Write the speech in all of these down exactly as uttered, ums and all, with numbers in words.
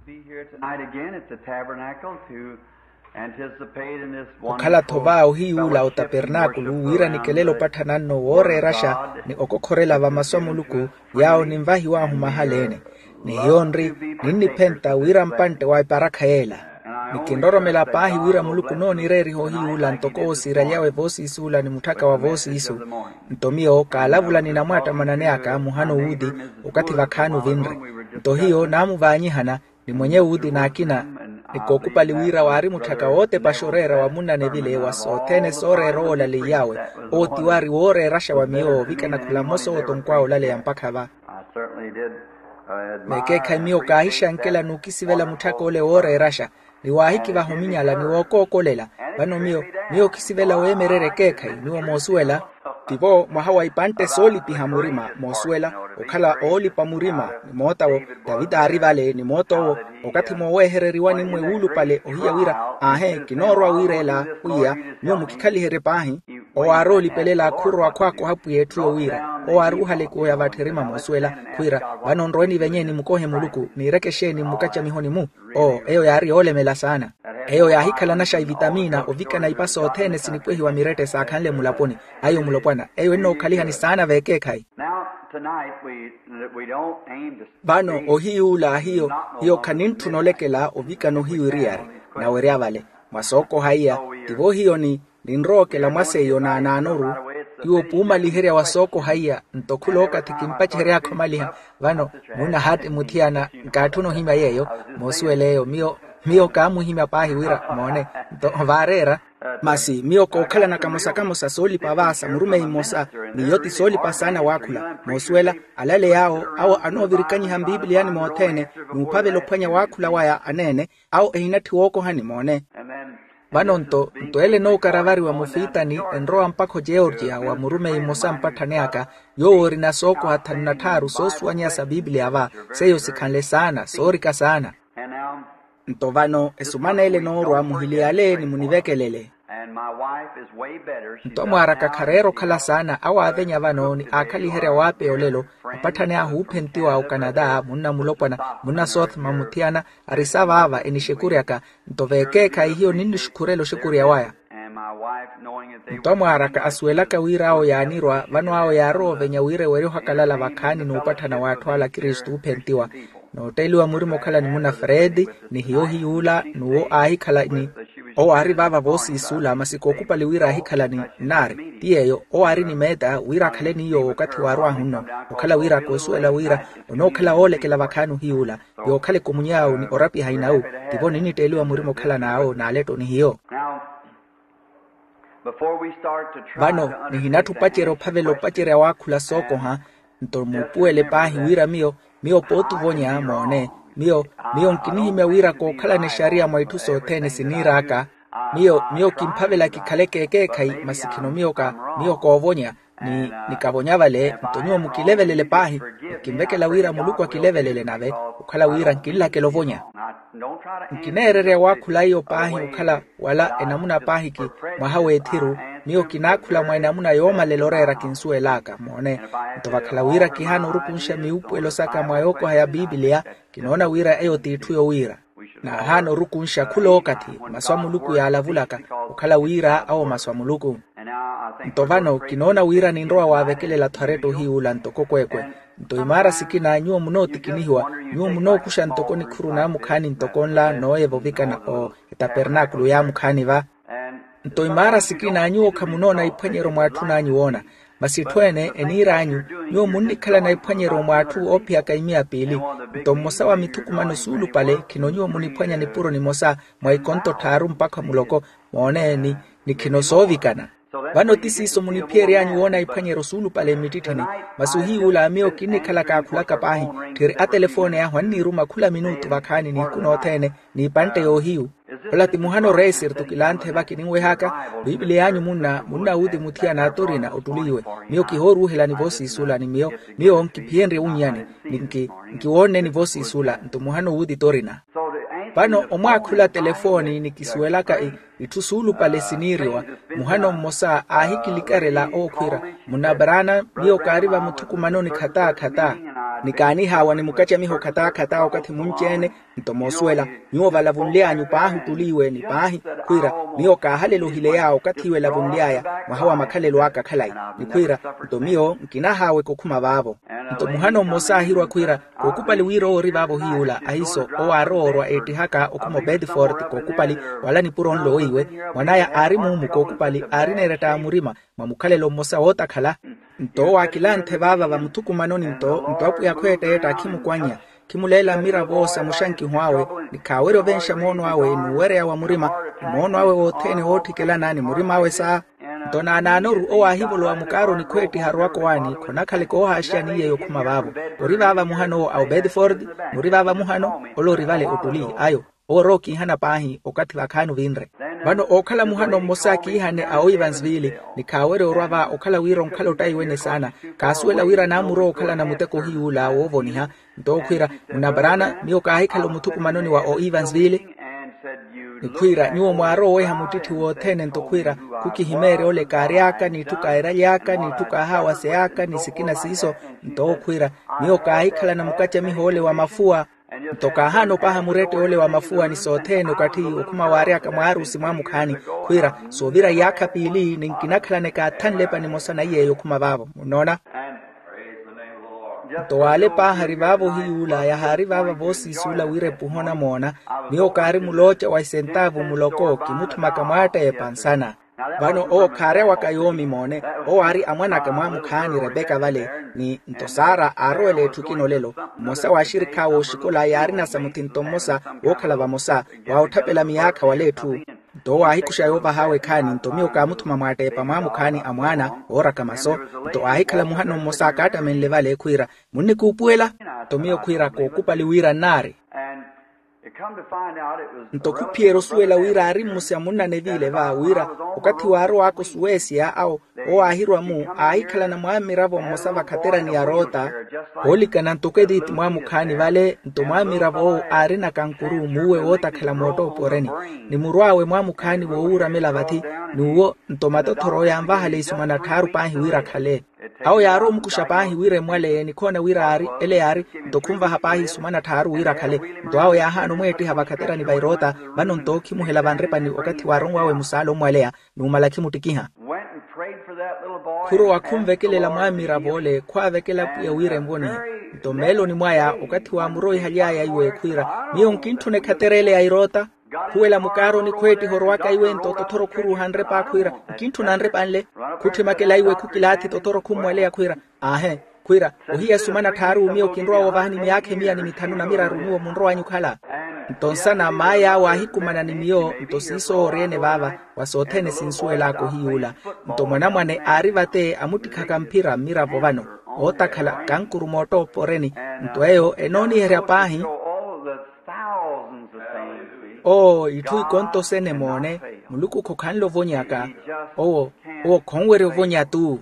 Be here tonight again at the tabernacle to anticipate in this one okhala-tho va ohiyuula otapernaakulu wira nikelele opatthana nno wooreeraxa ni okokhorela va masu a muluku yaawo ninvahiw'ahu mahala-ene. Ni hiyo nri ninniphenta wira mpantte wa eparakha yeela. Ni kinroromela paahi wira muluku onoonireeriha ohiyuula ntoko owo siiraly'awe voosiisuula ni mutthaka wa voosiisu. Nto miyo kaalavula ni namwattamanani aka muhano wuuti okathi vakhaani ovinre. Nto hiyo naamuvaanyihana ni mwenye wuuti n'akina. Ni kookupali wira waari mutthaka wootepaxa oreera wa munna nevile wa sothene sooreera owo olaleiy'awe. Owo ti waari wooreeraxa wa miyo ovikana khula mmosa owo tonkw'awe olaleya mpakha va. Veekeekhayi miyo kaahixankela n'ukisivela mutthaka ole wooreeraxa ni waahikivaha ominyala ni wookookolela. Vano miyo miyo okisivela weemererya ekeekhayi nyuwo moosuwela. Tivo mwaha wa ipantte soolipiha murima moosuwela okhala oolipa murima ni moot'awo. Tavita aari vale ni moot'owo okathi moowehereriwa ni mmwe wuulupale ohiya wira aahe kinoorwa wira ela. Pwiya nyuwo mukikhaliherye paahi. Owo aaroolipelela khurwa khwakoha pwiya etthu yowira owo aari ohalekuwa ya vattherima moosuwela khwiira vano nrowe nivenye nimukohe muluku niireke exeeni mmukacamihoni-mu. Oo eyo yaari yoolemela saana. Eyo yaahikhalanaxa ivitamiina ovikana ipa sothene sinipwehiwa mirette saakhanle mulaponi. Ayo mulopwana eyo ennookhalihani saana veekeekhayi. Vano ohiyuula hiyo hiyo khanintthuna olekela ovikana ohiyo eriyari nawerya vale mwa sookoha iya. Tivo hiyo ni ninrowa okela mwaseiyo naanaanoru. Tiwo puumaliherya wa sookoha iya nto khulookathi kimpacehery'akha omaliha. Vano munna haati muthiyana nkaatthuna ohimya yeeyo moosuwela eyo miyo miyo kaamuhimya paahi wira moone nto vaareera. Masi miyo kookhalana kamosa kamosa soolipa vaasa murumeyi mmosa n'iyo ti soolipa saana waakhula moosuwela. Alale yaawo awo anoovirikanyiha mbiipiliyani mothene n'uphavela ophwanya waakhula waya aneene awo ehinatthi wookohani moone. Vano nto nto ele enookaravariwa mufiitani enrowa mpakha ogeorgia wa murumeyi mmosa mpatthani aka yoowo orina sookoha thanu na tthaaru soosuwanyeya sa piipiliya va seiyo sikhanle saana soorika saana. Nto vano esumana ele enoorwa muhiliyale ni munivekelele. Nto mwaaraka khareera okhala saana awo aavenya vano ni aakhaliherya waapeya olelo apatthani ahu oophentiwa okanata munna mulopwana munna sothma muthiyana ari sa vaava enixekuryaka. Nto veekeekhayi hiyo ninnixukhurela oxekurya waya. Nto amwaaraka asuwelaka wira awo yaanirwa vano awo yaarowa ovenya wira ewerya ohakalala vakhaani n'upatthana w'atthu ala akristu oophentiwa. Nootteliwa murima okhala ni munna fredi ni hiyo hiyuula n'uwo aahikhala ni owo aari vaava voosiisuula masi kookupali wira aahikhala ni nnaari ti yeeyo owo aari ni meeta wira akhale ni yoowo okathi waarw'ahu nno. Okhala wira koosuwela wira onookhala woolekela vakhaani ohiyuula yookhala ekumuny'awe ni orapiha inawu tivo ninnitteeliwa murima okhalan'awe n'alettoni hiyo. Vano nihinatthi opacerya ophavela opacerya waakhula sookoha. Nto muupuwele paahi wira miyo miyo pooti ovonya moone miyo miyo nkinihimya wira kookhalana exariya mwa itthu sothene siniir'aka. Miyo miyo kimphavela kikhaleke ekeekhayi masi khino miyo ka miyo koovonya ni nikavonya vale nto nyuwo mukilevelele paahi. Nkinvekela wira muluku akilevelele nave okhala wira nkinlakela ovonya. Nkineererya waakhula iyo paahi okhala wala enamuna paahiki mwaha w'ethiru miyo kinaakhula mwa enamuna yoomalela oreera kinsuwel'aka moone. Nto vakhala wira kihaana orukunxa miwuupuwelo saka mwa yookoha ya piipiliya kinoona wira eyo t'itthu yowiira. Naahaana orukunxa khulookathi masu a muluku yaalavulaka okhala wira awo masu a muluku. Nto vano kinoona wira ninrowa waavekelela-tho aretta ohiyuula ntoko kweekwe. Nto imaara sikina nyuwo munootikinihiwa nyuwo munookuxa ntoko nikhuru naamukhaani ntoko nla nooyeva ovikana o etapernaakulu yaamukhaani va. Nto imaara sikina nyuwo khamunoona iphwanyeryo mwaatthun'anyu woona masi etthu ene eniir'anyu nyuwo munnikhalana iphwanyeryo mwaathu oophiyaka imiya piili. Nto mmosa wa mithukumano suulupale khino nyuwo muniphwanya nipuro nimosa mwa ikonto tthaaru mpakha muloko moone ni khino soovikana. Vano ti siiso muniphiyery'anyu woona iphwanyeryo suulupale mmittitthini. Masi ohiyuula miyo kinnikhalaka akhulaka paahi tthiri atelefooni ahu anniiruma khula minuutu vakhaani nihiku nothene n'ipantte yoohiyu. Ola ti muhano reesirtu kilanthe va kininweh'aka. Piipiliya y'anyu munna munna wuuti muthiyana atorina ottuliwe. Miyo kihooruuhelani voosiisuula ni miyo miyo nkiphiyenrye wunnyani ni nki nkiwoonneni voosiisuula nto muhano wuuti torina. Vano omwaakhula telefooni ni kisuwelaka itthu suulupale siniiriwa. Muhano mmosa aahikilikarela owo khwiira munna brana miyo kaari vamuthukumanoni khata khata. Ni kaanihaawa ni mukacamiho khataa-khataa okathi munci-ene. Nto moosuwela, nyuwo valavunly'anyu paahi ottuli iwe ni paahi, khwiira, miyo kaahalela ohileya okathi iwe elavunly'aya, mwaha wa makhalelo aka khalayi. Ni khwiira, nto miyo nkinahaaweka okhuma vaavo. Nto muhano mmosa aahirwa khwiira, kookupali wira owo ori vaavo ohiy'ula ahiiso owo aarowa orwa eettihaka okhuma obedford kookupali, wala nipuro nlo weiwe, mwan'aya aari muumu kookupali aarina eretta ya murima, mwa mukhalelo mmosa wootakhala. Nto owo aakilanthe vaava vamuthukumanoni nto nto apwiya khweetta-etta akhimukwanya, khimuleela mmiravo sa muxankiho awe, ni khaawerya ovenxa moono awe n'uwereya wa murima, ni moono awe wothene woottikelana ni murima awe sa. Nto naanaanoru owo aahivolowa mukaaroni khweettiha arowaka owaani khonakhaleke oohaaxiyani iy'eyo okhuma vaavo. Ori vaava muhano owo a obedford, n'uri vaava muhano, ole ori vale ottuli ayo. Owo orowa okiihana paahi okathi vakhaani ovinre. Vano ookhala muhano mmosa akiihane a oivansville, ni khaawerya orwa va okhala wira onkhala ottaiwene saana. Khaasuwela wira naamurowa okhalana muteko ohiy'ula woovoniha. Nto owo khwiira, munabarana miyo kaahikhala omuthukumanoni wa oivansville. Ni khwiira nyuwo mwaarowa oweha muttitthi wothene nto khwiira, khukihimeerya ole kaary'aka n'itthu kaairaly'aka n'itthu kaahaawasey'aka ni sikina siiso. Nto owo khwiira, miyo kaahikhalana mukacamiho ole wa mafuwa. Nto kaahaana opaha murette ole wa mafuwa ni sothene okathi okhuma waary'aka mwaarusi mwaamukhaani, khwiira soovira iyaakha piili ni nkinakhalaneke athanlepa nimosa na iy'eyo okhuma vaavo munnoona. Nto waale paahari vaavo ohiy'ula yahaari vaava voosiisuula wira epuha onamoona. Miyo kaari mulooca wa esentaavu muloko kimuthumaka mwaatteepa nsana. Vano owo khaarya waka yoomi moone. Owo aari amwan'aka mwaamukhaani repeka vale, ni nto sara aarowela etthu ekina olelo. Mmosa w'axirikhi awe oxikola yaarina sa muthinto mmosa wookhala vamosa, wa otthapela miyaakha wala etthu. Nto owo aahikuxa yoovah'awe ekhaani nto miyo kaamuthuma mwaatteepa mwaamukhaani a mwaana, ooraka maso. Nto aahikhala muhano mmosa akaattamenle vale khwiira, munnikuupuwela? Nto miyo khwiira kookupali wira nnaari. Nto khuphiyerya osuwela wira aari mmusi a munnane viile va wira, okathi waarow'aka osuweesiya awo, owo aahirwa-mu aahikhalana mwaamiravo mmosa vakhaterani ya roota. Oolikana ntoko editi mwaamukhaani vale nto mwaamiravo owo aarina kankuru muuwe wootakhala moottooporeni, ni murw'awe mwaamukhaani woowuuramela vathi. N'uwo nto matothoro yanvahala isumana tthaaru paahi wira akhale. Awo yaarowa omukuxa paahi wira emwaleye nikhoona wira aari ele yaari. Nto khunvaha paahi isumana tthaaru wira akhale. Nto awo yaahaana omweettiha vakhaterani va eroota. Vano nto ookhimuhela vanrepani okathi waaronw'awe musaala omwaleya, numala khimuttikiha. Khurowa khunvekelela mwaamiravo ole khwaavekela pwiya wira envonihe. Nto mmeeloni mwaya okathi waamuroihaly'aya iwe khwiira, miyo nkintthuna ekhaterele ya eroota. Khuwela mukaaroni khweettiha orowaka iwe nto tothoro khuruuha nrepa khwiira, nkintthuna nrepa nle. Khutthimakela iwe khukilaathi tothoro khummwaleya khwiira, aahe, khwiira, ohiya esumana tthaaru miyo kinrowa woovahani miyaakha emiya ni mithanu na miraru nyuwo munrowanyu okhala. Nto nsana maay'awe aahikumana ni miyo nto siiso oori-ene vaava, wa sothene sinsuwel'aka ohiy'ula. Nto mwanamwane aari vate amuttikhaka mphira mmiravo vano, ootakhala kankuru moottooporeni. Nto eyo enooniherya paahi. Oo itthu ikontosene moone, muluku khokhanle ovonyaka. Owo owo khonwerya ovonya-tu.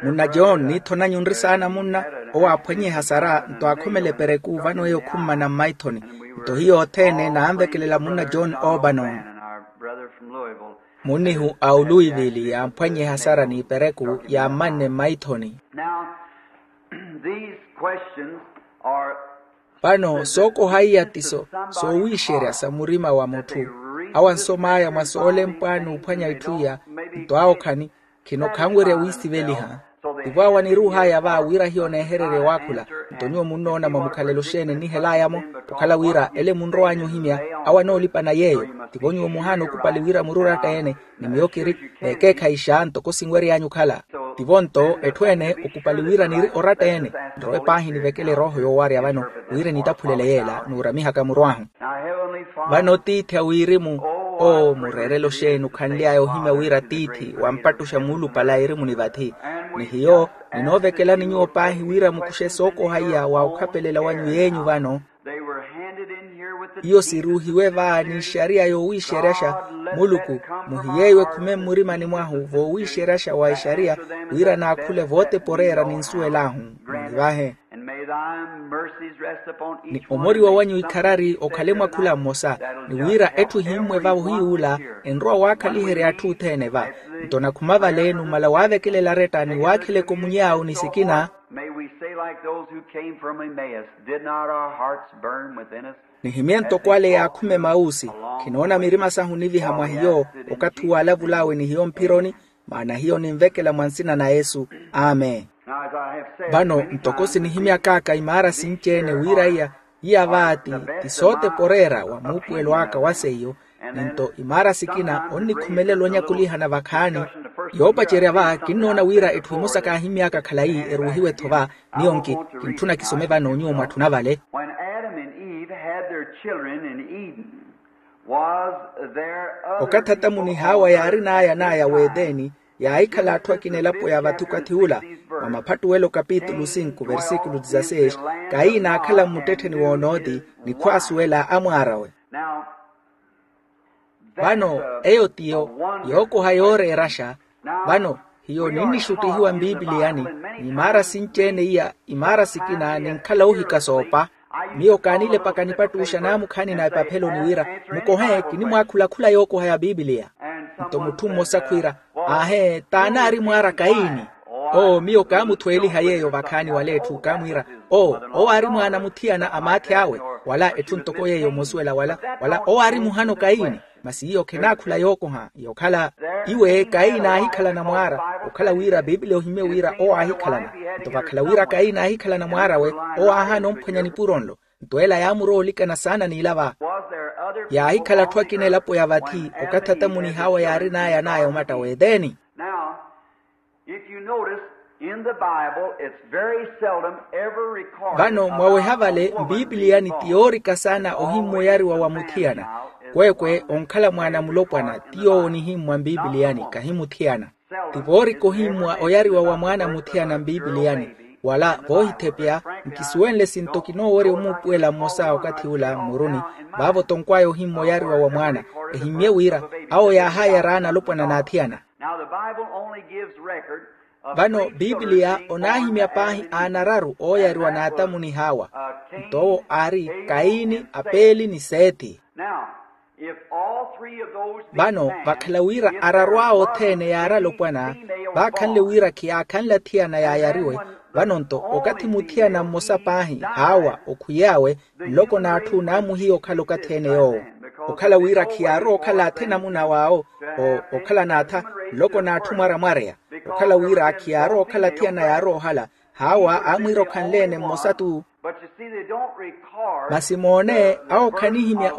Munna john niithonanyu nri saana munna. Owo aaphwanye ehasara nto aakhomela epereku vano eyo khummana mmaithoni. Nto hiyo othene naanvekelela munna john obanon. Munnihu a oluivili yaamphwanye ehasara n'ipereku yaammanne mmaithoni. Vano sookoha iya ti so soowiixerya sa murima wa mutthu. Awo ansom'aya mwa soolempwa n'uphwanya itthu iya. Nto awo khani khino khanwerya wiisiveliha. Tivo awo aniruuh'aya va wira hiyo neehererya owaakhula. Nto nyuwo munnoona mwa mukhalelo xeeni nnihel'aya-mo? Okhala wira ele munrow'anyu ohimya, awo anoolipana yeeyo. Tivo nyuwo muhaana okupali wira muri oratta-ene, ni miyo kiri n'ekeekhayi xa ntoko sinwery'anyu okhala. Tivo nto etthu ene okupali wira niri oratta-ene. Nrowe paahi nivekele erooho yoowarya vano wira enitaphulele yeela n'uramihaka muru ahu. Vano tiithi a wirimu, oo mureerelo xeeni okhanly'aya ohimya wira tiithi wampattuxa muulupale a erimuni vathi. Ni hiyo ninoovekelani nyuwo paahi wira mukuxe sookoha iya wa okhapelela wanyu yeenyu vano. Iyo siruuhiwe va n'ixariya yoowiixeryaxa. Muluku muhiyeiwe khume mmurimani mwahu voowiixeryaxa wa ixariya, wira naakhule vootepa oreera ninsuwel'ahu. Munivahe. Ni omoriwa wanyu ikharari okhale mwa khula mmosa. Ni wira etthu ehimmwe va ohiy'ula enrowa waakhaliherya atthu othene va. Nto nakhuma vale numala waavekelela aretta ni waakheleke omunyi awo ni sikina. Like those who came from Emmaus, did not our hearts burn within us? Nihimye ntoko ale yaakhume mausi. Khinoona mirima sahu niviha mwa hiyo, okathi uwo alavul'awe ni hiyo mphironi. Maana hiyo ninvekela mwa nsina na yesu. Amen. Vano ntoko sinihimyak'aka imaara sinci-ene wira iya iya vaati ti sooteporeera wa muupuwelo aka wa seiyo. Ni nto imaara sikina onnikhumelela onyakulihana vakhaani. Yoopacerya va kinnoona wira etthu emosa kaahimy'aka khalayi eruuhiwe-tho va. Miyo nki kintthuna kisome vano nyuwo mwatthuna vale. When Adam and Eve had their children in Eden, was there other okathi atamu ni hawa yaarin'aya an'aya w'edeni, yaahikhala atthu akina elapo ya vathi okathi ula. Mwa maphattuwelo kapitulu sinku versikulu dizaseis, kaina aakhala mmuttettheni w'onooti, ni khwaasuwela amwaarawe. Vano eyo tiyo yookoha yooreeraxa. Vano hiyo ninnixuttihiwa mpiipiliyani, ni imaara sinci-ene iya imaara sikina ninkhala oohika soopa. Miyo kaanilepaka nipattuxa naamukhaani na epapheloni wira mukohe kinimwaakhula khula yookoha ya piipiliya. Nto mutthu mmosa khwiira, aahe t'anaari mwaara kaini. Oo miyo kaamuthweeliha yeeyo vakhaani wala etthu kaamwiira, oo owo aari mwaana muthiyana a maathi awe. Wala etthu ntoko yeeyo mmosuwela wala wala owo aari muhano kaini. Masi iyo khenaakhula yookoha yokhala iwe kaini aahikhalana mwaara. Okhala wira piipiliya ohimye wira owo aahikhalana. Nto vakhala wira kaini aahikhalana mwaar'awe, owo aahaana omphwanya nipuro nlo. Nto ela yaamurowa olikana saana n'ila va. Yaahikhala atthu akina elapo ya vathi okathi atamu ni hawa yaarin'aya an'aya omatta w'edeni. Now, if you notice, in the Bible it's very seldom ever recorded. Vano mwaweha vale mpiipiliyani ti yoorika saana ohimmwa oyariwa wa muthiyana. Kweekwe onkhala mwaana mulopwana ti yoowo onihimmwa mpiipiliyani kahi muthiyana. Ti voorika ohimmwa oyariwa wa mwaana muthiyana mpiipiliyani. Wala voohithepya nkisuwenle sinto kinoowerya omuupuwela mmosa okathi ula mmuruni. Vaavo tonkw'aya ohimmwa oyariwa wa mwaana ehimmye wira awo yaahayara aana alopwana n'athiyana. Now the Bible only gives record of vano piipiliya onaahimya paahi aana araru ooyariwa n'atamu ni hawa. Nto owo aari kaini apeeli ni sethi. Now, vano vakhala wira araru awo othene yaari alopwana vaakhanle wira khiyaakhanle athiyana yaayariwe. Vano nto okathi muthiyana mmosa paahi hawa okhwiy'awe nloko n'atthu naamuhiya okhala okathi ene yoowo. Okhala wira khiyaarowa okhala athe namuna waawo okhala n'atha nloko n'atthu mwaramwareya. Okhala wira khiyaarowa okhala athiyana yaarowa ohala hawa aamwiira okhanle-ene mmosa-tu. Masi moone awo khanihimya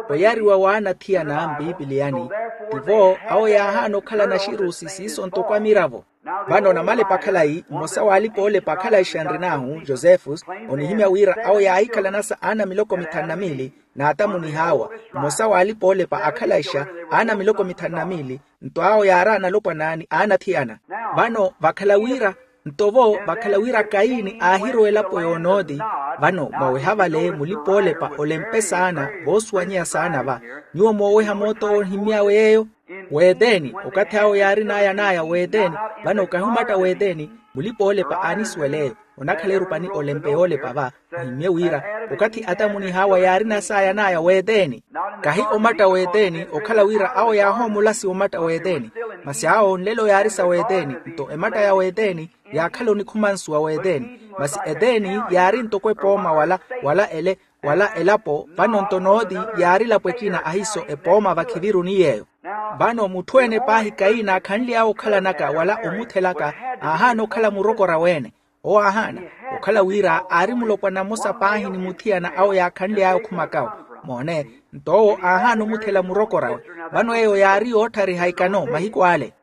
oyariwa w'anathiyana mpiipiliyani. Tivo awo yaahaana okhala naxirusi siiso ntoko amiravo. Vano namalepa khalayi mmosa w'alipa-oolepa akhalayixa nrin'ahu josefus onihimya wira awo yaahikhalanasa aana miloko mithanu na miili n'atamu ni hawa. Mmosa w'alipa-oolepa akhalayixa aana miloko mithanu na miili. Nto awo yaaraana alopwana ni aanathiyana. Vano vakhala wira nto-vo vakhala wira kaini aahirowa elapo y'onooti. Vano mwaweha vale mulipa-oolepa olempe saana voosuwanyeya saana va. Nyuwo mooweha moota ohimmy'awe yeeyo w'eteni okathi awo yaarin'aya an'aya w'eteni. Vano kahi omatta w'eteni mulipa-oolepa aanisuwela eyo onakhala erupani olempe yoolepa va. Ohimmye wira okathi atamu ni hawa yaarinas'aya an'aya w'eteni kahi omatta w'eteni okhala wira awo yaahoomolasiwa omatta w'eteni. Masi awo nlelo yaari sa w'eteni nto ematta ya w'eteni yaakhala onikhumansuwa w'eteni. Masi eteni yaari ntoko epooma wala wala ele wala elapo vano nto nooti yaari elapo ekina ahiiso epooma vakhiviruni yeeyo. Vano mutthu-ene paahi kaini aakhanly'awe okhalanaka wala omuthelaka aahaana okhala murokor'awe-ene. Owo aahaana okhala wira aari mulopwana mmosa paahi ni muthiyana awo yaakhanly'aya okhumakawe. Moone nto owo aahaana omuthela murokor'awe. Vano eyo yaari yootthariha ikano mahiku ale.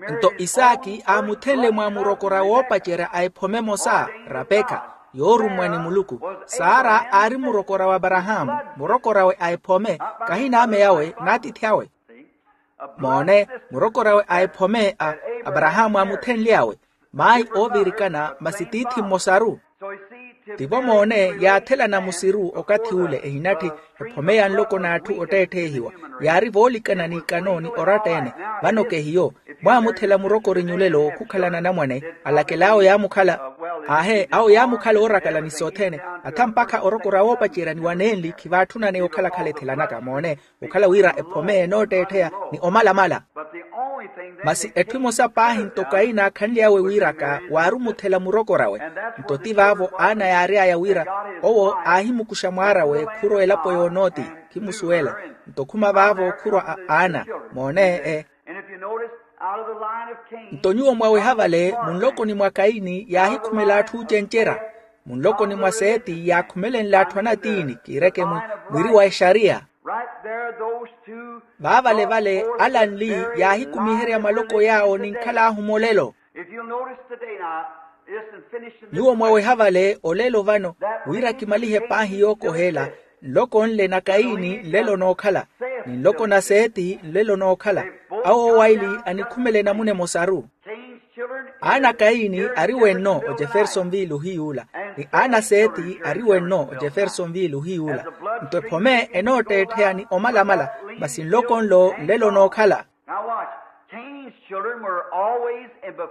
Nto isaaki aamuthenle mwa murokor'awe oopacerya a ephome emosa rapekha yoorummwa ni muluku. Sara aari murokor'awe aparahaamu murokor'awe a ephome kahi n'ame awe n'atiithi awe. Moone murokor'awe a ephome a aparahaamu aamuthenly'awe. Maayi oovirikana masi tiithi mmosaru. Tivo moone yaathelana musiru okathi ule ehinatthi ephome ya nloko n'atthu otteettheehiwa. Yaari voolikana n'ikano ni oratta-ene. Vano kehiyo mwaamuthela murokori nyulelo khukhalana anamwane alakel'awe yaamukhala. Aahe awo yaamukhala oorakala ni sothene atha mpakha orokora woopacerya ni wanenli khivaatthunane okhalakhala ethelanaka moone okhala wira ephome enootteettheya ni omalamala. Masi etthu emosa paahi nto kaina akhanly'awe wiiraka waari omuthela murokor'awe. Nto ti vaavo ana yaary'aya wira owo aahimukuxa mwaar'awe khurwa elapo y'onooti. Khimusuwela. Nto khuma vaavo khurwa a ana. Moone e. Nto nyuwo mwaweha vale munlokoni mwa kaini yaahikhumela atthu oocencerya. Munlokoni mwa seeti yaakhumelenle atthu anatiini kiireke mwiri wa exariya. Vaavale vale ala nli yaahikumiherya maloko yaawo ninkhal'ahu molelo. Nyuwo mwaweha vale olelo vano wira kimalihe paahi yookohela. Nloko nle na kaini nlelo nookhala ni nloko na seeti nlelo nookhala. Awo owaili anikhumele namuna emosaru. Aana a kaini ari wenno ojeffersonville ohiy'ula ni aana a seeti ari wenno ojeffersonville ohiy'ula. Nto ephome enootteettheya ni omalamala masi nloko nlo nlelo nookhala.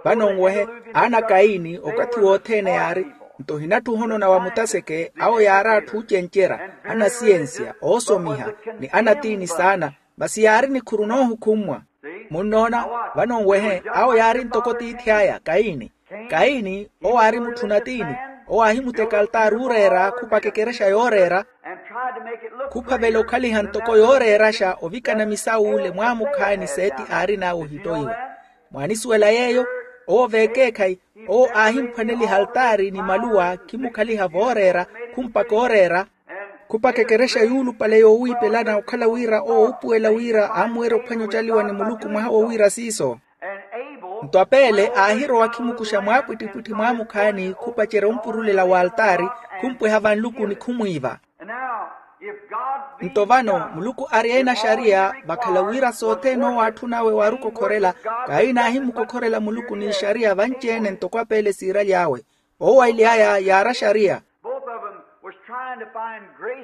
Vano nwehe aana a kaini okathi wothene yaari. Nto ohinatthu ohonona wa mutaseke awo yaari atthu oocencerya anasiyensiya oosomiha ni anatiini saana. Masi yaari nikhuru noohukhummwa. Munnoona? Vano nwehe awo yaari ntoko tiithi aya kaini. Kaini owo aari mutthu natiini. Owo aahimuteka altaari ooreera khupaka ekerexa yooreera khuphavela okhaliha ntoko yooreeraxa ovikana misaw'ule mwaamukhaani seeti aarin'awe ohittoiwa. Mwaanisuwela yeeyo? Owo veekeekhayi owo aahimphwaneliha altaari ni maluwa khimukhaliha vooreera khumpaka ooreera khupaka ekerexa yuulupale yoowiipelana okhala wira owo oopuwela wira aamuwerya ophwanya ocaliwa ni muluku mwaha wowiira siiso. Nto apeele aahirowa khimukuxa mwaapwittipwitthi mwaamukhaani khupacerya ompurulela w'altaari khumpweha vanlukuni khumwiiva. Nto vano muluku ari eena axariya vakhala wira sothene owo atthun'awe waari okokhorela. Kaini aahimukokhorela muluku n'ixariya vanci-ene ntoko apeele siiraly'awe. Owaili aya yaari axariya.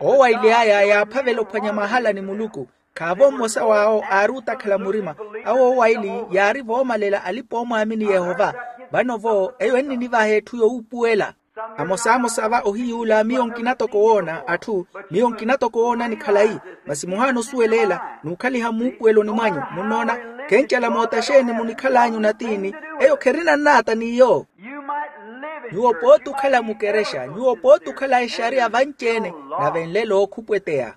Owaili aya yaaphavela ophwanya mahala ni muluku. Khaavo mmosa w'awo aari ootakhala murima. Awo owaili yaari voomalela alipa-oomwaamini yehova. Vano-vo eyo enninivaha etthu yowuupuwela. Amosamosa va ohiy'ula miyo nkina toko woona atthu. Miyo nkina toko woonani khalayi. Masi muhaana osuweleela n'ukhaliha muupuweloni mwanyu munnoona. Kencala moota xeeni munikhal'anyu natiini? Eyo kherinannaata n'iyo. Nyuwo pooti okhala mukerexa nyuwo pooti okhala exariya vanci-ene. Nave nlelo khupweteya.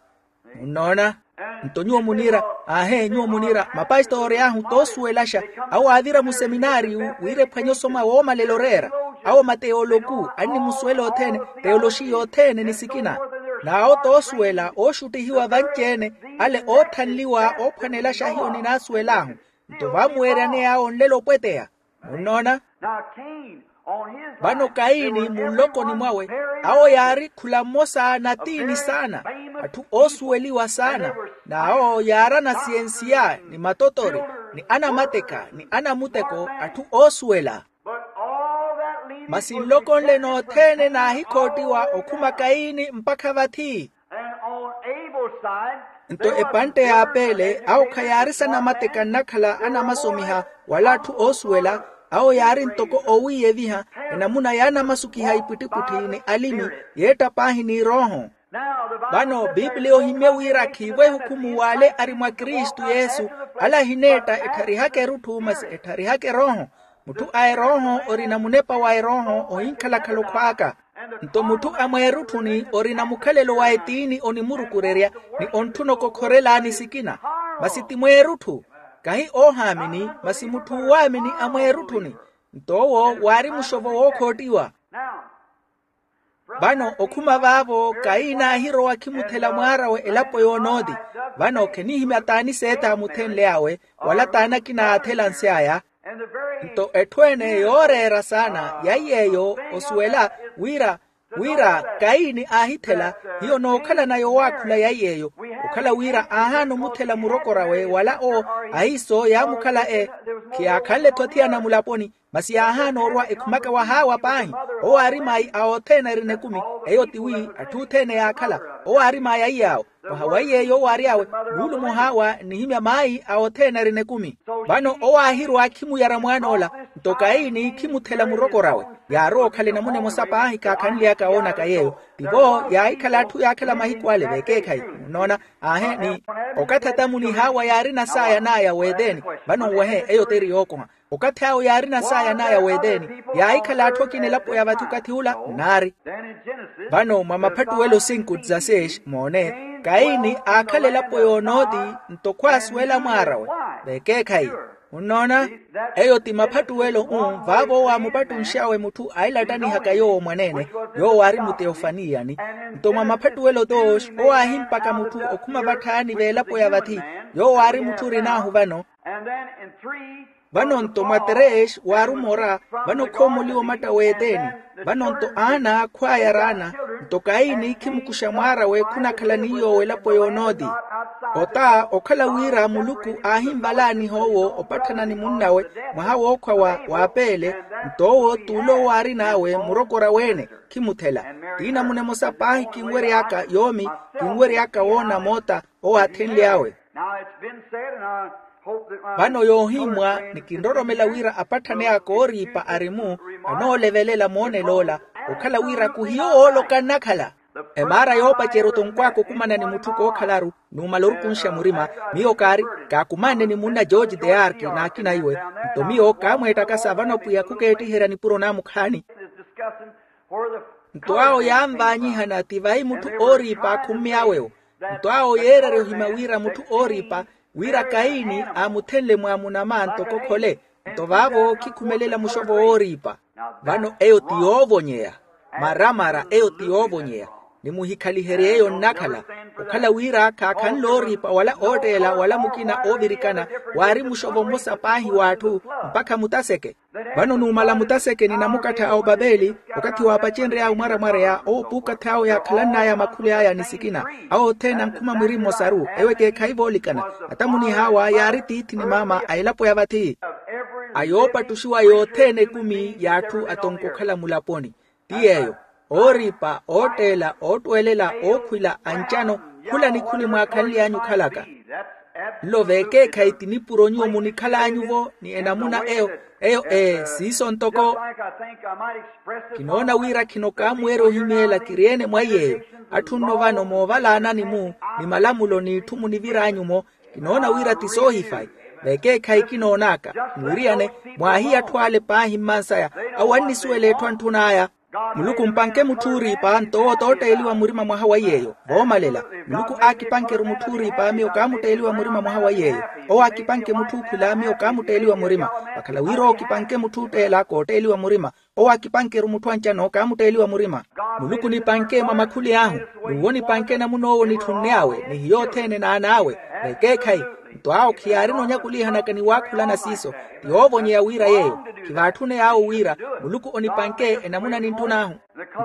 Munnoona? Nto nyuwo muniira. Aahe nyuwo muniira mapastori ahu toosuwelaxa. Awo aavira museminaariyu wira ephwanye osoma woomalela oreera. Awo mateyoloku annimusuwela othene. Teyoloxiya othene ni sikina. N'awo toosuwela ooxuttihiwa vanci-ene. Ale oothanliwa oophwanelaxa hiyo ninaasuwel'ahu. Nto vaamuweeryaneya awo nlelo opweteya. Munnoona? Vano kaini munlokoni mwawe awo yaari khula mmosa natiini saana. Atthu oosuweliwa saana. N'awo yaari anasiyensiya ni matotori ni anamateka ni anamuteko atthu oosuwela. Masi nloko nle nothene naahikhottiwa okhuma kaini mpakha vathi. Nto epantte y'apeele awo khayaari sanamateka nnakhala anamasomiha wala atthu oosuwela. Awo yaari ntoko owiiyeviha enamuna yaanamasukiha ipwittipwitthi ni alimi yeetta paahi n'irooho. Vano bibliya ohimye wira khiivo ehukhumu w'ale ari mwa kristu yesu. Ale ahineetta ettharihaka erutthu masi ettharihaka erooho. Mutthu a erooho orina munepa wa erooho ohinkhalakhala okhwaaka. Nto mutthu a mweerutthuni orina mukhalelo wa etiini onimurukurerya ni ontthuna okokhorela ni sikina. Masi ti mweerutthu kahi oohaamini masi mutthu oowaamini a mweerutthuni. Nto owo waari muxovo wookhottiwa. Vano okhuma vaavo kaini aahirowa khimuthela mwaar'awe elapo y'onooti. Vano khenihimya t'ani seetha amuthenle awe wala t'ani akina aathela nse aya. Nto etthu ene yooreera saana yaiy'eyo osuwela wira wira kaini aahithela hiyo nookhalana yowaakhula yaiy'eyo. Okhala wira aahaana omuthela murokor'awe wala owo ahiiso yaamukhala e khiyaakhanle-tho athiyana mulaponi. Masi yaahaana orwa ekhumaka wa haawa paahi. Owo aari mayi a othene arina ekumi. Eyo tiwi atthu othene yaakhala owo aari mayi aiy'awo. Mwaha wa iy'eyo owo aary'awe luulumo haawa nnihimya mayi a othene arina ekumi. Vano owo aahirwa khimuyara mwaan'ola. Nto kaini khimuthela murokor'awe, yaarowa okhala enamuna emosa paahi kaakhanly'aka woonaka yeeyo. Tivo yaahikhala atthu yaakhala mahiku ale veekeekhayi. Nnoona? Aahe ni okathi atamu ni haawa yaarina saaya n'aya w'eteni. Vano nwehe eyo t'eri yookoha. Okathi awo yaarina saaya n'aya w'eteni, yaahikhala atthu akina elapo ya vathi okathi ula. Nnaari. Vano mwa maphattuwelo sinku dzaseis moone, kaini aakhala elapo y'onooti. Nto khwaasuwela mwaar'awe veekeekhayi. Munnoona? Eyo ti maphattuwelo-u. Vaavo owo aamupattunx'awe mutthu ailattanihaka yoowo mwaneene, yoowo aari muteofaniyani. Nto mwa maphattuwelo doos owo aahimpaka mutthu okhuma vatthaani v'elapo ya vathi, yoowo aari mutthu orin'ahu vano. Vano nto mwa terees waari omora, vano khoomoliwa omatta w'eteni. Vano nto aana khwaaya araana. Nto kaini khimukuxa mwaar'awe khunakhala ni yoowo elapo y'onooti. Ota okhala wira muluku aahinvalaaniha owo opatthana ni munn'awe mwaha wookhwa wa w'apeele. Nto owo t'ule owo aarin'awe murokor'awe-ene, khimuthela. Ti namuna emosa paahi kinwery'aka yoomi, kinwery'aka woona moota owo aathenly'awe. Vano yoohimmwa ni kinroromela wira apatthani aka ooriipa ari-mu, anoolevelela moonel'ola, okhala wira khuhiyo ooloka nnakhala. Emaara yoopacerya otonkw'aka okumana ni mutthu kookhalaru, numala orukunxa murima. Miyo kaari, kaakumanne ni munna george deark n'akina iwe. Nto miyo kaamweettakasa vano pwiya khukeettiherya nipuro naamukhaani. Nto awo yaanvaanyihana ti vahi mutthu ooriipa akhummy'awe-wo. Nto awo yeererya ohimya wira mutthu ooriipa, wira kaini aamuthenle mwaamuna ma ntoko khole. Nto vaavo khikhumelela muxovo wooriipa. Vano eyo ti yoovonyeya. Maramara eyo ti yoovonyeya. Nimuhikhaliherye eyo nnakhala, okhala wira khaakhanle ooriipa wala ootteela wala mukina oovirikana, waari muxovo mmosa paahi w'atthu, mpakha mutaseke. Vano numala mutaseke ni namukattha a opapeli, okathi waapacenry'awe mwaramwareya owo puukathi awo yaakhalann'aya makhuli aya ni sikina, awo othene ankhuma mwiri mmosaru ewo ekeekhayi voolikana. Atamu ni haawa yaari tiithi ni maama a elapo ya vathi, a yoopattuxiwa yothene ekumi y'atthu atonko okhala mulaponi. Ti yeeyo, ooriipa, ootteela, oottweelela, ookhwila, ancano, khula ni khuli mwaakhanly'anyu okhalaka. Nlo veekeekhayi ti nipuro nyuwo munikhal'anyuvo ni enamuna eyo. Eyo ee siiso ntoko. Kinoona wira khino kaamuweerya ohimyeela kiri-ene mwa iy'eyo. Atthu nno vano moovalaanani-mu ni malamulo n'itthu munivir'anyu-mo. Kinoona wira ti soohifayi. Veekeekhayi kinoon'aka, mwiriyane, mwaahiya atthu ale paahi mmansaya, awo annisuwela etthu antthun'aya. Muluku mpanke mutthu ooriipa nto owo tootteeliwa murima mwaha wa iy'eyo. Voomalela, muluku aakipanke-ru mutthu ooriipa miyo kaamutteeliwa murima mwaha wa iy'eyo. Owo aakipanke mutthu okhwila miyo kaamutteeliwa murima. Vakhala wira owo kipanke mutthu ootteela kootteeliwa murima. Owo aakipanke-ru mutthu ancano kaamutteeliwa murima. Muluku nipanke mwa makhuli ahu. N'uwo nipanke namun'owo nitthunne awe ni hiyo othene n'an'awe. Veekeekhayi, nto awo khiyaarina onyakulihanaka ni waakhulana siiso. Ti yoovonyeya wira yeeyo. Khivaatthune awo wira muluku onipanke enamuna nintthun'ahu.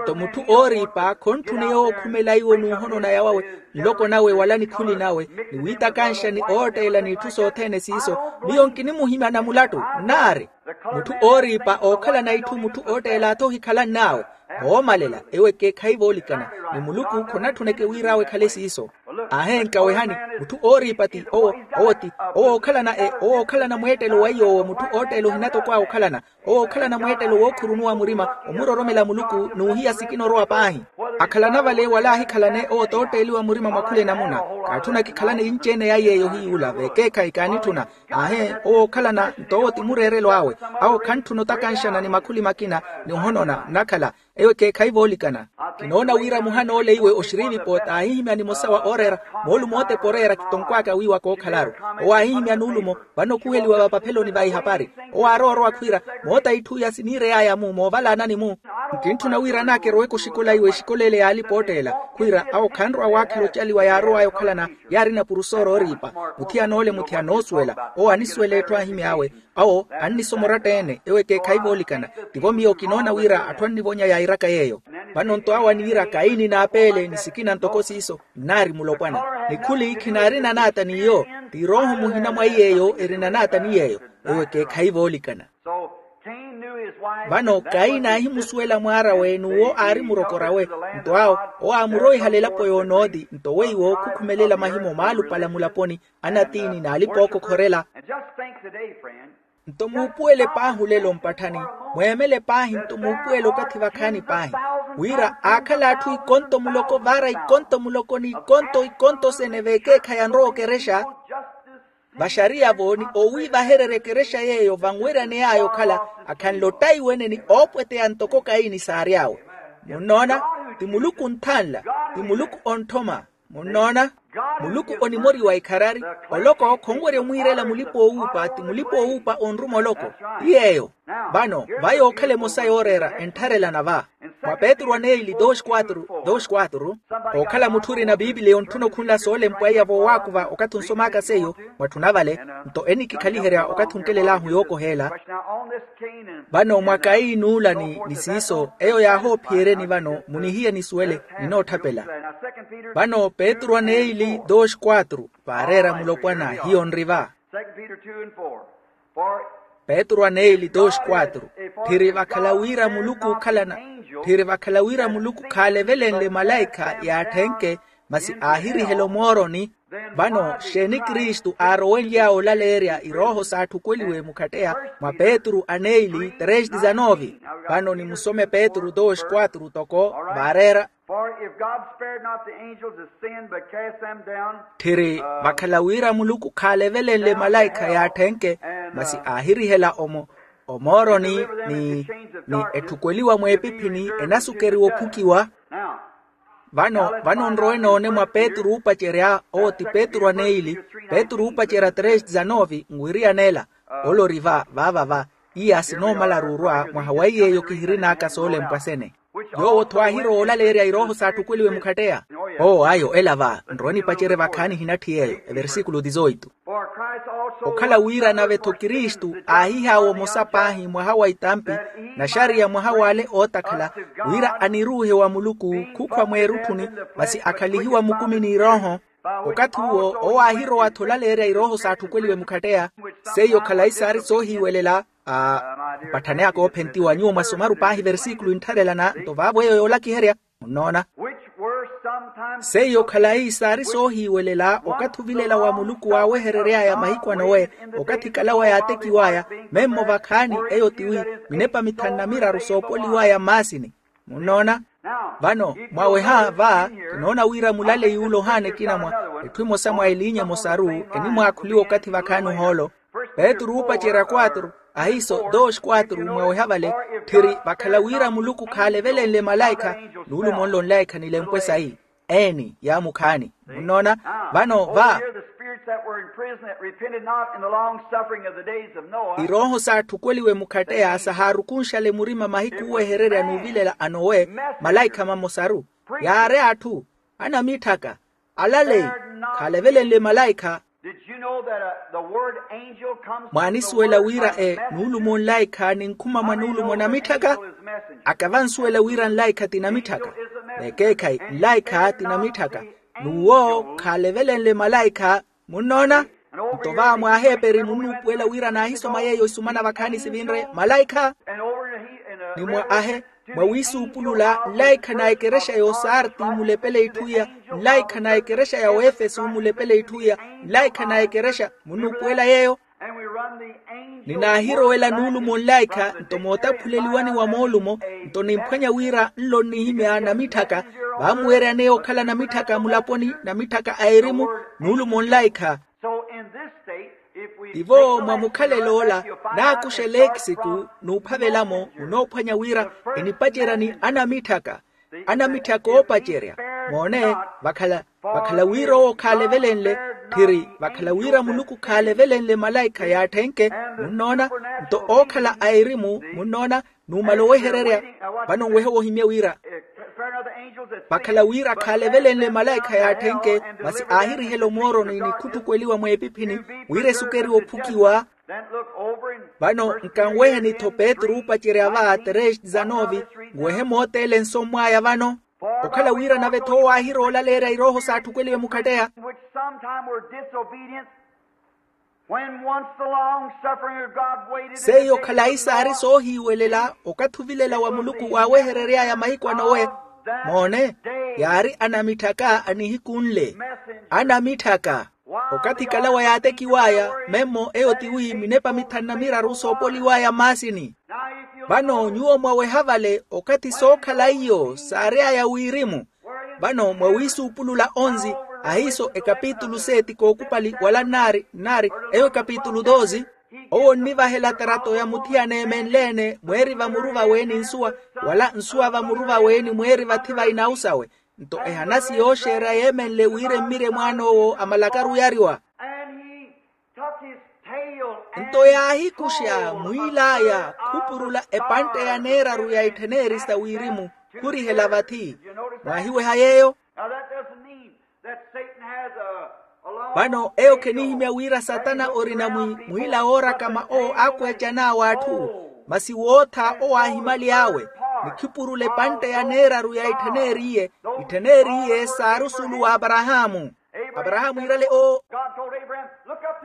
Nto mutthu ooriipa khontthuneya owo okhumela iwo n'uhonona yawawe, nloko nawe wala nikhuli nawe, ni wiitakanxa ni ootteela n'itthu sothene siiso. Miyo nkinimuhimya na mulattu nnaari. Mutthu ooriipa ookhalana itthu mutthu ootteela-tho ohikhalann'awe. Moomalela ewo ekeekhayi voolikana, ni muluku khonatthuneke wira awo ekhale siiso. Ahenka wehani, mutthu ooriipa ti owo, owo ti owo ookhalana e owo ookhalana mweettelo wa iy'owo mutthu ootteela ohinatokwawe okhalana. Owo ookhalana mweettelo wookhurunuwa murima, omuroromela muluku n'uhiya sikina orowa paahi. Akhalana vale wala ahikhalane owo tootteeliwa murima mwa khula enamuna. Kaatthuna kikhalane yinci-ene ya yeeyo hiy'ula veekeekhayi kaanitthuna. Aahe owo ookhalana nto owo ti mureerelo awe. Awo khantthuna otakanxana ni makhuli makina, ni ohonona nnakhala. Ewo ekeekhayi voolikana. Kinoona wira muhana ole iwe oxiriivipo taahihimya nimosa wa ooreera, moolumo otepa oreera kitonkw'aka wiiwa kookhalaru. Owo aahihimya nuulumo, vano okhuweliwa vapapheloni va ihapari. Owo aarowa orowa khwiira, moota itthu iya siniirey'aya-mu moovalaanani-mu. Nkintthuna wira anaakerowe-ko oxikola iwe exikola ele y'alipa ootteela. Khwiira awo khanrowa waakhela ocaliwa yaarow'aya okhalana, yaarina purusooro ooriipa. Muthiyana ole muthiyana oosuwela. Owo anisuwela etthu aahimy'awe. Awo annisoma oratta-ene ewo ekeekhayi voolikana. Tivo miyo kinoona wira atthu annivonya yairaka yeeyo. Vano nto awo aniira kaini n'apeele ni sikina ntoko siiso. Nnaari mulopwana. Nikhuli khinaarina naata n'iyo. Ti rooho muhina mwa iy'eyo erina naata ni yeeyo. Ewo ekeekhayi voolikana. Vano kaini aahimusuwela mwaar'awe n'uwo aari murokor'awe. Nto awo owo aamuroihala elapo y'onooti nto weiwo khukhumelela mahimo maalupala mulaponi, anatiini n'alipa ookokhorela. Nto muupuwele paahi olelo mpatthani, mweemele paahi nto muupuwele okathi vakhaani paahi, wira aakhala atthu ikonto muloko vaara ikonto muloko n'ikonto ikonto sene veekeekhayi anrowa okerexa. Vaxariya-vo ni oowiivahererya ekerexa yeeyo vanweraney'aya okhala akhanle ottaiwene ni oopweteya ntoko kayini saary'awe. Munnoona? Ti muluku onthanla, ti muluku ontthoma. Munnoona? Muluku onimoriwa ikharari. Oloko khonwerya omwiirela mulipa-oowuupa ti mulipa-oowuupa onruma oloko. Ti yeeyo. Vano va yookhala emosa yooreera enttharelana va. Mwa petru aneili dos quatro dos quatro, ookhala mutthu orina piipiliya ontthuna okhunla soolempwa iya voowaakuva okathi onsomaka seiyo, mwatthuna vale nto enikikhaliherya okathi onkelel'ahu yookoheela. Vano mwa kayi n'ula ni siiso eyo yaahoophiyereni vano munihiye nisuwele, ninootthapela. Vano petru aneili dos quatro, vaareera mulopwana hiyo nri va. Petru aneili dos quatro, tthiri vakhala wira muluku ookhalana, tthiri vakhala wira muluku khaalevelenle malaikha yaatthenke, masi aahirihela omooroni. Vano xeeni kristu aarowenly'awe olaleerya irooho saatthukweliwe mukhatteya? Mwa petru aneili tres dizanove. Vano nimusome petru dos quatro toko vaareera. Tthiri vakhala wira muluku khaalevelenle malaikha yaatthenke, masi aahirihela omooroni ni etthukweliwa mweepiphini enasukeriwa ophukiwa. Vano vano nrowe noone mwa petru oopacerya owo ti petru aneili, petru oopacerya tres dizanove nwiriyan'ela. Ole ori va vaava va, iya sinoomalaru orwa mwaha wa iy'eyo kihirin'aka soolempwa sene. Yoowo-tho aahirowa olaleerya irooho saatthukweliwe mukhatteya. Oo ayo ela va nrowe nipacerye vakhaani ehinatthi yeeyo. Eversikulu dizoitu. Okhala wira nave-tho kristu aahihaawa omosa paahi mwaha wa itampi, naxariya mwaha w'ale ootakhala, wira aniruuhe wa muluku khukhwa mweerutthuni, masi akhalihiwa mukumi n'irooho. Okathi uwo owo aahirowa-tho olaleerya irooho saatthukweliwe mukhatteya. Seiyo khalayi saari soohiiwelela. Aa mpatthani aka oophentiwa nyuwo mwasomaru paahi versikulu inttharelana nto vaavo eyo yoolakiherya. Munnoona? Seiyo khalayi saari soohiiwelela okathi ovilela wa muluku waaweherery'aya mahiku a nowe, okathi kalawa yaatekiw'aya memmo vakhaani. Eyo tiwi minepa mithanu na miraru soopoliw'aya mmaasini. Munnoona? Vano mwaweha va, kinoona wira mulaleyi ula ohaana ekina mwa etthu emosa mwa eliinya emosaru, enimwaakhuliwa okathi vakhaani ohoolo. Petru oopacerya quatro, ahiiso dos quatro mwaweha vale, tthiri vakhala wira muluku khaalevelenle malaikha, nuulumo nlo nlaikha nilempwe sayi. Eeni yaamukhaani. Munnoona? Vano va irooho saatthukweliwe mukhatteya sahaarukunxale murima mahiku oowehererya n'uvilela a nowe, malaikha mamosaru yaari atthu anamitthaka, alaleyi, khaalevelenle malaikha. Mwaanisuwela wira e nuulumo nlaikha ninkhuma mwa nuulumo namitthaka? Aka vansuwela wira nlaikha ti namitthaka. Vekeekhayi, nlaikha ti namitthaka. N'uwo khaalevelenle malaikha. Munnoona? Nto va mwaaheeperi munnuupuwela wira naahisoma yeeyo isumana vakhaani sivinre malaikha. Ni mwa ahe, mwa wiisuupulula nlaikha na ekerexa ya osarti mulepele itthu iya, nlaikha na ekerexa ya oefesu mulepele itthu iya, nlaikha na ekerexa munnuupuwela yeeyo. Ni naahirowela nuulumo nlaikha nto mootaphuleliwani wa moolumo, nto nimphwanya wira nlo nnihimya namitthaka. Vaamuweeryaneya okhala namitthaka mulaponi namitthaka a erimu, nuulumo nlaikha. Tivo mwa mukhalelo ola, naakuxa eleekisiku n'uphavela-mo munoophwanya wira enipacerya ni anamitthaka. Anamitthaka oopacerya. Moone, vakhala vakhala wira owo khaalevelenle. Tthiri vakhala wira muluku khaalevelenle malaikha yaatthenke. Munnoona? Nto ookhala a erimu munnoona, numala owehererya. Vano nwehe wohimye wira vakhala wira khaalevelenle malaikha yaatthenke, masi aahirihela omooroni ni khuttukweliwa mweepiphini wira esukeriwe ophukiwa. Vano nkanweheni-tho petru oopacerya va tres dizanove. Nwehe mooteele nsommw'aya vano. Okhala wira nave-tho owo aahirowa olaleerya irooho saatthukweliwe mukhatteya. When once the long suffering of God waited in the days of Noah. Seiyo khalayi saari soohiiwelela okathi ovilela wa muluku waaweherery'aya mahiku a nowe. Moone, yaari anamitthaka a nihiku nle. Anamitthaka. Okathi kalawa yaatekiw'aya memmo eyo tiwi minepa mithanu na miraru soopoliw'aya mmaasini. Vano nyuwo mwaweha vale okathi sookhala iyo saary'aya wirimu. Vano mwawiisuupulula onzi, ahiiso ekapitulu seeti kookupali wala nnaari nnaari, eyo ekapitulu dosi. Owo onnivahela tarato ya muthiyana eemenle-ene mweeri vamuru vawe ni nsuwa, wala nsuwa vamuru vawe ni mweeri vathi va inawu sawe. Nto ehanasi yooxeerya yeemenle wira emmirye mwaan'owo amalakaru yariwa. Nto yaahikuxa mwiil'aya khupurula epantte ya neeraru ya ittheneri sa wirimu, khurihela vathi. Mwaahiweha yeeyo? Vano eyo khenihimya wira satana orina mwiila woorakama owo aakweecan'awe atthu. Masi wootha owo aahimyaly'awe, ni khipurula epantte ya neeraru ya ittheneriye. Ittheneriye saari osulu w'aparahaamu. Aparahaamu iirale owo.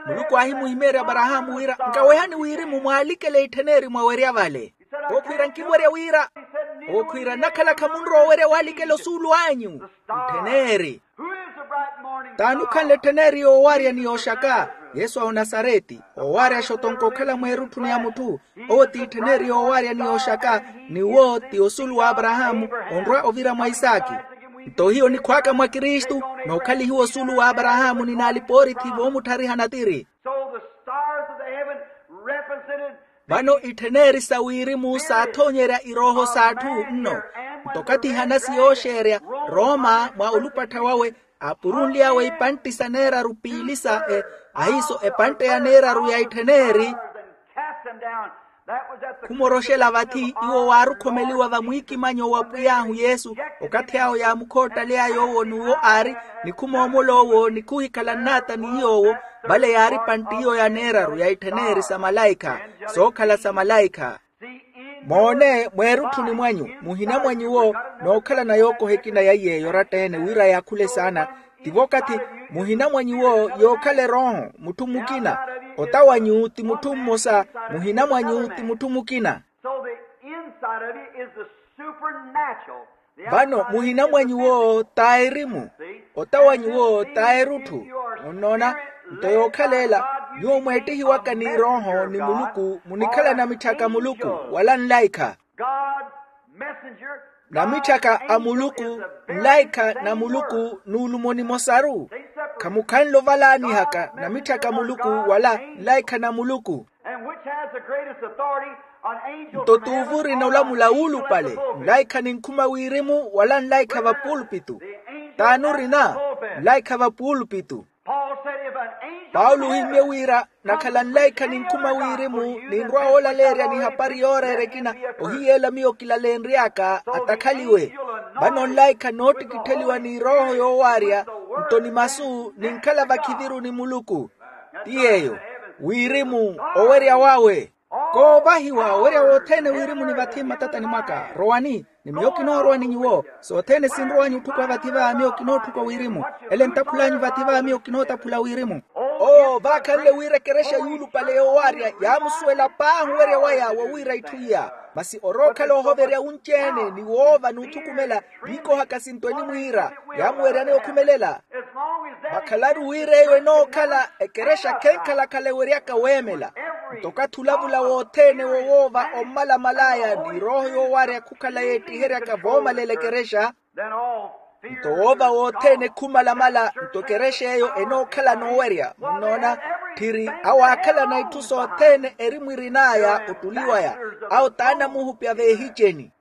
Muluku aahimuhimeerya aparahaamu wira nkawehani wirimu mwaalikele ittheneri mwawerya vale. Owo khwiira nkinwerya wira. Owo khwiira nnakhalakha munrowa owerya waalikela osuulu anyu. Ittheneri. T'ani okhanle ettheneri yoowarya ni yooxaka? Yesu a onasareti. Owarya xotonko okhala mweerutthuni ya mutthu. Owo ti ittheneri yoowarya ni yooxaka. Ni wo ti osuulu w'aparahaamu, onrwa ovira mwa isaaki. Nto hiyo onikhw'aka mwa kristu, nookhalihiwa osuulu w'aparahaamu ni naalipoorithi voomuttharihana tiri. Vano ittheneri sa wirimu saathoonyerya irooho s'atthu nno. Nto okathi hanasi yooxeerya, roma mwa olupattha wawe, aapurunly'awe ipantti sa neeraru piili sa e, ahiiso epantte ya neeraru ya ittheneri. Khumoroxela vathi iwo waarukhomeliwa vamwiikimanyo wa pwiy'ahu yesu. Okathi awo yaamukhoottaly'aya owo n'uwo aari, ni khumoomol'owo ni khuhikhala nnaata ni yoowo. Vale yaari pantti iyo ya neeraru ya ittheneri sa malaikha, sookhala sa malaikha. Moone mweerutthuni mwanyu, muhina mwa nyuwo nookhalana yookoha ekina ya iy'eyo oratta-ene wira yaakhule saana. Tivo okathi muhina mwa nyuwo yookhala erooho mutthu mukina. Ota wanyu ti mutthu mmosa, muhina mwanyu ti mutthu mukina. Vano muhina mwa nyuwo t'aerimu, ota wa nyuwo t'aerutthu. Munnoona? Nto yookhala ela, nyuwo mweettihiwaka n'irooho ni muluku munikhala namitthaka a muluku, wala nlaikha. Namitthaka a muluku, nlaikha na muluku n'ulumo nimosaru. Khamukhanle ovalaanihaka namitthaka a muluku wala nlaikha na muluku. Nto t'uvu orina olamula wuulupale, nlaikha ninkhuma wirimu wala nlaikha va pulpitu? T'ani orina? Nlaikha va pulpitu. Paulo ohimmye wira, nakhala nlaikha ninkhuma wirimu, ninrwa woolaleerya ni hapari yooreera ekina, ohiyeela miyo kilaleenry'aka atakhaliwe. Vano nlaikha noottikittheliwa n'irooho yoowarya, nto ni masu ninkhala vakhiviru ni muluku. Ti yeeyo wirimu, owerya wawe. Koovahiwa owerya wothene wirimu ni vathi mmatatani mwaka. Rowani, ni miyo kinoorowa ni nyuwo. Sothene sinrow'anyu otthukuwa vathi va miyo kinootthukuwa wirimu. Ele ntaphul'anyu vathi va miyo kinootaphula wirimu. Oo vaakhanle wira ekerexa yuulupale yoowarya yaamusuwela paahi owerya waya wa wira itthu iya. Masi orookhala ohoverya wunci-ene ni woova n'uthukumela, viikohaka sinto enimwiira, yaamuweryani okhumelela. Vakhalaru wira eyo enookhala ekerexa khenkhalakhala eweryaka weemela. Nto okathi olavula wothene wo woova ommalamal'aya n'irooho yoowarya khukhala yeettiheryaka voomalela ekerexa. Nto woova wothene khumalamala nto ekerexa eyo enookhala noowerya munnoona. Tthiri awo aakhalana itthu sothene eri mwirin'aya ottuliw'aya. Awo t'anamuhupya veehiceni.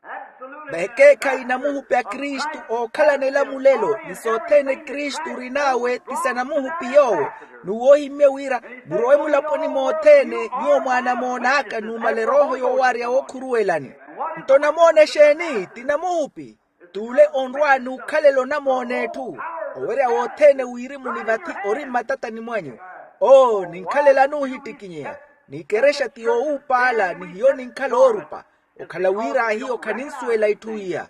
Vekeekhayi namuhupi a kristu ookhalana elamulelo ni sothene kristu orin'awe ti sanamuhupi yoowo. N'uwo ohimmye wira murowe mulaponi mothene nyuwo mwaanamoon'aka numala erooho yoowarya wookhuruwelani. Nto namoona exeeni ti namuhupi? T'ule onrwa n'ukhalela onamoona etthu. Owerya wothene wirimu ni vathi ori mmatatani mwanyu. Oo ninkhalela nuuhittikinyeya. N'ikerexa ti yoowuupaala ni hiyo ninkhala oorupa. Okhala wira hiyo khaninsuwela itthu iya.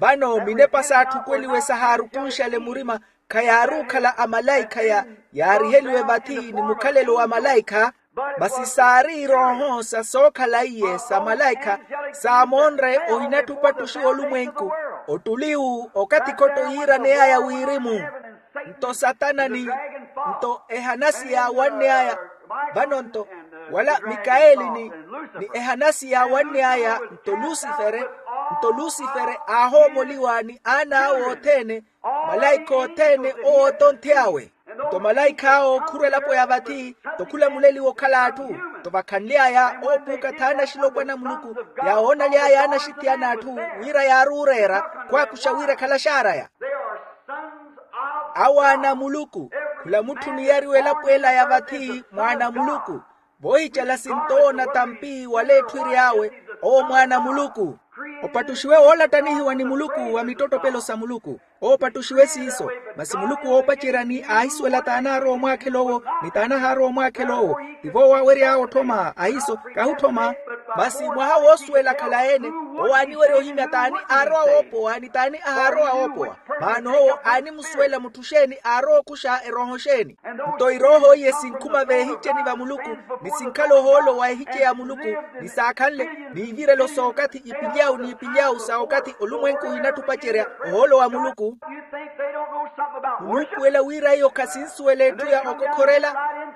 Vano minepa saatthukwenliwe sahaarukunxale murima, khayaari okhala amalaikha ya yaariheliwe vathi ni mukhalelo wa malaikha. Masi saari irooho sa sookhala iye sa malaikha saamoonre ohinatthupa ttuxiwa olumwenku. Ottuliwu okathi khotto yiiraney'aya wirimu. Nto satana ni nto ehanasi yaawanny'aya. Vano nto wala mikaeli ni ni ehanasi yaawanny'aya nto lusifere. Nto lusifere aahoomoliwa ni aana awe othene, malaikha othene owo otonthe awe. Nto malaikha awo khurwa elapo ya vathi, nto khula muleli wokhala atthu. Nto vakhanly'aya oopuuka thaana axilopwana a muluku, yaawoonaly'aya aana axithiyana atthu, wira yaaruureera khwaakuxa wira khalaxaaraya. Awo aana a muluku. Khula mutthu oniyariwa elapo ela ya vathi mwaana a muluku. Voohicela sintoona tampi wala etthu eri awe, owo mwaana a muluku. Opattuxiwe woolattanihiwa ni muluku wa mittottopelo sa muluku. Oopattuxiwe siiso. Masi muluku woopaceryani aahisuwela t'anaarwa omwaakhela owo, ni t'anahaarwa omwaakhela owo. Tivo owaawery'awe otthoma ahiiso, kahi otthoma. Masi mwaha woosuwela khalayi-ene, owo aaniwerya ohimya t'ani aarowa woopowa ni t'ani ahaarowa woopowa. Maana owo aanimusuwela mutthu xeeni aarowa okuxa erooho xeeni. Nto irooho iye sinkhuma veehiceni va muluku, ni sinkhala ohoolo wa ehice ya muluku, ni saakhanle, n'ivirelo s'okathi ipilyawu n'ipilyawu sa okathi olumwenku ohinattupacerya. Ohoolo wa muluku. Munuupuwela wira iyo khasinsuwela etthu ya okokhorela.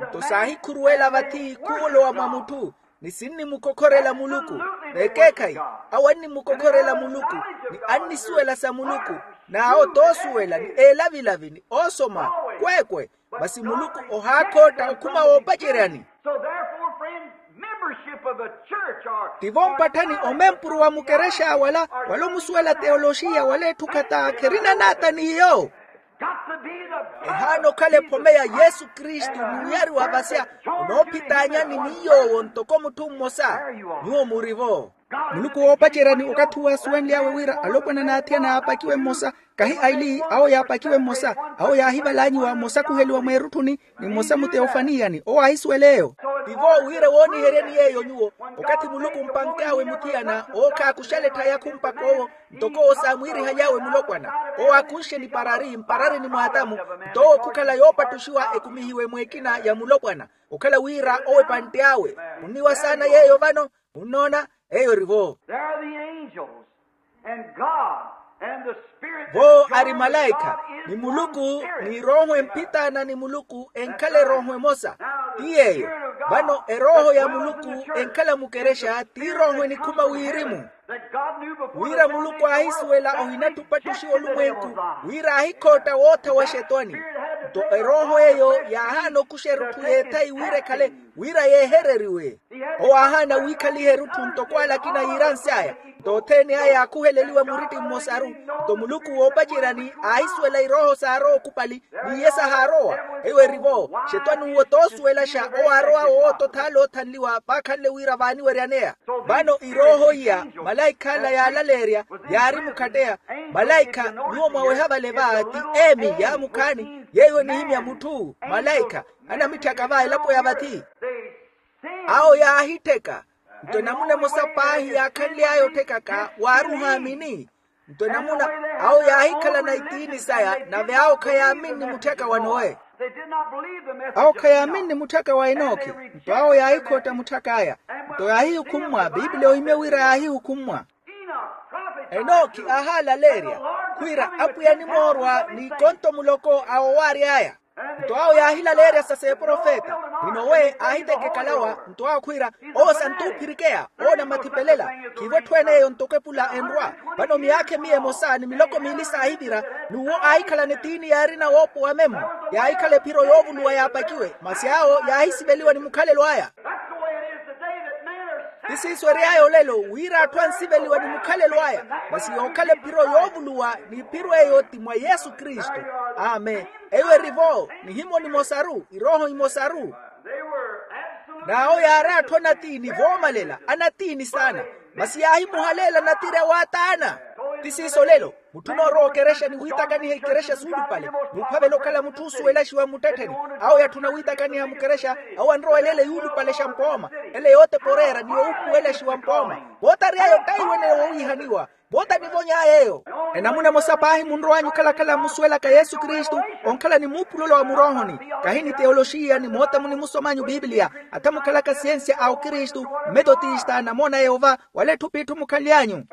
Nto saahikhuruwela vathi khuwolowa mwa mutthu, ni sinnimukokhorela muluku. N'ekeekhayi, awo annimukokhorela muluku, ni annisuwela sa muluku, n'awo t'osuwela ni eelavilavi ni oosoma. Kweekwe. Masi muluku ohaakhootta okhuma woopaceryani. So therefore, friend, membership of a church or tivo mpatthani omempuru wa mukerexa wala, wala omusuwela teoloxiya wala etthu khata kherina naata n'iyo. Ehaana okhala ephome ya yesu kristu ni wiyari wa vasya, onoophitaanyani ni yoowo ntoko mutthu mmosa. Nyuwo murivo. Muluku woopaceryani okathi uwo aasuwenly'awe wira alopwana n'athiyana yaapakiwe mmosa, kahi aili awo yaapakiwe mmosa. Awo yaahivalaanyiwa mmosa khuheliwa mweerutthuni, ni mmosa muteofaniyani owo aahisuwela eyo. Tivo wira wooniheryeni yeeyo nyuwo, okathi muluku mpank'awe muthiyana owo khaakuxale etthayakhumpa k'owo, ntoko owo saamwiirihaly'awe mulopwana. Owo aakunxe ni parari mpararini mw'atamu, nto owo khukhala yoopattuxiwa ekumihiwe mw'ekina ya mulopwana, okhala wira owo epantte awe. Munniwa saana yeeyo vano. Munnoona? Eyo erivo. There are the angels and god and the spirit. Vo ari malaikha, ni muluku ni erooho emphitaana ni muluku enkhala erooho emosa. Ti yeeyo. Vano erooho ya muluku enkhala mukerexa ti erooho enikhuma wirimu. Wira muluku aahisuwela ohinattupatthuxiwa olumwenku, wira aahikhootta wootha wa xetwani. Nto erooho eyo yaahaana okuxa erutthu y'ethayi wira ekhale, wira yeehereriwe. Owo aahaana wiikhaliha erutthu ntoko alakina yiiransy'aya. Nto othene aya yaakhuheleliwa muritti mmosaru. Nto muluku woopaceryani aahisuwela irooho saarowa okupali, n'iye sahaarowa. Eyo erivo. Xetwani uwo t'osuwelaxa owo aarowa woottothaala oothanliwa vaakhanle wira vaaniweryaneya. Vano irooho iya, malaikha ala yaalaleerya, yaari mukhatteya. Malaikha, nyuwo mwaweha vale va ti emi yaamukhaani yeeyo enihimya mutthu malaikha, anamitthaka va elapo ya vathi. Awo yaahittheka. Nto enamuna emosa paahi yaakhanly'aya otthekaka waari ohaamini. Nto enamuna awo yaahikhalana itiini saya nave awo khayaaminni mutthaka wa nowe. Awo khayaaminni mutthaka wa enokhi. Nto awo yaahikhotta mutthak'aya. Nto yaahihukhummwa biipiliya ohimye wira yaahihukhummwa. Enokhi aahaalaleerya khwiira apwiya animoorwa n'ikonto muloko a owaary'aya. Nto awo yaahilaleerya sa s'eprofeta. Ni nowe aahiteke ekalawa. Nto awo khwiira, owo santuuphirikeya, owo onamathipelelela. Khiivo etthu ene eyo ntoko epula enrwa. Vano miyaakha emiya emosa ni miloko miili saahivira, n'uwo aahikhalana etiini yaarina woopowa memmo. Yaahikhala ephiro yoovuluwa yaapakiwe masi awo yaahisiveliwa ni mukhalelo aya. Ti siiso ery'aya olelo wira atthu ansiveliwa ni mukhalelo aya. Masi yookhala ephiro yoovuluwa n'iphiro eyo ti mwa yesu kristu. Amen. Eyo erivo nihimo nimosaru irooho imosaru. N'awo yaari atthu anatiini voomalela anatiini saana. Masi yaahimuhaleela natirya waataana. Ti siiso olelo. Mutthu onoorowa okerexa ni wiitakaniha ikerexa suulupale n'uphavela okhala mutthu oosuwelaxiwa mmuttettheni. Awo yatthuna wiitakaniha mukerexa awo anrowela ele yuulupalexa mpooma ele yootepa oreera ni yowuupuwelaxiwa mpooma. Vootary'aya ottaiwene wowiihaniwa. Voota nivony'aya eyo. Enamuna emosa paahi munrow'anyu okhalakhala mmusuwelaka yesu kristu onkhala ni muupulola wa muroohoni. Kahi ni teoloxiya ni moota munimusom'anyu biipiliya. Atha mukhalaka siyensiya a okristu mmetotista namoona a yehova wala etthu p'itthu mukhanly'anyu.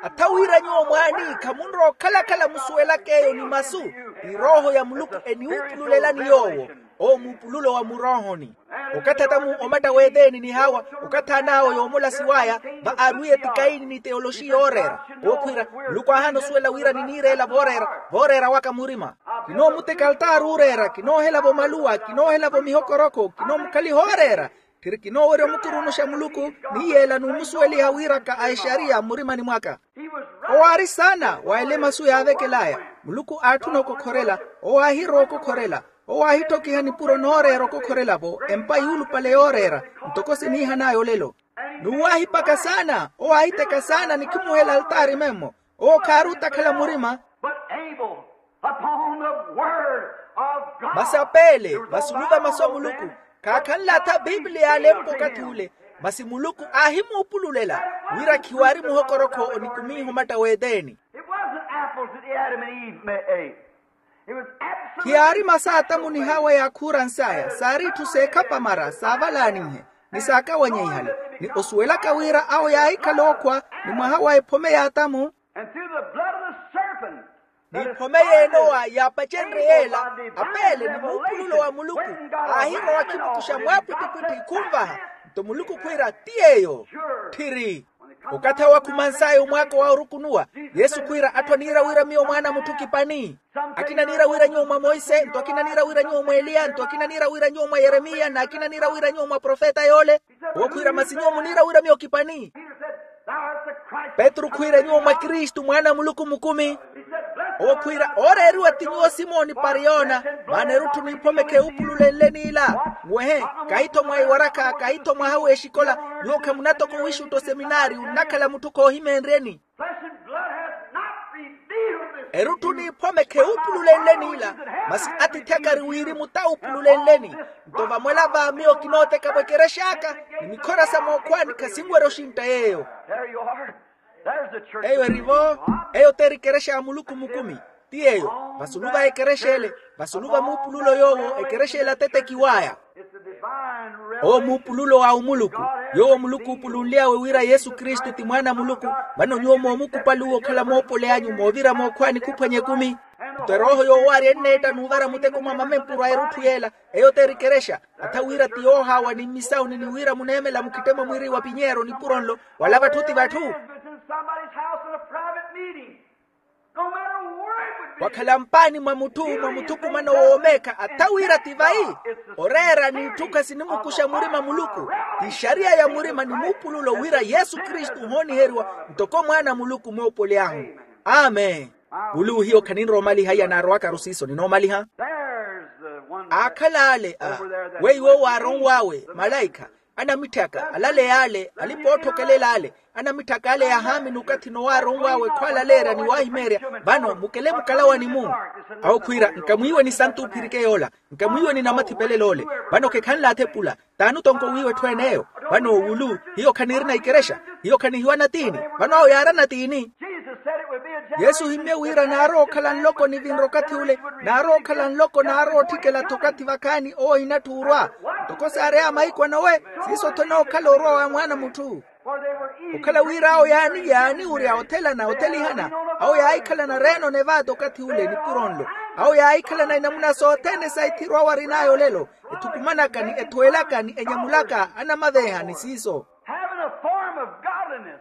Atha wira nyuwo mwaani khamunrowa okhalakhala musuwelaka eyo ni masu, ni rooho ya muluku eniwupululelani yoowo. Owo muupululo wa muroohoni. Okathi atamu omatta w'eteeni ni hawa, okathi an'awo yoomolasiw'aya, va aarwiye ti kayini ni teyoloxi yooreera. Owo khwiira, muluku aahaana osuwela wira niniireela vooreera, vooreera waka murima. Kinoomuteka altaari ooreera, kinoohelavo maluwa, kinoohelavo mihokorokho, kinoomukhaliha ooreera. Tthiri kinoowerya omukurunuxa muluku, ni yeela n'umusuweliha wiiraka a exariya mmurimani mwaka. Owo aari saana wa ele masu yaavekel'aya. Muluku aatthuna okokhorela. Owo aahirowa okokhorela. Owo aahittokiha nipuro nooreera okokhorela-vo empa yuulupale yooreera, ntoko siniihan'aya olelo. N'uwo aahipaka saana, owo aahiteka saana ni khimuhela altaari memmo. Owo khaari otakhala murima. But able upon the word of God. Masi apeele vasunuva masu a muluku, khaakhanle atha piipiliya alempa okathi ule. Masi muluku aahimuupululela wira khiwaari muhokorokho onikumiha omatta w'eteeni. It wasn't apples that Adam and Eve ate. It was absolutely khiyaari masaatamu ni hawa yaakhuurans'aya saari itthu seekhapamara saavalaanihe, ni saakawanyeihale, ni osuwelaka wira awo yaahikhala ookhwa ni mwaha wa ephome y'atamu. And through the blood of the serpent. Ni ephome y'enowa yaapacenrye yeela, apeele ni muupululo wa muluku aahirowa akhimukuxa mwaapwittipwitthi khunvaha. Nto muluku khwiira ti yeeyo. Tthiri. Okathi awo akhumans'aya omwaako wa orukunuwa, yesu khwiira atthu aniira wira miyo mwaana a mutthu kipani. Akina aniira wira nyuwo mwa monse, nto akina aniira wira nyuwo mwa eliya, nto akina aniira wira nyuwo mwa yeremiya n'akina aniira wira nyuwo mwa profeta yoole. Owo khwiira masi nyuwo muniira wira miyo kipani. Petru khwiira nyuwo mwa kristu mwaana a muluku mukumi. Owo khwiira ooreeriwa ti nyuwo simoni pariyona. Maana erutthu n'iphome kheewupululenle n'ila. Nwehe, kahi-tho mwa iwarakha kahi-tho mwaha w'exikola. Nyuwo khamunatoko wixutta oseminaari onnakhala mutthu khoohimeenryeni. Erutthu n'iphome kheewupululenle n'ila. Masi atiithi aka ari wirimu t'awupululenleni. Nto vamwela va miyo kinooteka-vo ekerex'aka, ni mikhora sa mookhwaani khasinwerya oxintta yeeyo. Eyo eri-vo. Eyo t'eri ekerexa ya muluku mukumi. Ti yeeyo. Vasulu va ekerexa ele, vasulu va muupululo yoowo ekerexa ele atetekiw'aya. Owo muupululo wa omuluku. Yoowo muluku oopulunly'awe wira yesu kristu ti mwaana a muluku. Vano nyuwo moomukupaluwa okhala moopole anyu moovira mookhwaani khuphwanya ekumi. Nto erooho yoowaarya enneetta n'uvara muteko mwa mamempuro a erutthu yeela. Eyo t'eri ekerexa. Atha wira ti yoohaawa ni mmisawuni ni wira muneemela mukhittemo mwiri wa pinyeero nipuro nlo. Wala vatthu ti vatthu. Wakhala mpaani mwa mutthu mwa muthukumano woomeekha atha wira ti vayi. Oreera n'itthu khasinimukuxa murima muluku. Ti xariya ya murima ni muupululo wira yesu kristu ohooniheriwa ntoko mwaana a muluku moopoly'ahu. Amen. Wuluwo hiyo khaninrowa omaliha iya naarowakaru siiso ninoomaliha. Aakhala ale a weiwo waaronw'awe malaikha anamitthaka alaleya ale alipa oothokelela ale anamitthaka ale yaahaamini okathi nowaaronw'awe khwaalaleerya ni waahimeerya. Vano mukele mukalawani-mu. Awo khwiira nkamwiiwe ni santuphirike yoola nkamwiiwe ni namathipelelo ole. Vano khekhanle athepula t'ani otonko wiiwa etthu ene eyo. Vano owulu hiyo khaniirina ikerexa hiyo khanihiwa natiini. Vano awo yaari anatiini. Yesu ohimmye wira naarowa okhala nloko nivinre okathi ule naarowa okhala nloko naarowa otthikela-tho okathi vakhaani owo ohinatthi orwa. Ntoko saareya mahiku a nowe siiso-tho enookhala orwa wa mwaana a mutthu. Okhala wira awo yaani yaaniwurya othelana othelihana. Awo yaahikhalana reeno nevaata okathi ule nipuro nlo. Awo yaahikhalana inamuna sothene sa ithiro awo arin'aya olelo ethukumanaka ni ethuwelaka ni enyamulaka anamaveeha ni siiso.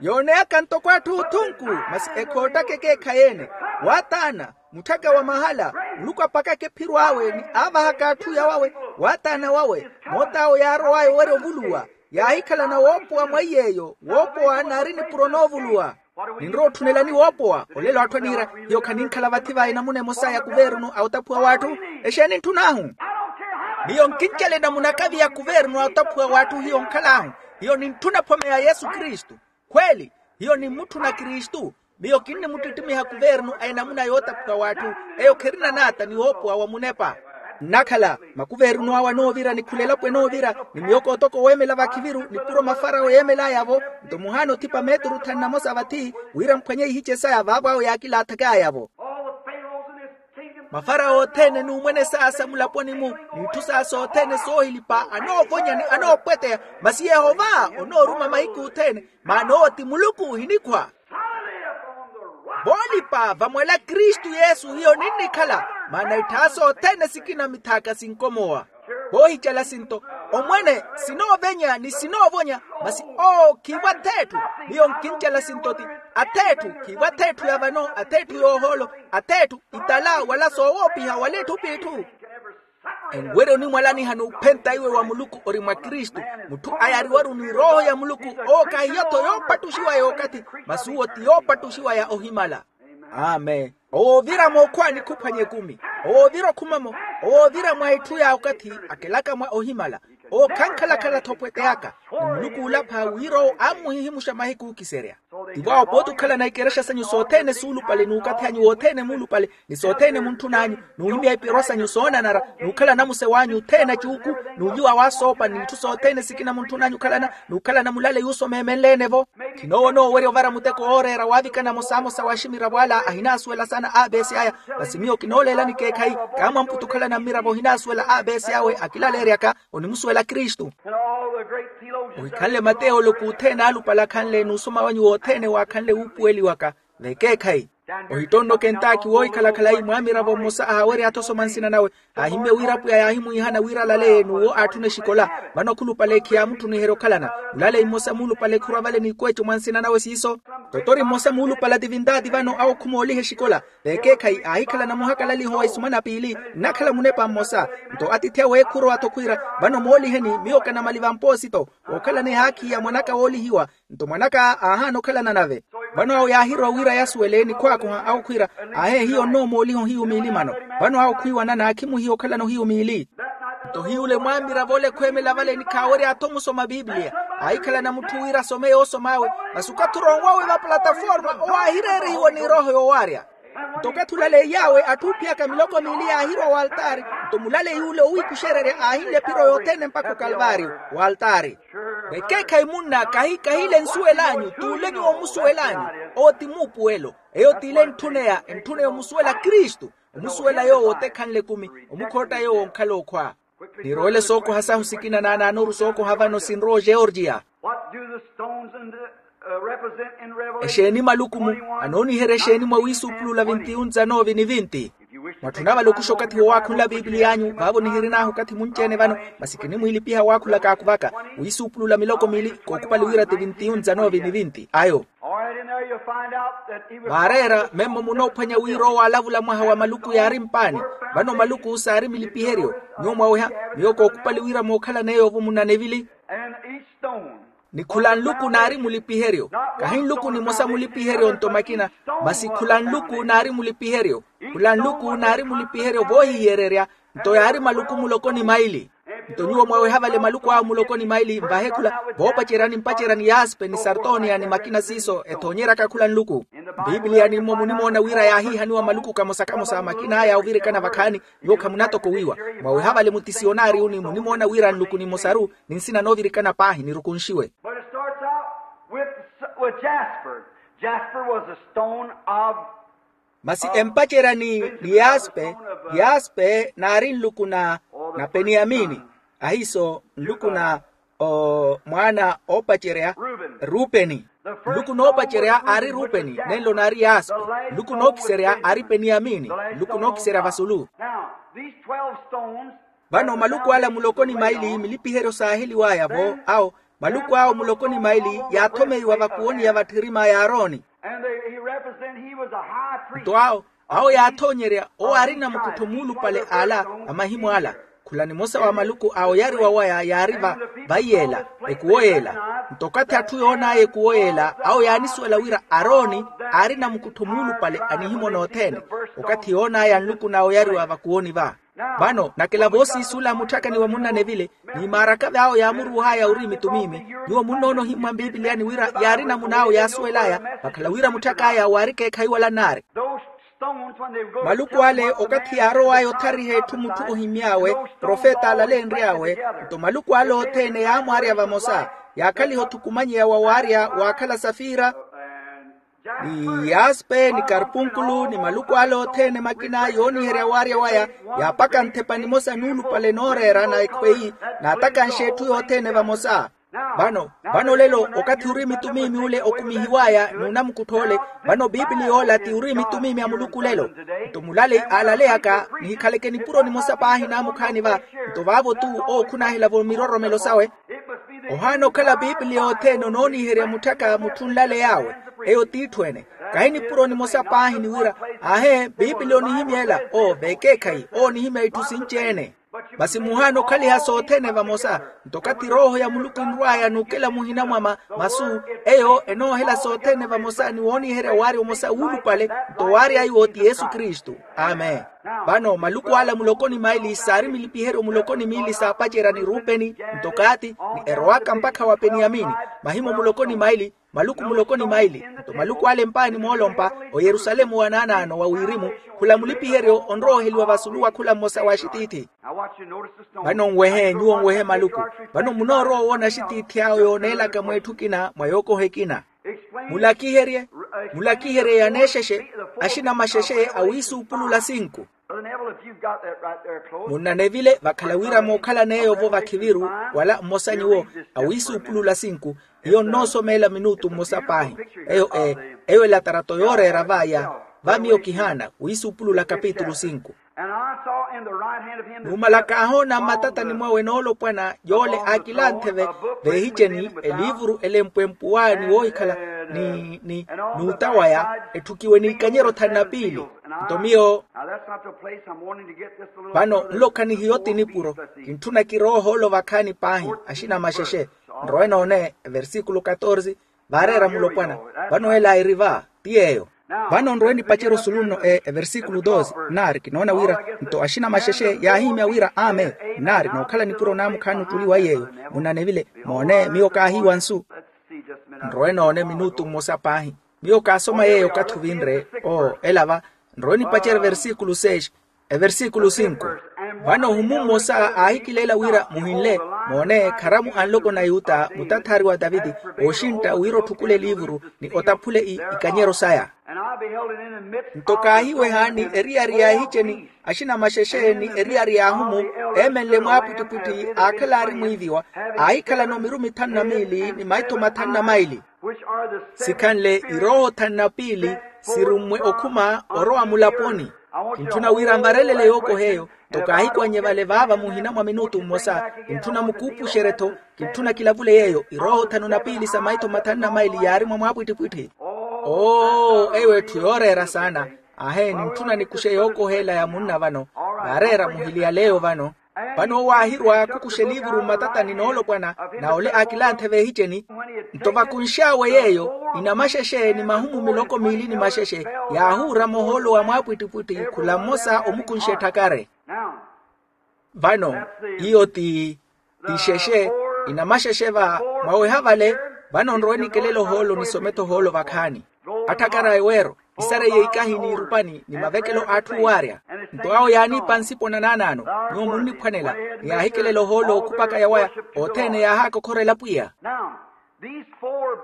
Yooneyaka ntoko atthu othunku masi ekhoottaka ekeekhayi-ene. Waataana mutthaka wa mahala muluku apakaka ephiro awe ni aavahaka atthu yawawe. Waataana wawe moot'awo yaarow'aya owerya ovuluwa. Yaahikhalana woopowa mweiy'eyo woopowa naari nipuro noovuluwa. Ninrowa otthunelani woopowa olelo atthu aniira hiyo khaninkhala vathi va enamuna emosa ya kuvernu a otaphuwa w'atthu. Exeeni ntthun'ahu? Miyo nkincela enamuna kavi ya kuvernu a otaphuwa w'atthu hiyo nkhal'ahu. Hiyo nintthuna phome ya yesu kristu. Khweeli hiyo nimmutthuna kristu. Miyo kinnimuttittimiha kuvernu a enamuna yootaphuwa w'atthu. Eyo kherina naata ni woopowa wa munepa. Nnakhala makuvernu awo anoovira ni khula elapo enoovira ni miyoko otoko weemela vakhiviru nipuro mafarawo yeemel'aya-vo. Nto muhaana othipa meeturu thanu na mosa vathi wira mphwanye ihiche saya vaavo awo yaakilaathak'aya-vo. Mafarawo othene n'umwene saya sa mulaponi-mu n'itthu saya sothene soohilipa anoovonya ni anoopweteya. Masi yehova onooruma mahiku othene maana owo ti muluku ohinikhwa. Voolipa vamwala kristu yesu hiyo ninnikhala. Maana itthaaso othene sikina mithaaka sinkomowa. Voohicala sinto, omwene sinoovenya ni sinoovonya. Masi oo khiivo atheetthu. Miyo nkincala sinto ti atheetthu khiivo atheetthu ya vano atheetthu yoohoolo atheetthu itala wala soowoopiha wala itthu p'itthu. Enwerya onimwalaniha n'uphenta iwe wa muluku ori mwa kristu. Mutthu ayariwaru ni rooho ya muluku owo kahiyo-tho yoopattuxiwa ya okathi. Masi uwo ti yoopattuxiwa ya ohimala. Amen. Owoovira mookhwaani khuphwanya ekumi. Owoovira okhumamo. Owoovira mwa itthu ya okathi akelaka mwa ohimala. Owo khankhalakhala-tho pwete aka. Ni muluku oolapha wira owo ammuhihimuxa mahiku ookiserya. Tivo awo pooti okhalana ikerexa sanyu sothene suulupale n'ukathi anyu wothene muulupale ni sothene muntthun'anyu n'uhimya ipirwa sanyu soonanara n'ukhala namuse w'anyu othene acuuku n'uliwa w'asoopa n'itthu sothene sikina muntthun'anyu okhalana n'ukhalana mulale yuusomeemenleene-vo. Khinoowona owerya ovara muteko wooreera waavikana mosamosa wa aximiravo ala ahinaasuwela saana abeesi aya. Masi miyo kinooleelani ekeekhayi kaamwamputa okhalana mmiravo ohinaasuwela abeesi awe akilaleeryaka onimusuwela kristu. Ohikhanle mateyo oloku othene aalupale akhanle n'usoma wanyu wothene waakhanle wuupuweliwaka. Vekeekhayi ohittonno kentaaki woohikhala-khala ayi mwaamiravo mmosa aawerya athosoma nsina nawe. Aahimmye wira apwiya yaahimwiihana wira alaleye n'uwo aatthune exikola. Vano khulupale khiyaamuttuniherya okhalana. Mulaleyi mmosa muulupale khurwa vale n'ikweeco mwa nsina nawe siiso. Totori mmosa muulupale ativintaati vano awo khumooliha exikola. Vekeekhayi aahikhalana muhakalaliho wa isumana piili nnakhala munepa mmosa. Nto atiithi awe khurowa-tho khwiira vano mooliheni miyo kanamaliva mpoosito wookhalana ehaakhi ya mwan'aka woolihiwa. Nto mwan'aka aahaana okhalana nave. Vano awo yaahirowa wira yasuwele ni khwaakoha awo khwiira ahe hiyo nnoomooliha ohiyu miili mano. Vano awo khwiiwanana khimuhiya okhalana ohiyu miili. Nto hiy'ule mwaamiravo ole khweemela vale ni khaawerya-tho musoma bibliya. Aahikhalana mutthu wira asome yoosom'awe. Masi okathi oronwawe va plataforma owo aahireerihiwa ni erooho yoowaarya. Nto okathi olaleiy'awe atthu oophiyaka miloko miili yaahirowa w'altaari. Nto mulaleyi ule owiikuxererya aahinlya ephiro yothene mpakha okalvaariyo w'altaari. Vekeekhayi munna kahi kahile nsuwel'anyu t'ule nyuwo omusuwel'anyu. Owo ti muupuwelo. Eyo t'ile entthuneya entthuneya omusuwela kristu. Omusuwela yoowo otekhanle ekumi. Omukhootta yoowo onkhala okhwa. Nirowele sookoha sahu sikina naanaanoru sookoha vano sinrowa ogeorgiya. What do the stones in the, uh, represent in Revelation? Exeeni maluku-mu anooniherya exeeni mwa wiisuupulula vinti-yu nzanoovi ni vinti? Mwatthuna valukuxa okathi wowaakhunla biipiliy'anyu vaavo nihirin'ahu okathi munci-ene vano. Masi kinimwiilipiha waakhula kaakuvaka wiisuupulula miloko miili kookupali wira ti vinti-yu nzanoovi ni vinti ayo. All right, in there you'll find out that he was waareera memmo munoophwanya wira owo aalavula mwaha wa maluku yaari mpaani. Vano maluku saari mulipiheryo. Nyuwo mwaweha miyo kookupali wira mookhalan'eyo-vo munanevili. And each stone. Ni khula nluku naari mulipiheryo. Kahi nluku nimosa mulipiheryo nto makina. Masi khula nluku naari mulipiheryo. Khula nluku naari mulipiheryo voohihiyererya. Nto yaari maluku muloko ni maili. Nto nyuwo mwaweha vale maluku awo muloko ni maili mvahe khula voopacerya ni mpacerya ni yaspe ni sartoniya ni makina siiso ethoonyeryaka khula nluku. Mbiipiliya nimmo munimoona wira yaahiihaniwa maluku kamosa kamosa makina aya ovirikana vakhaani. Nyuwo khamunatokowiwa. Mwaweha vale mutisiyonari uni munimoona wira nluku nimosaru ni nsina noovirikana paahi nirukunxiwe. But it starts out with, with jasper. Jasper was a stone of. Masi empacerya ni ni yaspe. Yaspe naari nluku na na peniyamini. Ahiiso nluku na o mwaana oopacerya rupeni. Nluku noopacerya aari rupeni nenlo naari yaspe. Nluku nookiserya aari peniyamini. Nluku nookiserya vasulu. Now these twelve stones. Vano maluku ala muloko ni maili milipiheryo saaheliwaya-vo awo. Maluku awo muloko ni maili yaathomeiwa vakuwoni ya vatthirima ya arooni. And they, he represent, he was a high priest. Nto awo awo yaathoonyerya owo aari namukuttho muulupale ala a mahimwaala. Khula nimosa wa maluku a oyariwa waya yaari va vaiyeela ekuwo yeela. Nto okathi atthu yoon'aya ekuwo yeela awo yaanisuwela wira arooni aari namukuttho muulupale a nihimwa nothene. Okathi yoon'aya nluku na oyariwa vakuwoni va. Vano nakela voosiisuula mutthakani wa munnanevile. Ni maaraka v'awo yaamuruuh'aya ori mitumiimi. Nyuwo munnoona ohimmwa mbiipiliyani wira yaari namun'awo yaasuwel'aya vakhala wira mutthak'aya waari ekeekhayi wala nnaari. Maluku ale okathi yaarow'aya othariha etthu mutthu ohimmy'awe profeta alaleenry'awe. Nto maluku ale othene yaamwaarya vamosa yaakhaliha othukumanyeya wa waarya waakhala safira ni yaspe ni karpunkulu ni maluku ale othene makina yooniherya waarya waya. Yaapaka nthepa nimosa nuulupale nooreera na ekhweyi naatakanxa etthu yothene vamosa. Vano, vano lelo, okathi uri mitumiimi ule okumihiw'aya n'unamukuttha ole. Vano piipili yoola ti uri mitumiimi a muluku lelo. Nto mulale aalaleyaka, nihikhaleke nipuro nimosa paahi naamukhaani va. Nto vaavo-tu owo khunaahelavo miroromelo sawe. Ohaana okhala piipili yothene onooniherya mutthaka mutthu nlaley'awe. Eyo t'itthu-ene. Kahi nipuro nimosa paahi ni wira, aahe piipili onihimya ela. Oo veekeekhayi owo onihimya itthu sinci-ene. Masi muhaana okhaliha sothene vamosa. Nto okathi erooho ya muluku enrw'aya n'ukela muhina mwa ma- masu, eyo enoohela sothene vamosa ni wooniherya waari omosa wuulupale. Nto waari aiwo ti yesu kristu. Amen. Vano maluku ala muloko ni maili saari milipiheryo muloko ni miili saapacerya ni rupeni, nto kaati, ni erowaka mpakha wa peniyamini. Mahimo muloko ni maili, maluku muloko ni maili. Nto maluku ale empaani moolompa, oyerusalemu wa naanaano wa wirimu, khula mulipiheryo onrooheliwa vasulu wa khula mmosa wa axitiithi. Vano nwehe nyuwo nwehe maluku. Vano munoorowa owoona axitiithi awe yooneelaka mweetthu ekina mwa yookoha ekina. Mulakiherye, mulakiherye yaneexexe, axina maxexe awiisuupulula sinku. Munnanevile vakhala wira mookhalan'eyo-vo vakhiviru, wala mmosa nyuwo, awiisuupulula sinku. Hiyo nnoosomeela minutu mmosa paahi. Eyo e eyo elatarato yooreera va ya, va miyo kihaana wiisuupulula kapitulu sinku. Numala kaahoona mmatatani mwawe noolopwana yoole aakilanthe veehiceni eliivuru elempwempwuwa ni woohikhala ni ni n'uta waya, etthukiwe n'ikanyero thanu na piili. Nto miyo vano nlo khanihiyo ti nipuro. Kintthuna kirooha olo vakhaani paahi. Axina maxexe, nrowe noone eversikulu katorsi. Vaareera mulopwana. Vano ela eri va ti yeeyo. Vano nrowe nipacerye osulu nno e eversikulu dosi nnaari kinoona wira nto axina maxexe yaahihimya wira amen. Nnaari nookhala nipuro naamukhaani ottuli wa yeeyo. Munnanevile moone miyo kaahiiwa nsu. Nrowe noone minutu mmosa paahi. Miyo kaasoma yeeyo okathi ovinre oo ela va. Nrowe nipacerye eversikulu seis. Eversikulu sinku. Vano ohumu mmosa aahikileela wira muhinle. Moone kharamu a nloko na yuta mutathaari wa taviti, ooxintta wira otthukule eliivuru ni otaphule ikanyero saya. Nto kaahiwehaani eriyari ya ehiceni axina maxexe ni eriyari ya ahumu, eemenle mwaapwittipwitthi aakhalaari mwiiviwa, aahikhalana omirumu ithanu na miili ni maitho mathanu na maili. Sikhanle irooho thanu na piili sirummwe okhuma orowa mulaponi. Kintthuna wira nvarelele yookoha eyo. Nto kaahikwan'ye vale vaava muhina mwa minutu mmosa. Kintthuna mukuupuxerye-tho. Kintthuna kilavule yeeyo irooho thanu na piili sa maitho mathanu na maili yaari mwa mwaapwittipwitthi. Oo eyo etthu yooreera saana. Aahe nintthuna nikuxe yookoha ela ya munna vano. Vaareera muhili ya leeyo vano. Vano owo aahirwa khukuxa eliivuru mmatatani noolopwana na ole aakilanthe veehiceni. Nto vakunx'awe yeeyo inamaxexe ni mahumu miloko miili ni maxexe yaahuurama ohoolo wa mwaapwittipwitthi khula mmosa omukunxa etthakare. Vano iyo ti ti xexe inamaxexe va mwaweha vale. Vano nrowe nikelela ohoolo nisome-tho ohoolo vakhaani. Atthakara eweero isareiye ikahi n'irupani ni mavekelo a atthu owaarya. Nto awo yaaniipa nsipo na naanaano. Nyuwo munniphwanela ni yaahikelela ohoolo okhupaka yawaya othene yaahaaka okhorela pwiya.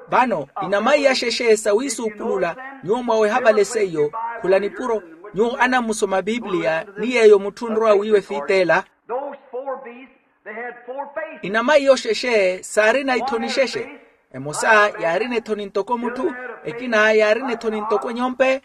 Vano inamaiya xexe sawiisuupulula nyuwo mwaweha vale seiyo khula nipuro nyuwo anammusoma piipiliya ni yeeyo mutthu onrowa wiiwa efiiteela. Inamaiya oxexe saarina ithoni xexe. Emosa yaarina ethoni ntoko mutthu, ekina yaarina ethoni ntoko nyompe.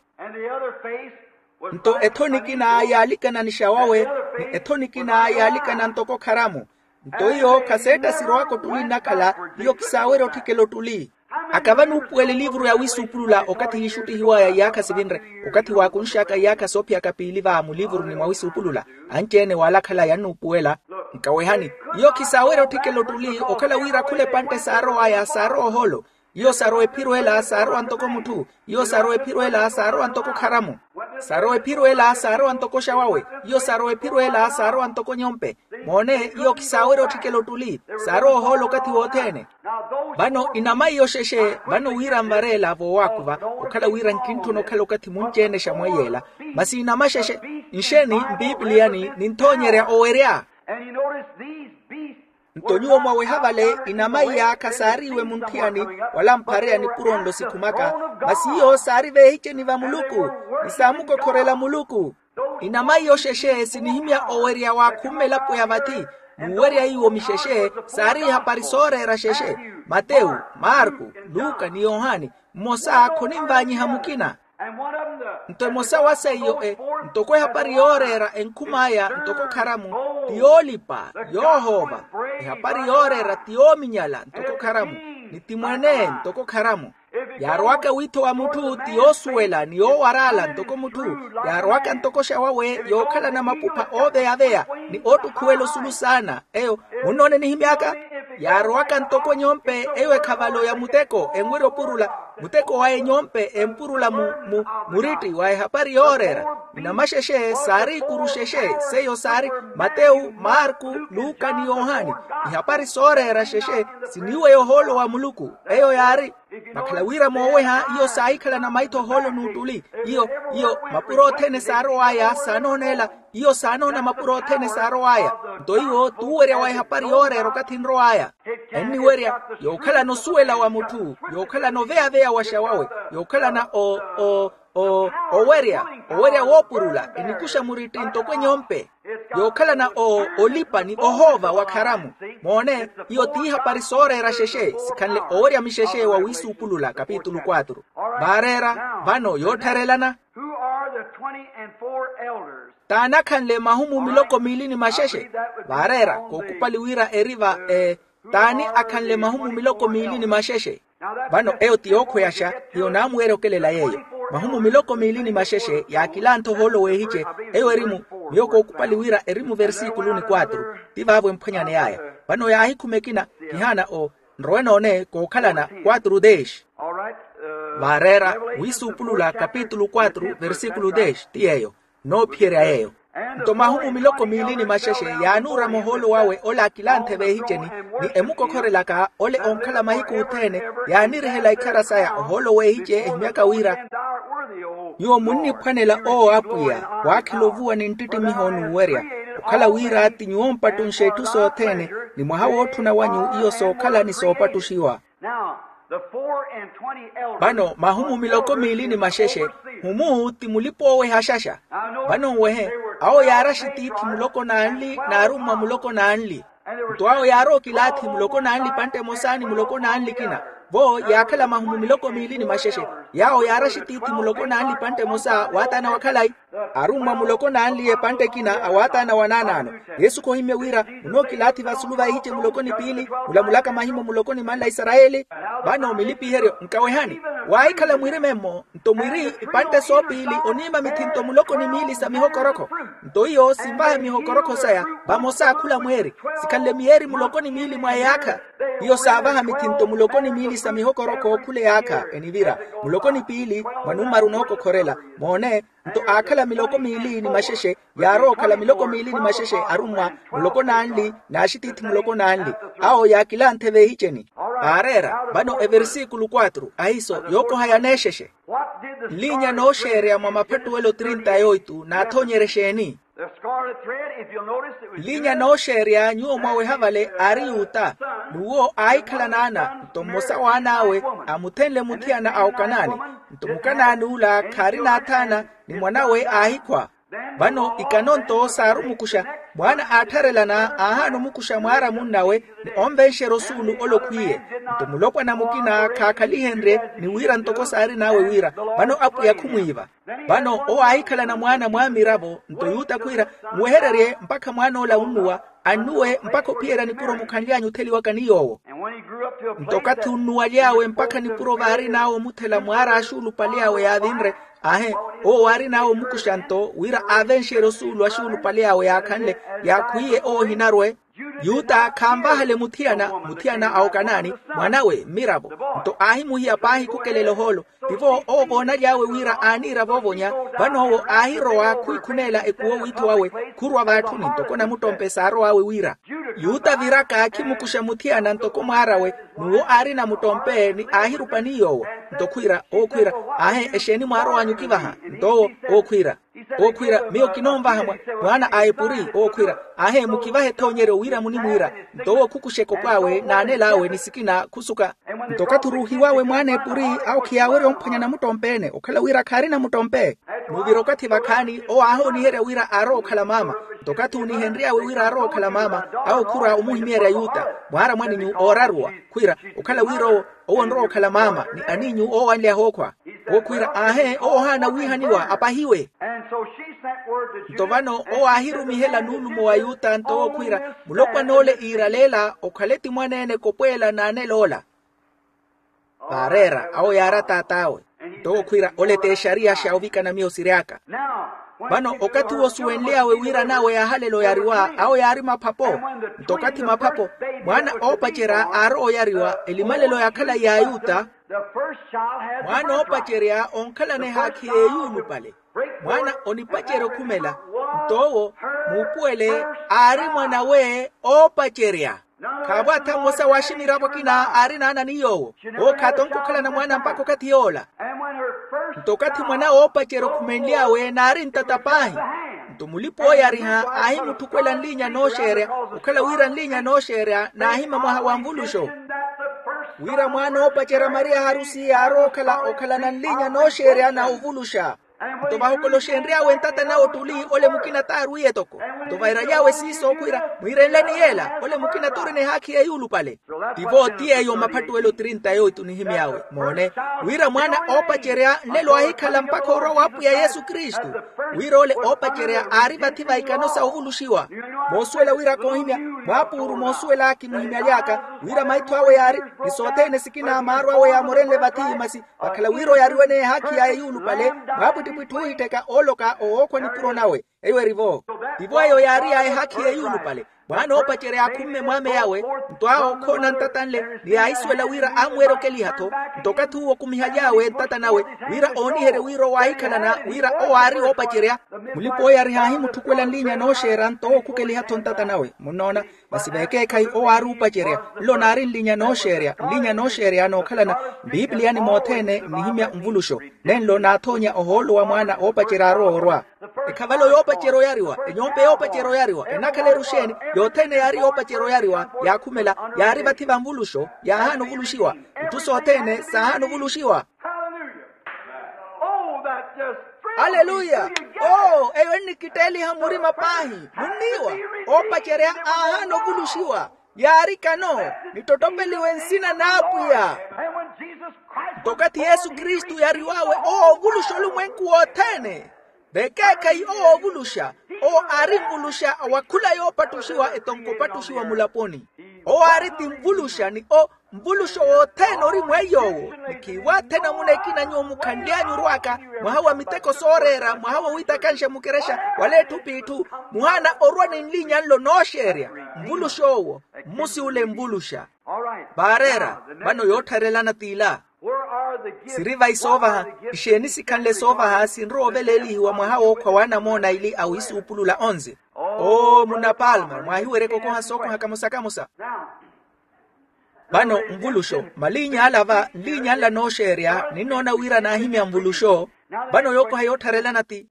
Nto ethoni ekina yaalikana ni xawawe ni ethoni ekina yaalikana ntoko kharamu. Nto iyo khaseetta sirowaka ottuli nnakhala iyo khisaawerya otthikela ottuli. Aka vanuupuwela eliivuru ya wiisuupulula okathi yiixuttihiw'aya iyaakha sivinre okathi waakunx'aka iyaakha soophiyaka piili va muliivuruni mwa wiisuupulula. Anci-ene waalakhala yannuupuwela. Nkawehani iyo khisaawerya otthikela ottuli okhala wira khula epantte saarow'aya saarowa ohoolo. Iyo sarowa ephiro ela saarowa ntoko mutthu. Iyo sarowa ephiro ela saarowa ntoko kharamu. Sarowa ephiro ela saarowa ntoko xawawe. Iyo sarowa ephiro ela saarowa ntoko nyompe. Moone iyo khisaawerya otthikela ottuli. Saarowa ohoolo okathi wothene. Vano inamaiya oxexe vano wira nvareela voowaakuva okhala wira nkintthuna okhala okathi munci-ene xamweiyeela. Masi inamaxexe nxeeni mpiipiliyani ninthoonyerya owerya. Nto nyuwo mwaweha vale inamaiya khasaariiwe munthiyani wala mphareya nipuro nlo sikhumaka. Masi iyo saari veehiceni va muluku ni saamukokhorela muluku. Inamaiya oxexe sinihimya owerya waakhumme elapo ya vathi. N'uwerya iwo mixexe saari ihapari sooreera xexe. Matewu, marku, luka ni yohani. Mmosa khoninvaanyiha mukina. Nto emosa wa seiyo e ntoko ehapari yooreera enkhum'aya ntoko kharamu, ti yoolipa, yoohoova. Ehapari yooreera ti yoominyala ntoko kharamu, ni ti mwene ntoko kharamu. Yaarowaka wiitho wa mutthu ti yoosuwela ni yoowar'ala ntoko mutthu. Yaarowaka ntoko xawawe yookhalana mapupha ooveyaveya ni oottukhuwela osulu saana. Eyo munnoone nihimy'aka. Yaarowaka ntoko enyompe eyo ekhavalo ya muteko enwerya opurula. Muteko wa enyompe empurula mu mu muritti wa ehapari yooreera. Ni namaxexe saari ikuru xexe. Seiyo saari matewu, marku, luka ni yohani. Ihapari sooreera xexe siniiweya ohoolo wa muluku. Eyo yaari vakhala wira mooweha iyo saahikhalana maitho ohoolo n'uttuli. Iyo iyo mapuro othene saarow'aya saanooneela. Iyo saanoona mapuro othene saarow'aya. Nto iwo t'uwerya wa ehapari yooreera okathi nrow'aya. Enniwerya yookhalana osuwela wa mutthu, yookhalana oveyaveya wa xawawe, yookhalana o o o owerya owerya woopurula enikuxa muritti ntoko enyompe. Yookhalana o olipa ni ohoova wa kharamu. Moone, iyo t'ihapari sooreera xexe sikhanle owerya mixexe wa wiisuupulula kapitulu quatro. Vaareera vano yoottharelana. Who are the twenty and four elders? T'ani akhanle mahumu miloko miili ni maxexe? Vaareera kookupali wira eri va e t'ani akhanle mahumu miloko miili ni maxexe? Vano eyo ti yookhweyaxa. Iyo naamuwerya okelela yeeyo. Mahumu miloko miili ni maxexe yaakilanthe ohoolo weehice. Eyo eri mu miyo kookupali wira eri mu versikulu ni quatro. Ti vaavo emphwanyani yaya. Vano yaahikhuma ekina kihaana o nrowe noone kookhalana quatro dex. Vaareera wiisuupulula kapitulu quatro versikulu dex ti yeeyo. Noophiyerya yeeyo. Nto mahumu miloko miili ni maxexe yaanuurama ohoolo wawe ole akilanthe veehiceni ni emukokhorelaka ole onkhala mahiku othene. Yaanirihela ikhara saya ohoolo weehice ehimyaka wira nyuwo munniphwanela owo apwiya waakhela ovuwa ni nttittimiho n'uwerya okhala wira ti nyuwo mpattunxe itthu sothene ni mwaha wootthuna wanyu iyo sookhala ni soopattuxiwa. Vano mahumu miloko miili ni maxexe humu ti mulipa ooweha xaxa. Vano nwehe awo yaaraxi tiithi muloko n'anli n'arummwa muloko n'anli. Nto awo yaarowa okilaathi muloko n'anli epantta emosa ni muloko n'anli ekina. Vo yaakhala mahumu miloko miili ni maxexe yaawo yaaraxi tiithi muloko n'anli epantta emosa waataana wa khalayi. Arummwa muloko n'anli epantta ekina awaataana wa naanaano. Yesu khohimmye wira munookilaathi vasulu vaihice muloko ni piili mulamulaka mahimo muloko ni manla a isarayeli. Vano milipiheryo nkawehani waahikhala mwirime-mmo nto mwiri ipantte soopiili oniima mithinto muloko ni miili sa mihokorokho. Nto iyo sinvaha mihokorokho saya vamosa khula mweeri sikhanle miyeeri muloko ni miili mwa eyaakha. Iyo saavaha mithinto muloko ni miili sa mihokorokho khula eyaakha enivira muloko ni piili mwa nummaru nookokhorela. Moone nto aakhala miloko miili ni maxexe yaarowa okhala miloko miili ni maxexe arummwa muloko n'anli n'axitiithi muloko n'anli awo yaakilanthe veehiceni. Aareera vano eversikulu quatro ahiiso yookoha yaneexexe. Nliinya nooxeereya mwa maphattuwelo trinta yoitu naathonyerya exeeni? Nliinya nooxeereya nyuwo mwaweha vale aari yuta n'uwo aahikhala n'ana nto mmosa w'an'awe amuthenle muthiyana a okanaani. Nto mukanaani ula khaarina athaana ni mwan'awe aahikhwa. Vano ikano nto saari omukuxa mwaana aattharelana aahaana omukuxa mwaara munnawe ni onvenxerya osuulu ole okhwiiye. Nto mulopwana mukina khaakhalihenrye ni wira ntoko saarin'awe wira vano apwiya khumwiiva. Vano owo aahikhalana mwaana mwaamiravo nto yuta khwiira nwehererye mpakha mwaan'ola unnuwa annuwe mpakha ophiyerya nipuro mukhanly'anyu otheliwaka ni yoowo. Nto okathi unnuwaly'awe mpakha nipuro vaarin'awe omuthela mwaara axuulupale awe yaavinre ahe owo waarin'awe omukuxa nto wira aavenxerye osuulu axuulupale awe yaakhanle yaakhwiiye owo ohinarwe. Yuta khaanvahale muthiyana muthiyana a okanaani mwan'awe mmiravo. Nto aahimuhiya paahi khukelela ohoolo tivo owo voonaly'awe wira aaniira voovonya. Vano owo aahirowa khwikhuneela ekuwo wiitho wawe khurwa vaatthuni ntoko namuttompe saarow'awe wira. Yuta viraka khimukuxa muthiyana ntoko mwaar'awe n'uwo aari namuttompe ni aahirupa ni yoowo. Nto khwiira owo khwiira aahe exeeni mwaarow'anyu okivaha? Nto owo owo khwiira owo khwiira miyo kinoonvaha mwa mwaana a epuri owo khwiira aahe mukivahe ethoonyeryo wira munimwiira. Nto owo khukuxa ekopw'awe n'anel'awe ni sikina khusuka. Nto okathi oruuhiw'awe mwaana epuri awo khiyaawerya omphwanya namuttompe-ene okhala wira khaari namuttompe. N'uvira okathi vakhaani owo aahooniherya wira aarowa okhala maama. Nto okathi oonihenry'awe wira arowa okhala maama, awo khura omuhimyerya yuta, mwaara mwaninyu ooraruwa, khwiira okhala wira owo, owo onrowa okhala maama ni aniinyu oowanlya ehookhwa. Owo khwiira aahe owo ohaana wiihaniwa apahiwe. Nto vano owo aahirumihela nuulumo wa yuta nto owo khwiira, mulopwan'ole iiraleela okhale ti mwaneene kopweela n'anel'ola. Vaareera awo yaari ataat'awe. Nto owo khwiira, ole t'exariya xa ovikana miyo siry'aka. Vano okathi owo osuwenly'awe wira n'awe yaahalela oyariwa awo yaari maphapo. Nto okathi maphapo, mwaana oopacerya aarowa oyariwa elimalelo ya khalayi y'ayuta. Mwaana oopacerya onkhalana ehaakhi y'eyuulupale. Mwaana onipacerya okhumela. Nto owo, muupuwele, aari mwan'awe oopacerya. Khaavo atha mmosa wa aximirapo akina aari n'anani yoowo. Owo khaatonke okhalana mwaana mpakha okathi yoola. Nto okathi mwan'awe oopacerya okhumenly'awe naari ntata paahi. Nto mulipa-ooyariha aahimutthukwela nliinya nooxeerya, okhala wira nliinya nooxeerya naahima mwaha wa nvuluxo. Wira mwaana oopacerya mariya harusi yaarowa okhala okhalana nliinya nooxeerya na ovuluxa. Nto vahokoloxenry'awe ntata nawe ottuli ole mukina t'arwiye etoko. Nto vairaly'awe siiso okhwiira, mwiirenleni yeela ole mukina t'urina ehaakhi y'eyuulupale. Tivo ti yeeyo maphattuwelo trinta yoitu nihimy'awe moone, wira mwaana oopacerya nlelo aahikhala mpakha orwa w'apwiya yesu kristu. Wira ole oopacerya aari vathi va ikano sa ovuluxiwa. Moosuwela wira koohimya, mwaapuuru moosuwela kimuhimyaly'aka, wira maitho awe yaari ni sothene sikina maaro awe yaamorenle vathi masi, vakhala wira oyariwe-ene ehaakhi ya eyuulupale, mwaapwittipwitthi oohittheka ooloka owookhwa nipuro nawe. Eyo eri-vo. Tivo eyo yaari ya ehaakhi y'eyuulupale. Mwaana oopacerya aakhumme mwaame yawe, nto awo okhoona ntata nle ni yaahisuwela wira aamuweerya okeliha-tho. Nto okathi uwo okumihaly'awe ntata nawe, wira ooniherye wira owo aahikhalana wira owo aari woopacerya. Mulipa-ooyariha aahimutthukwela nliinya nooxeerya nto owo khukeliha-tho ntata nawe munnoona. Masi veekeekhayi owo aari oopacerya, nlo naari nlinya nooxeerya nlinya nooxeerya nookhalana. Mpipiliyani mothene nnihimya nvuluxo, nenlo naathoonya ohoolo wa mwaana oopacerya aarowa orwa. Ekhavalo yoopacerya oyariwa enyompe yoopacerya oyariwa enakhala eru xeeni? Yothene yaari yoopacerya oyariwa yaakhumela, yaari vathi va nvuluxo yaahaana ovuluxiwa. Itthu sothene saahaana ovuluxiwa. Aleluya. Oo eyo ennikitteeliha murima paahi munniiwa. Oopacerya aahaana ovuluxiwa, yaari kano, nittottopeliwe nsina n'apwiya. Nto okathi yesu kristu yariw'awe owo ovuluxa olumwenku wothene. Vekeekhayi owo ovuluxa, owo aari nvuluxa wa khula yoopattuxiwa etonko opattuxiwa mulaponi. Owo aari ti nvuluxa ni o nvuluxo wothene ori mweiy'owo. Ni khiiwaathena muna ekina nyuwo mukhanly'anyu orw'aka, mwaha wa miteko sooreera mwaha wa wiitakanxa mukerexa wala etthu p'itthu, muhaana orwa ni nlinya nlo nooxeerya. Nvulux'owo, mmusi ule nvuluxa. Vaareera. Vano yoottharelana t'ila. Siri vayi soovaha? Ixeeni sikhanle soovaha sinrowa oveleelihiwa mwaha wookhwa w'anamoona aili a wiisuupulula onze? Oo munna palma mwaahiweryeke okoha sookoha kamosa kamosa. Vano nvuluxo, maliinya ala va nliinya nla nooxeerya ninnoona wira naahimya nvuluxo. Vano yookoha yoottharelana ti,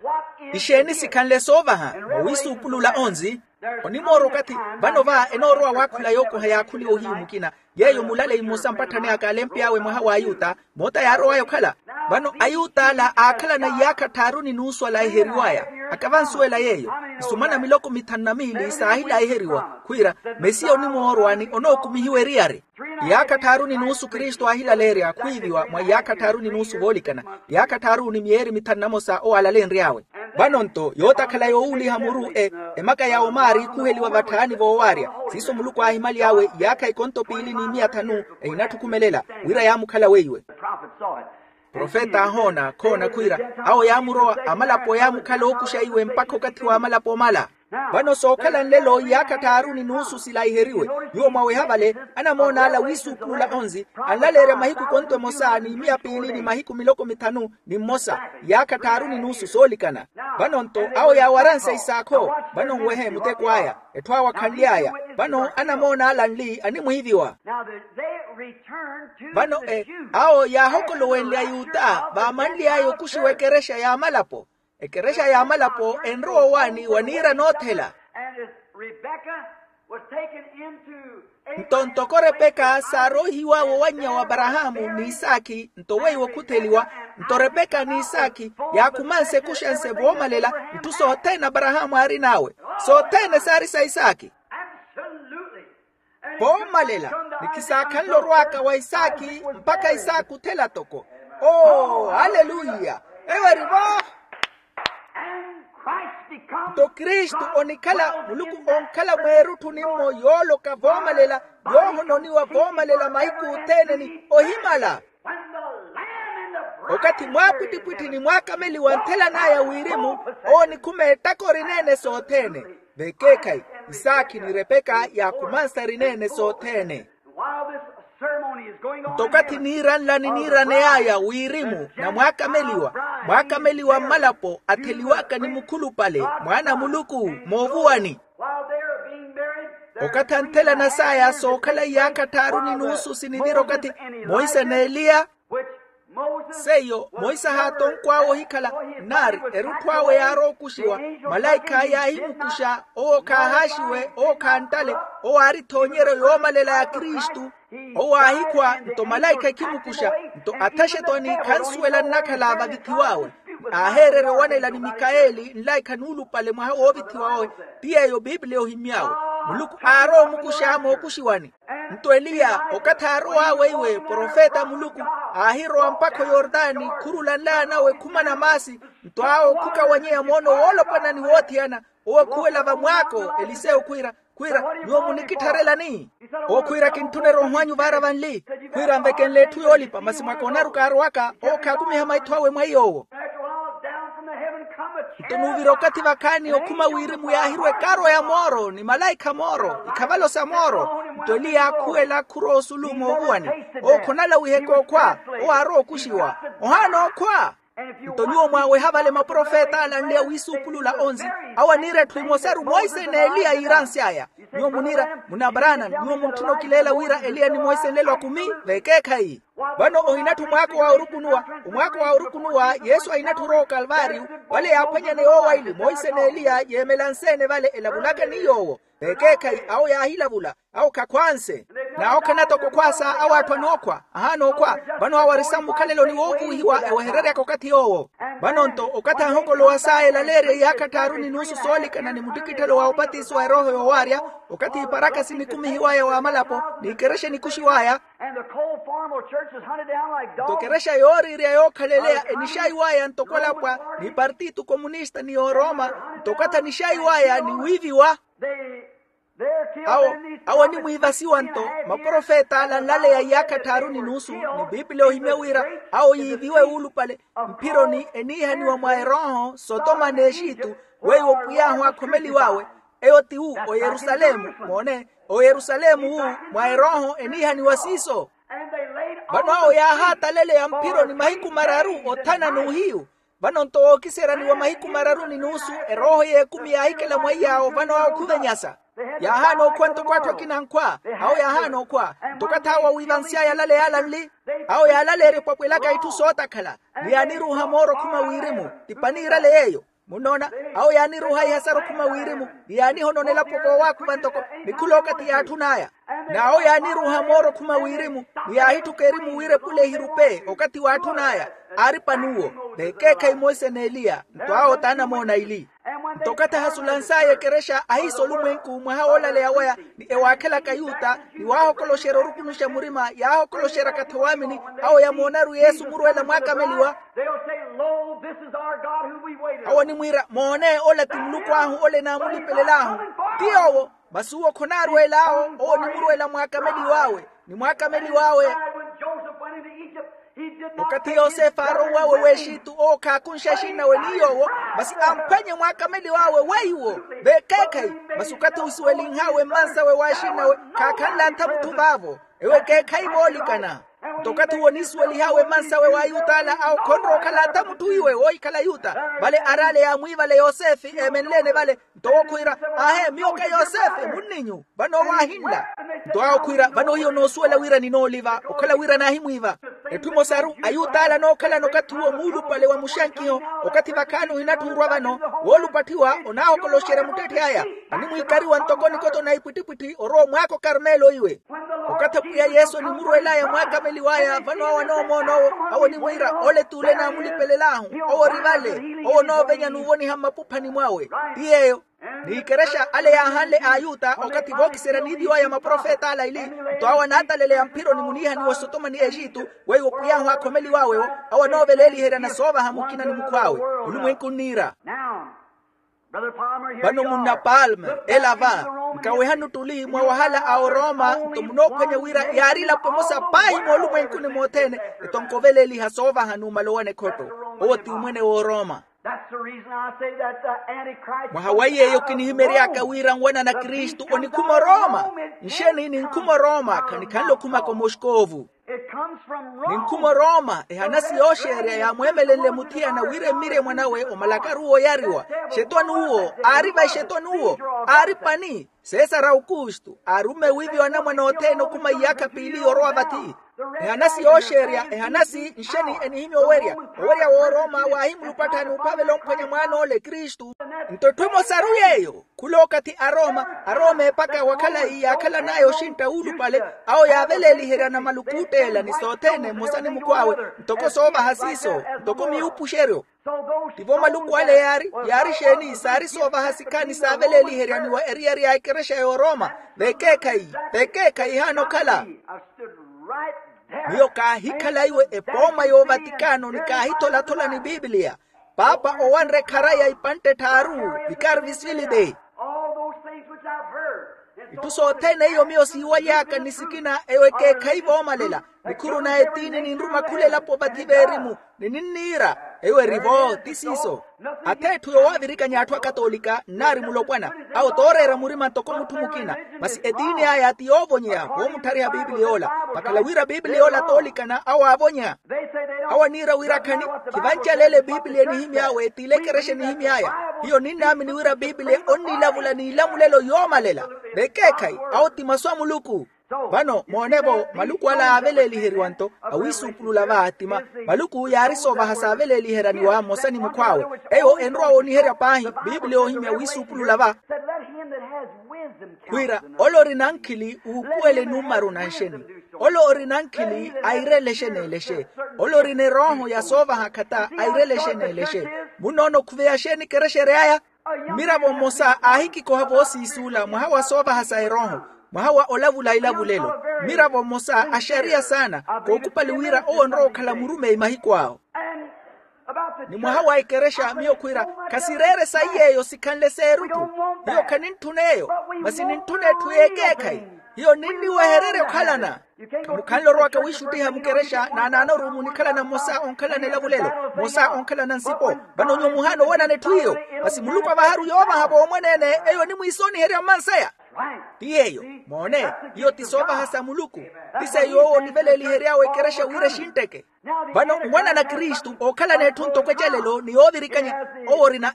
ixeeni sikhanle soovaha? Mwawiisuupulula onzi. Onimoorwa okathi vano va enoorowa waakhula yookoha yaakhuliwa ohiyu mukina, yeeyo mulaleyi mmosa mpatthani aka alempey'awe mwaha w'ayuta, moota yaarow'aya okhala. Vano ayuta ala aakhalana iyaakha tthaaru ni nuusu alaiheriw'aya. Akavansuwela yeeyo, isumana miloko mithanu na miili saahilaiheriwa khwiira, mesiya onimoorwa ni onookumihiwa eriyari. Iyaakha tthaaru ni nuusu kristu aahilaleerya khwiiviwa mwa iyaakha tthaaru ni nuusu voolikana, iyaakha tthaaru ni miyeeri mithanu na mosa owo alalenry'awe. Vano-nto yootakhala yoowuliha muru e emaka ya omaari khuheliwa vatthaani voowaarya. Siiso muluku aahimaly'awe iyaakha ikonto piili ni miya thanu, ehinatthukhumelela wira yaamukhala weiwe. Profeta aahoona khoona khwiira, awo yaamurowa amalapo yaamukhala ookuxa iwe mpakha okathi w'amalapo omala. Vano sookhala nlelo iyaakha tthaaru ni nuusu silaiheriwe. Nyuwo mwaweha vale, anamoona ala wiisuupulula onzi, anlaleerya mahiku ikonto emosa ni miya piili ni mahiku miloko mithanu ni mmosa, iyaakha tthaaru ni nuusu soolikana. Vano-nto awo yaawaranse isaakho. Vano nwehe muteko aya, etthu awo akhanly'aya. Vano anamoona ala nli animwiiviwa. Vano e awo yaahokolowenle ayuta vaamanly'aya okuxiwa ekerexa y'amalapo. Ekerexa y'amalapo enrowa owaani wa niira noothela. Nto ntoko repeka saaroihiw'awe owannya w'aparahaamu n'isakhi nto weiwo okhutheliwa. Nto repeka n'isakhi yaakhumanse ekuxanse voomalela itthu sothene aparahaamu aarin'awe. Sothene saari sa isaaki. Voomalela. Ni kisaakhanle orw'aka wa isaaki mpakha isaaki othela toko. Oo aleluya. Eyo eri vo. Nto kristu onikhala muluku onkhala mweerutthu nimmo yooloka voomalela, yoohononiwa voomalela mahiku othene ni ohimala. Okathi mwaapwittipwitthi ni mwaakameliwa nthelana aya wirimu, owo nikhuma ettaka orineene sothene. Vekeekhayi isaakhi ni repeka yaakumansa rineene sothene. Nto okathi niiranla ni niiraney'aya wirimu na mwaakameliwa, mwaakameliwa mmalapo atheliwaka ni mukhulupale mwaana a muluku moovuwani. Okathi anthelana saya sookhala iyaakha tthaaru ni nuusu sinivira okathi monse n'eliya. Seiyo monse ahaatonkw'awe ohikhala, nari erutthu awe yaarowa okuxiwa, malaikha yaahimukuxa owo khaahaaxiwe owo khanttale. Owo aari ethoonyeryo yoomalela ya kristu. Owo aahikhwa nto malaikha ekhimukuxa, nto athaxetwani khansuwela nnakhala vavithiw'awe. Aaheererya owanela ni mikaeli nlaikha nuulupale mwaha woovithiwa owe. Ti yeeyo piipiliya ohimmy'awe. Muluku aarowa omukuxa mookuxiwani. Nto eliya okathi aarow'awe iwe profeta a muluku, aahirowa mpakha oyordani khurula nlaya nawe khumana maasi. Nto awo khukawanyeya moono woolopwana ni woothiyana. Owo akhuwela vamwaako eliseyo khwiira, khwiira, nyuwo munikittharelani? Owo khwiira kintthuna eroho anyu vaara vanli. Khwiira anvekenle etthu yoolipa masi mwakoonaru kaarowaka owo khaakumiha maitho awe mwa iy'owo. Nto nuuvira okathi vakhaani okhuma wirimu yaahirwa ekaaro ya mooro ni malaikha mooro ikhavalo sa mooro. Nto eliya aakhuwela khurowa osulu moovuwani. Owo khonalawiheka okhwa. Owo aarowa okuxiwa. Ohaana okhwa. Nto nyuwo mwaaweha vale maprofeta alanleya wiisuupulula onzi, awo aniira etthu emosaru monse n'eliya yiiransy'aya. Nyuwo muniira munabranam nyuwo muntthuna okileela wira eliya ni monse nlelo akumi. Vekeekhayi. Vano ohinatthu omwaako wa orukunuwa. Omwaako wa orukunuwa yesu ahinatthu orowa okalvaariyu. Vale yaaphwanyane yoowaili monse n'eliya yeemela nseene vale elavulaka ni yoowo. Vekeekhayi awo yaahilavula. Awo khakhwanse. N'awo khanatoko khwaasa awo atthu anookhwa. Ahaana okhwa. Vano awo ari sammukhaleloni woovuwihiwa ewehereryaka okathi yoowo. Vano-nto okathi ahokolowa saya elaleerya iyaakha tthaaru ni nuusu soolikana ni muttikitthelo wa opatisiwa erooho yoowaarya, okathi iparaka sinikumihiwaya w'amalapo n'ikerexa enikuxiwaya. Nto ekerexa yooriirya yookhaleleya enixaiwaya ntoko alapwa, ni partito komunista ni yoorooma. Nto okathi anixaiwaya ni wiiviwa. Awo awo animwiivasiwa-nto maprofeta ala nlaleya iyaakha tthaaru ni nuusu. Ni piipiliya ohimya wira awo yiiviwe wuulupale mphironi eniihaniwa mwa erooho sotoma n'exitu. Weiwo pwiy'ahu aakhomeliw'awe. Eyo ti wu oyerusalemu moone. Oyerusalemu wu mwa erooho eniihaniwa siiso. Vano awo yaahaataleleya mphironi mahiku mararu othana n'uhiyu. Vano-nto wookiseryaniwa mahiku mararu ni nuusu erooho y'ekumi yaahikela mwaiy'awo vano awo khuvenyasa. Yaahaana okhwa ntoko atthu akina ankhwa. Awo yaahaana okhwa. Nto okathi awo awiivansy'aya alaleya ala nli. Awo yaalaleerya opwapwelaka itthu sootakhala. Ni yaaniruuha mooro okhuma wirimu. Ti paniirale yeeyo. Munnoona? Awo yaaniruuha ihasaru okhuma wirimu. Ni yaanihononela poko owaakhuva ntoko. Ni khula okathi yaatthun'aya. N'awo yaaniruuha mooro okhuma wirimu. Ni yaahitthuka erimu wira epule ehirupe okathi waatthun'aya. Aari pan'uwo. Vekeekhayi monse n'eliya nto awo t'anamoona ili. Nto okathi ahasulans'aya ekerexa ahiisa olumwenku mwaha woolaleya waya ni ewaakhelaka ayuta ni waahokoloxerya orukunuxa murima yaahokoloxeryaka-tho waamini. Awo yamoonaru yesu murweela mwaakameliwa. Awo animwiira moone ola ti muluku ahu ole enaamulipelel'ahu. Ti yoowo. Masi uwo khonaarweel'awo. Owo onimurweela mwaakameliw'awe. Ni mwaakameliw'awe. Okathi yosefe aarowa w'exitu owo khaakunxe axinnawe ni yoowo. Masi amphwanye mwaakameliw'awe weiwo. Vekeekhayi. Masi okathi osuwelinh'awe mmansawe w'axinnawe khaakhanle atha mutthu vaavo. Ewo ekeekhayi voolikana. Nto okathi uwo onisuwelih'awe mmansawe w'ayut'ala awo khonrowa okhala atha mutthu iwe woohikhala ayuta. Vale araale yaamwiivale yosefe eemenle-ene vale. Nto owo khwiira, ahe miyo ka yosefe munninyu. Vano owo aahinla. Nto awo khwiira vano hiyo noosuwela wira ninooliva okhala wira naahimwiiva. Etthu emosaru ayut'ala anookhalana okathi uwo muulupale wa muxankiho. Okathi vakhaani ohinatthuurwa vano woolupatthiwa onaahokoloxerya muttetthi aya. Animwiikariwa ntoko nikoto na ipwittipwitthi orowa omwaako karmelo iwe. Okathi apwiya yesu onimurweel'aya mwaakameliw'aya vano awo anoomoon'owo. Awo onimwiira ole t'ule naamulipelel'ahu. Owo ori vale. Owo onoovenya n'uvoniha mmapuphani mwawe. Ti yeeyo. Ni ikerexa ale yaahanle ayuta okathi vookiserya niiviwaya maprofeta ala ili, nto awo anaataleleya mphironi muniihaniwa osotoma ni exitu, weiwo pwiy'ahu aakhomeliw'awe-wo, awo anooveleeliheryana soovaha mukina ni mukhw'awe. Olumwenku nniira. Vano munna palme, ela va, nkawehani ottuli mwa wahala a oroma nto munoophwanya wira yaari elapo emosa paahi moolumwenkuni mothene, etonko oveleeliha soovaha numala owana ekhotto. Owo ti omwene w'oroma. Mwaha wa yeeyo kinihimery'aka wira nwanana kristu onikhuma oroma. Nxeni ninkhuma oroma khanikhanle okhumaka omoskovu. Ninkhuma oroma ehanasi yooxeerya yaamweemelenle muthiyana wira emmirye mwanawe omalakaru wooyariwa. Xetwani uwo aari vai xetwani uwo? Aari pani. Sesara aukustu aarumme wiiviwa anamwane othene okhuma iyaakha piili yorowa vathi. Ehanasi yooxeerya ehanasi nxeni enihimya owerya. Owerya w'oroma waahimulupattha n'uphavela omphwanya mwaan'ole kristu. Nto etthu emosaru yeeyo khula okathi aroma aroma epaka wa khalayi yaakhalan'aya oxintta wuulupale. Awo yaaveleeliheryana maluku ootteela ni sothene mmosa ni mukhw'awe ntoko soovaha siiso ntoko miupuxeryo. Tivo maluku ale yaari yaari xeeni saari soovaha sikhaani saaveleeliheryaniwa eriyari ya ekerexa y'oroma. Vekeekhayi vekeekhayi ehaana okhala. Miyo kaahikhala iwe epooma y'ovatikano ni kaahitholathola ni pipiliya. Paapa owanre khara ya ipantte tthaaru vikari visfilide. Itthu sothene iyo miyo siiwaly'aka ni sikina eyo ekeekhayi voomalela. Nikhuru na etiini ninruma khula elapo vathi veerimu ni ninniira. Eyo eri-vo ti siiso. Ath'etthu yowaavirikanya atthu akatolika nnaari mulopwana. Awo tooreera murima ntoko mutthu mukina. Masi etiini aya ti yoovonyeya voomutthariha pipiliya ola. Vakhala wira pipiliya ola toolikana awo aavonyeya. Awo aniira wira khani khivancaleele pipiliya enihimy'awe t'ile ekerexa enihimy'aya. Hiyo ninnaamini wira pipiliya onnilavula n'ilamulelo yoomalela. Vekeekhayi awo ti masu a muluku. Vano moone-vo maluku ala aaveleliheriwa nto awiisuupulula va tima. Maluku yaari soovaha saaveleliheraniwa mmosa ni mukhw'awe. Eyo enrowa wooniherya paahi pipiliya oohimya wiisuupulula va. Wira ole orina nkhili uupuwele nummaru na nxeni. Ole orina nkhili airelexe n'elexe. Ole orina erooho ya soovaha khata airelexe n'elexe. Munnoona okhuveya xeeni ekerexa ery'aya? Mmiravo mmosa aahikikoha voosiisuula mwaha wa soovaha sa erooho, mwaha wa olavula ilavulelo. Mmiravo mmosa axariya saana kookupali wira owo onrowa okhala murumeyi mahiku awo. Ni mwaha wa ekerexa miyo khwiira khasireere sayi yeeyo sikhanle s'erutthu. Hiyo khanintthuna eyo, masi nintthuna etthu y'ekeekhayi. Hiyo ninniwehererya okhalana. Khamukhanle orowaka wiixuttiha mukerexa naanaanoru munikhalana mmosa onkhalana elavulelo, mmosa onkhalana nsipo. Vano nyuwo muhaana owanana etthu iyo. Masi muluku avaharu yoovaha voomweneene. Eyo onimwiisooniherya mmanseya. Ti yeeyo. Moone, iyo ti soovaha sa muluku. Ti seiyo owo oniveleelihery'awe ekerexa wira exintteke. Vano nwanana kristu ookhalana etthu ntoko ecalelo ni yoovirikanya. Owo orina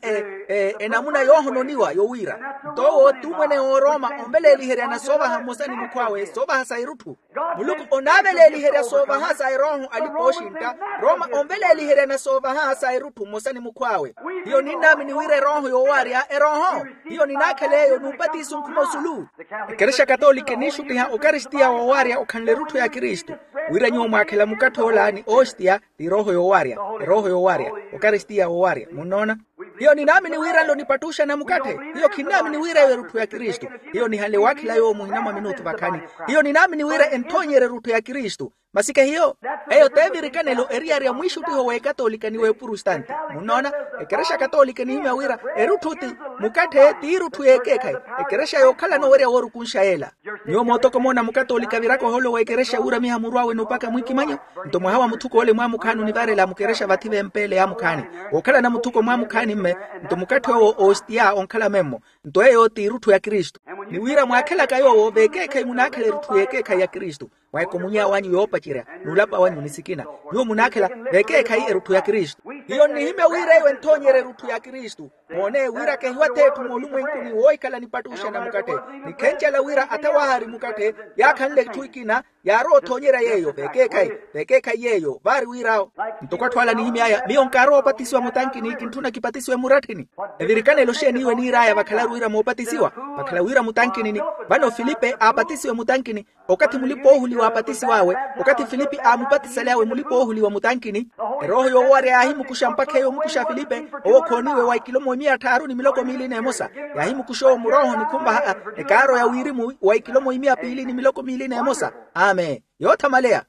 enamuna yoohononiwa yowiira nto owo ti omwene w'oroma onveleeliheryana soovaha mmosa ni mukhw'awe soovaha sa erutthu. Muluku onaaveleeliherya soovaha sa erooho alipa ooxintta. Roma onveleeliheryana soovaha sa erutthu mmosa ni mukhw'awe. Hiyo ninnaamini wira erooho yoowaarya erooho. Hiyo ninaakhel'eyo n'upatiso nkhuma osulu. Ekerexa katolika eniixuttiha okaristiya woowaarya okhanle erutthu ya kristu. Wira nyuwo mwaakhela mukatthe ola ni ostiya ti erooho yoowaarya. Erooho yoowaarya okaristiya woowaarya munnoona. Hiyo ninaamini wira nlo nipattuxana mukatthe. Hiyo khinnaamini wira eyo erutthu ya kristu. Hiyo nihanle waakhela yoowo muhina mwa minutu vakhani. Hiyo ninaamini wira enthoonyerya erutthu ya kristu. Masi khehiyo. Eyo t'evirikanelo eriyari ya mwiixuttiho w'ekatolika ni w'epurustanti. Munnoona, ekerexa katolika enihimya wira erutthu ti mukatthe t'irutthu y'ekeekhayi. Ekerexa yookhalana owerya woorukunxa yeela. Nyuwo mootoko moona mukatolika aviraka ohoolo w'ekerexa wuuramiha muru awe n'upaka mwikimanyo. Nto mwaha wa muthuko ole mwaamukhaani onivarela mukerexa vathi vempeele yaamukhaani. Wookhalana muthuko mwaamukhaani mme. Nto mukatthe owo ostiya onkhala memmo. Nto eyo t'irutthu ya kristu. Ni wira mwaakhelaka yoowo v'ekeekhayi munaakhela erutthu y'ekeekhayi ya kristu. Mwaikomunyeya wanyu yoopacerya n'ulapa wanyu ni sikina. Nyuwo munaakhela v'ekeekhayi erutthu ya kristu. Hiyo nnihimya wira eyo enthoonyerya erutthu ya kristu. Moone wira kehiwath'etthu moolumwenkuni woohikhala nipattuxana mukatthe. Nikhencela wira atha waahari mukatthe yaakhanle etthu ekina. Yaarowa othoonyerya yeeyo v'ekeekhayi. V'ekeekhayi yeeyo vaari wir'awo. Ntoko atthu ala anihimy'aya miyo nkaarowa opatisiwa mutankini kintthuna kipatisiwe muratthini. Evirikanelo xeeni iwe niir'aya vakhalaru? wira moopatisiwa, vakhala wira mutankinini. Vano filipe aapatisiwe mutankini. Okathi mulipa-oohuliwa aapatisiw'awe, okathi filipe aamupatisaly'awe mulipa-oohuliwa mutankini, erooho yoowarya yaahimukuxa mpakha eyo omukuxa filipe. Owo khooniwe wa ikilomwa imiya tthaaru ni miloko miili n'emosa. Yaahimukuxa owo murooho ni khunvaha ekaaro ya wirimu wa ikilomwa imiya piili ni miloko miili n'emosa. Amen. Yoothamaleya.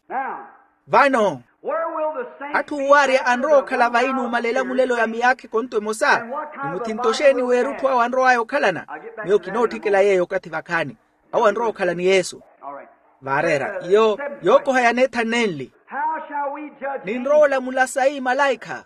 Vano atthu owaarya anrowa okhala vayi nuumalela mulelo ya miyaakha ekonto emosa? Ni muthinto xeeni w'erutthu awo anrow'aya okhalana? Miyo kinootthikela yeeyo okathi vakhaani. Awo anrowa okhala ni yesu. Vaareera iyo. Yookoha yaneetha nnenli. Ninrowa olamula sayi malaikha.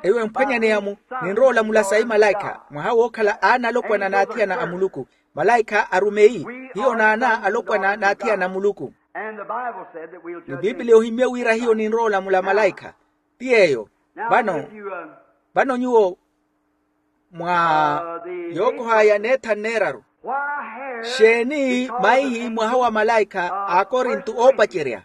Eyo emphwanyaneya-mu. Ninrowa olamula sayi malaikha mwaha wookhala aana alopwana n'athiyana a muluku. Malaikha arumeyi. Hiyo naana alopwana n'athiyana a muluku. Ni bibiliya ohimye wira hiyo ninrowa olamula malaikha. Ti yeeyo. Vano vano nyuwo mwa yookoha yaneetha nneeraru. Xeeni maihi mwaha wa malaikha a akorinto oopacerya?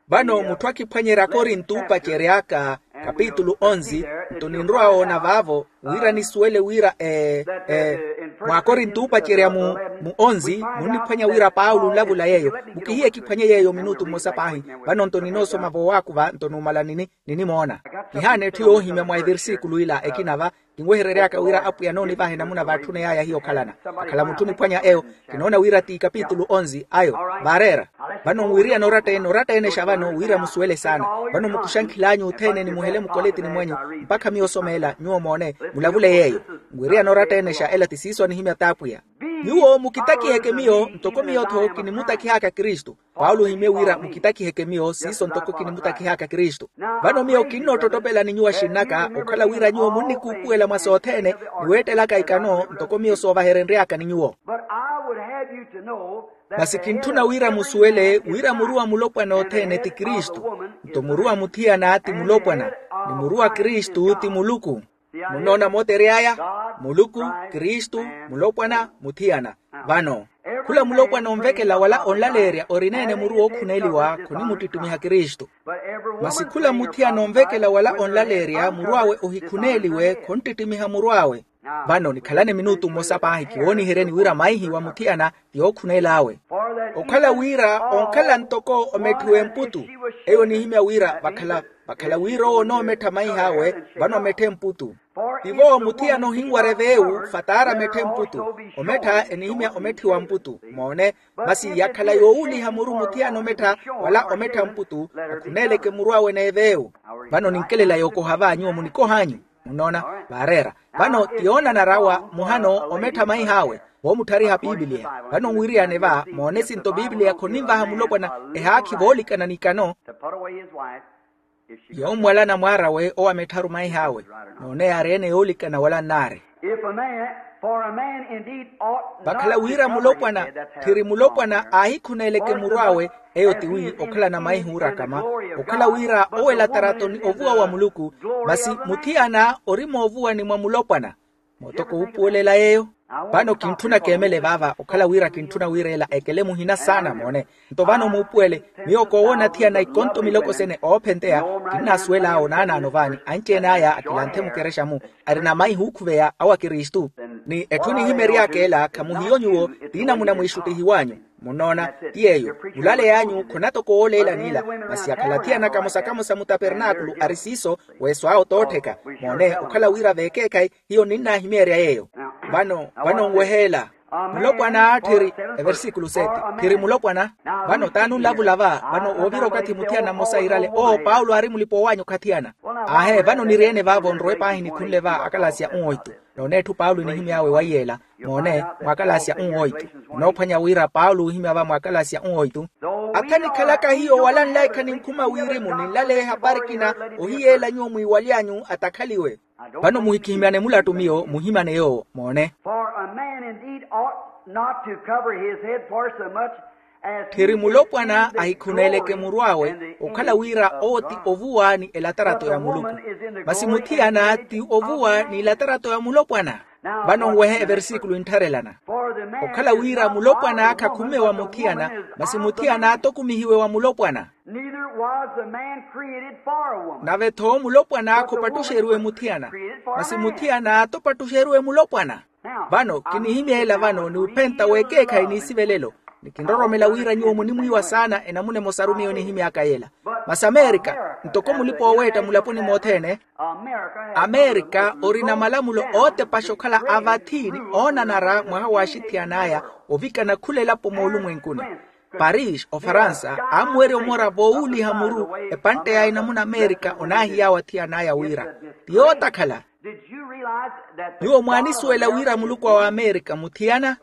Vano mutthu akiphwanyerya akorinto oopacery'aka kapitulu onzi. Nto ninrowa woona vaavo wira nisuwele wira e e mwa akorinto oopacerya mu mu onzi. Munniphwanya wira paulo nlavula yeeyo. Mukihiye kiphwanye yeeyo minutu mmosa paahi. Vano nto ninoosoma voowaakuva nto numala nini ninimoona. Nihaana etthu yoohimya mwa evirsikulu ila ekina va kinweherery'aka wira apwiya noonivaha enamuna vaatthuney'aya hiyo okhalana. Akhala mutthu oniphwanya eyo. Kinoona wira ti kapitulu onzi ayo. Vaareera. Vano nwiriyana oratta-ene oratta-enexa vano wira musuwele saana. Vano mukuxankhil'anyu othene nimuhele mukoletini mwenyu mpakha miyo osomeela nyuwo moone mulavule yeeyo. Nwiriyana oratta-enexa ela ti siiso anihimya t'apwiya. Nyuwo mukitakiheke miyo ntoko miyo-tho kinimutakih'aka kristu. Paulo ohimye wira mukitakiheke miyo siiso ntoko kinimutakih'aka kristu. Vano miyo kinnoottottopela ni nyuwo axinn'aka okhala wira nyuwo munnikuupuwela mwa sothene ni weettelaka ikano ntoko miyo soovaherenry'aka ni nyuwo. Masi kintthuna wira musuwele wira muru a mulopwana othene ti kristu. Nto muru a muthiyana ti mulopwana ni muru a kristu ti muluku. Munnoona mootery'aya muluku kristu mulopwana muthiyana. Vano khula mulopwana onvekela wala onlaleerya orineene muru wookhuneeliwa khonimuttittimiha kristu. Masi khula muthiyana onvekela wala onlaleerya muru awe ohikhuneeliwe khonttittimiha muru awe. Vano nikhalane minutu mmosa paahi kiwooniheryeni wira maihi wa muthiyana ti yookhuneel'awe. Okhala wira onkhala ntoko ometthiwa emputu. Eyo onihimya wira vakhala vakhala wira owo onoomettha maih'awe vano ometthe mputu. Tivo muthiyana ohinwara eveewu fataara ametthe mputu. Omettha enihimya ometthiwa mputu moone. Masi yakhala yoowuliha muru muthiyana omettha wala omettha mputu akhuneeleke muru awe n'eveewu. Vano ninkelela yookoha va nyuwo munikoh'anyu. Munnoona vaareera vano ti yoonanara wa muhano omettha maih'awe voomutthariha piipiliya. Vano nwiriyane va moone sinto piipiliya khoninvaha mulopwana ehaakhi voolikana n'ikano. Yoommwalana mwaar'awe owo amettharu maih'awe noone yaari ene yoolikana wala nnaari. Vakhala wira mulopwana tthiri mulopwana aahikhuneeleke muru awe. Eyo tiwi okhalana maihi oorakama okhala wira owo elatarato ni ovuwa wa muluku. Masi muthiyana ori moovuwani mwa mulopwana. Mootoko wuupuwelela yeeyo. Vano kintthuna keemele vaava okhala wira kintthuna wira ela ekele muhina saana moone. Nto vano muupuwele miyo koowoona athiyana ikonto miloko sene oophenteya. Kinnaasuwel'awe onaanaano vaani anci-ene aya akilanthe mukerexa-mu arina maihi ookhuveya awa kristu. Ni etthu enihimery'aka ela khamuhiyo nyuwo. Tiinamuna mwiixuttihiw'anyu munnoona ti yeeyo. Mulaley'anyu khona toko wooleela n'ila masi akhala athiyana kamosa kamosa mutapernaakulu ari siiso. Weeso awo toottheka moone okhala wira veekeekhayi hiyo ninnahimeerya yeeyo. Vano vano nweheela mulopwana tthiri eversikulo sete tthiri mulopwana. Vano taani onlavula va vano woovira okathi muthiyana mmosa iirale oo paulo aari mulipa-owaanya okhathiyana. Aahe vano niri-ene vaavo nrowe paahi nikhunle va akalasia uwoitu. Noone etthu paulo enihimy'awe waiyeela moone mwa akalasia uwoitu. Onoophwanya wira paulo oohimya va mwa akalasia uwoitu. Atha nikhalaka hiyo wala nlaikha ninkhuma wirimu ninlaleya ehapari ekina ohiyeela nyuwo mwiiwaly'anyu atakhaliwe. Vano muhikihimyane mulattu miyo muhimyane yoowo moone. Tthiri mulopwana ahikhuneeleke muru awe okhala wira owo ti ovuwa ni elatarato ya muluku. Masi muthiyana ti ovuwa ni elatarato ya mulopwana. Vano nwehe eversikulu entharelana. Okhala wira mulopwan'aka khumme wa muthiyana, masi muthiyana atokumihiwe wa mulopwana. Nave-tho mulopwan'aka opattuxeriwe muthiyana, masi muthiyana atopattuxeriwe mulopwana. Vano kinihimya ela vano ni uphenta w'ekeekhayi n'isivelelo, ni kinroromela wira nyuwo munimwiiwa saana enamuna emosaru miyo nihimy'aka yela. Masi amerika, ntoko mulipa-oweetta mulaponi mothene, amerika orina malamulo ootepaxa okhala avathi ni oonanara mwaha w'axithiyan'aya, ovikana khula elapo moolumwenkuni. Paris ofaransa aamuwerya omora voowuuliha muru, epantte ya enamuna amerika onaahiy'awe athiyana aya wira ti yootakhala. Nyuwo mwaanisuwela wira muluku awe amerika muthiyana?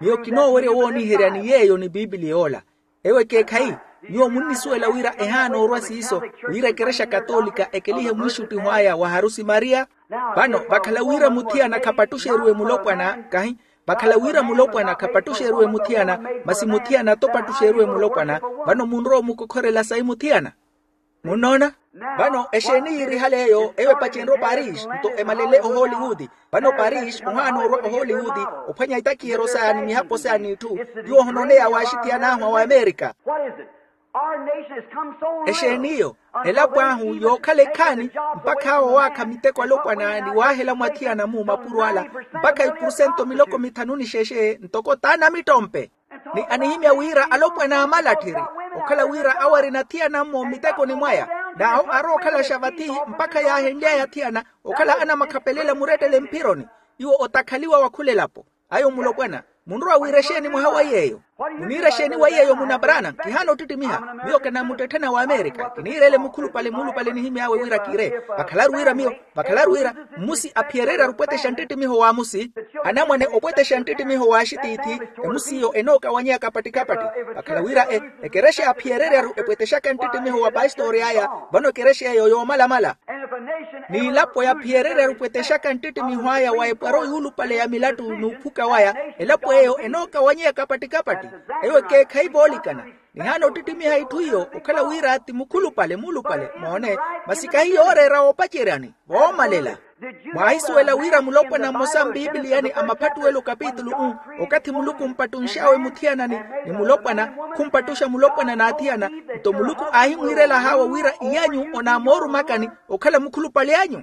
Miyo kinoowerya owooniherya ni yeeyo ni piipiliya ola. Ewo ekeekhayi, nyuwo munnisuwela wira ehaana orwa siiso, wira ekerexa katolika ekelihe mwiixuttiho aya wa harusi mariya. Vano vakhala wira muthiyana khapattuxeriwe mulopwana kahi, vakhala wira mulopwana khapattuxeriwe muthiyana, masi muthiyana atopattuxeriwe mulopwana. Vano munrowa omukokhorela sayi muthiyana? Munnoona? Vano exeeni yiirihale eyo eyo epacenrye oparis nto emalele ohollywood. Vano oparis ohaana orwa ohollywood, ophwanya itakiheryo saya ni mihapo saya n'itthu, tiwo ohonooneya waaxithiyan'ahu awe amerika. Exeeni iyo? Elapo ahu yookhala ekhaani, mpakha awo waakha miteko alopwana ni waahela mwathiyana-mu mapuro ala, mpakha ipurusento miloko mithanu ni xexe ntoko t'anamittompe. Ni anihimya wira alopwana aamalatthiri, okhala wira awo arina athiyana-mmo mmitekoni mwaya, n'awo arowa okhalaxa vathi mpakha yaahenly'aya athiyana okhala anamakhapelela murettele mphironi. Iwo otakhaliwa wa khula elapo. Ayo mulopwana, munrowa wiira exeeni mwaha wa yeeyo? Muniira exeeni wa yeeyo munabranam kihaana ottittimiha. Miyo kinamuttetthena wa amerika kiniireele mukhulupale muulupale nihimy'awe wira kiire. Vakhalaru wira miyo, vakhalaru wira mmusi aphiyereryaru opwetexa nttittimiho w'amusi, anamwane opwetexa nttittimiho w'axitiithi. Emusi iyo enookawanyeya kapatti-kapatti. Vakhala wira ekerexa aphiyereryaru epwetexaka nttittimiho wa pastori aya, vano ekerexa eyo yoomalamala. N'ilapo yaphiyereryaru epwetexaka nttittimiho aya wa epwaro yuulupale ya milattu n'uphuka waya, elapo eyo enookawanyeya kapatti-kapatti. Eyo ekeekhayi voolikana. Nihaana ottittimiha itthu iyo okhala wira ti mukhulupale muulupale moone, masi kahi yooreera woopaceryani voomalela. Mwaahisuwela wira mulopwana mmosa mpiipiliyani a maphattuwelo kapitulu u, okathi muluku ompattunx'awe muthiyanani ni mulopwana, khumpattuxa mulopwana n'athiyana, nto muluku aahimwiirela haawo wira iyanyu onaamoorumakani okhala mukhulupale anyu.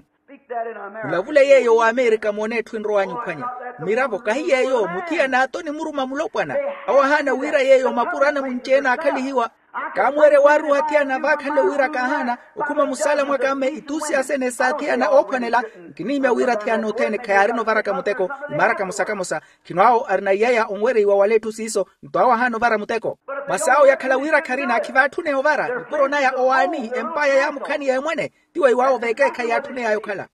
Mulavule yeeyo wa amerika moone etthu enrow'anyu ophwanya. Mmiravo kahi yeeyo muthiyana ato onimuruma mulopwana, awo ahaana wira yeeyo mapuro anamunci-ene aakhalihiwa. Kaamuwerya waaruuha athiyana vaakhanle wira kaahaana okhuma musaala mwaka mme ituusi asene s'athiyana oophwanela. Nkinihimya wira athiyana othene khayaarina ovaraka muteko. Imaaraka mosa kamosa khino awo arina iyaya onwereiwa wala etthu siiso. Nto awo ahaana ovara muteko. Masi awo yakhala wira kharina khivaatthuneya ovara nipuro naya owaani empaya yaamukhani ya emwene. Tiwo iwaawo vekeekhayi yaatthuney'aya okhala.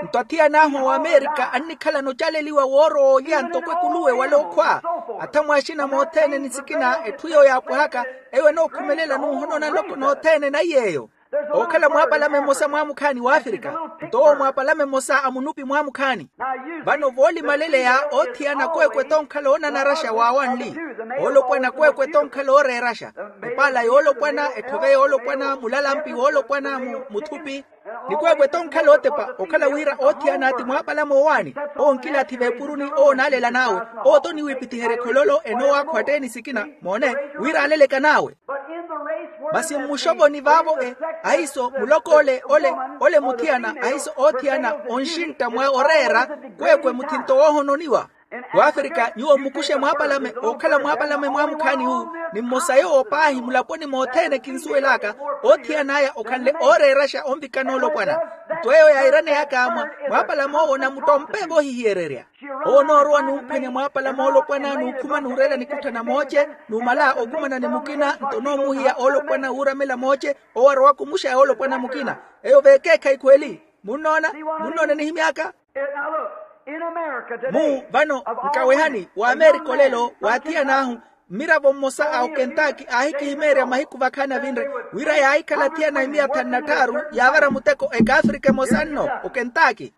Nto athiyana ahu awamerika annikhalana ocaleliwa woorowa olya ntoko ekuluwe wala okhwa. Athamu axina mothene ni sikina etthu eyo yaapwahaka, eyo enookhumelela n'uhonona nloko nothene na iy'eyo. Ookhala mwaapalame mmosa mwaamukhaani w'afirika, nto owo mwaapalame mmosa a munupi mwaamukhaani. Vano voolimaleleya othiyana kweekwe tonkhala oonanaraxa waawanli. Oolopwana kweekwe tonkhala ooreeraxa. Epaala yoolopwana etthove yoolopwana mulalampi woolopwana muthupi. Ni kweekwe tonkhala ootepa okhala wira othiyana ti mwaapalame owaani. Owo nkilathi veepuruni owo onaalela n'awe. Owo toniwiipithiherya ekhololo enoowakhwa atteeni sikina moone, wira aaleleka n'awe. Masi mmuxovoni vaavo e, ahiiso muloko ole ole ole muthiyana ahiiso oothiyana onxintta mwa oreera. Kweekwe muthinto woohononiwa. W'afirika nyuwo mmukuxe mwaapalame ookhala mwaapalame mwaamukhaani wu, ni mmosa yoowo paahi mulaponi mothene kinsuwel'aka. Oothiyan'aya okhanle ooreeraxa onvikana olopwana. Nto eyo yairaneyaka mwaapalame owo namuttompe vohihiyererya. Owo onoorowa numphwanya mwaapala moolopwana nukhuma nuureela nikuttha namooce, numala okumana ni mukina nto noomuhiya oolopwana wuuramela mooce. Owo arowa kumuxaya oolopwana mukina. Eyo vekeekhayi khweli. Munnoona? Munnoona enihimy'aka? Mu vano nkawehani w'amerika olelo w'athiyan'ahu. Mmiravo mmosa a okentaki aahikihimeerya mahiku vakhaani avinre wira yaahikhala athiyana imiya thanu na tthaaru yaavara muteko ekaafrika emosa nno okentaki.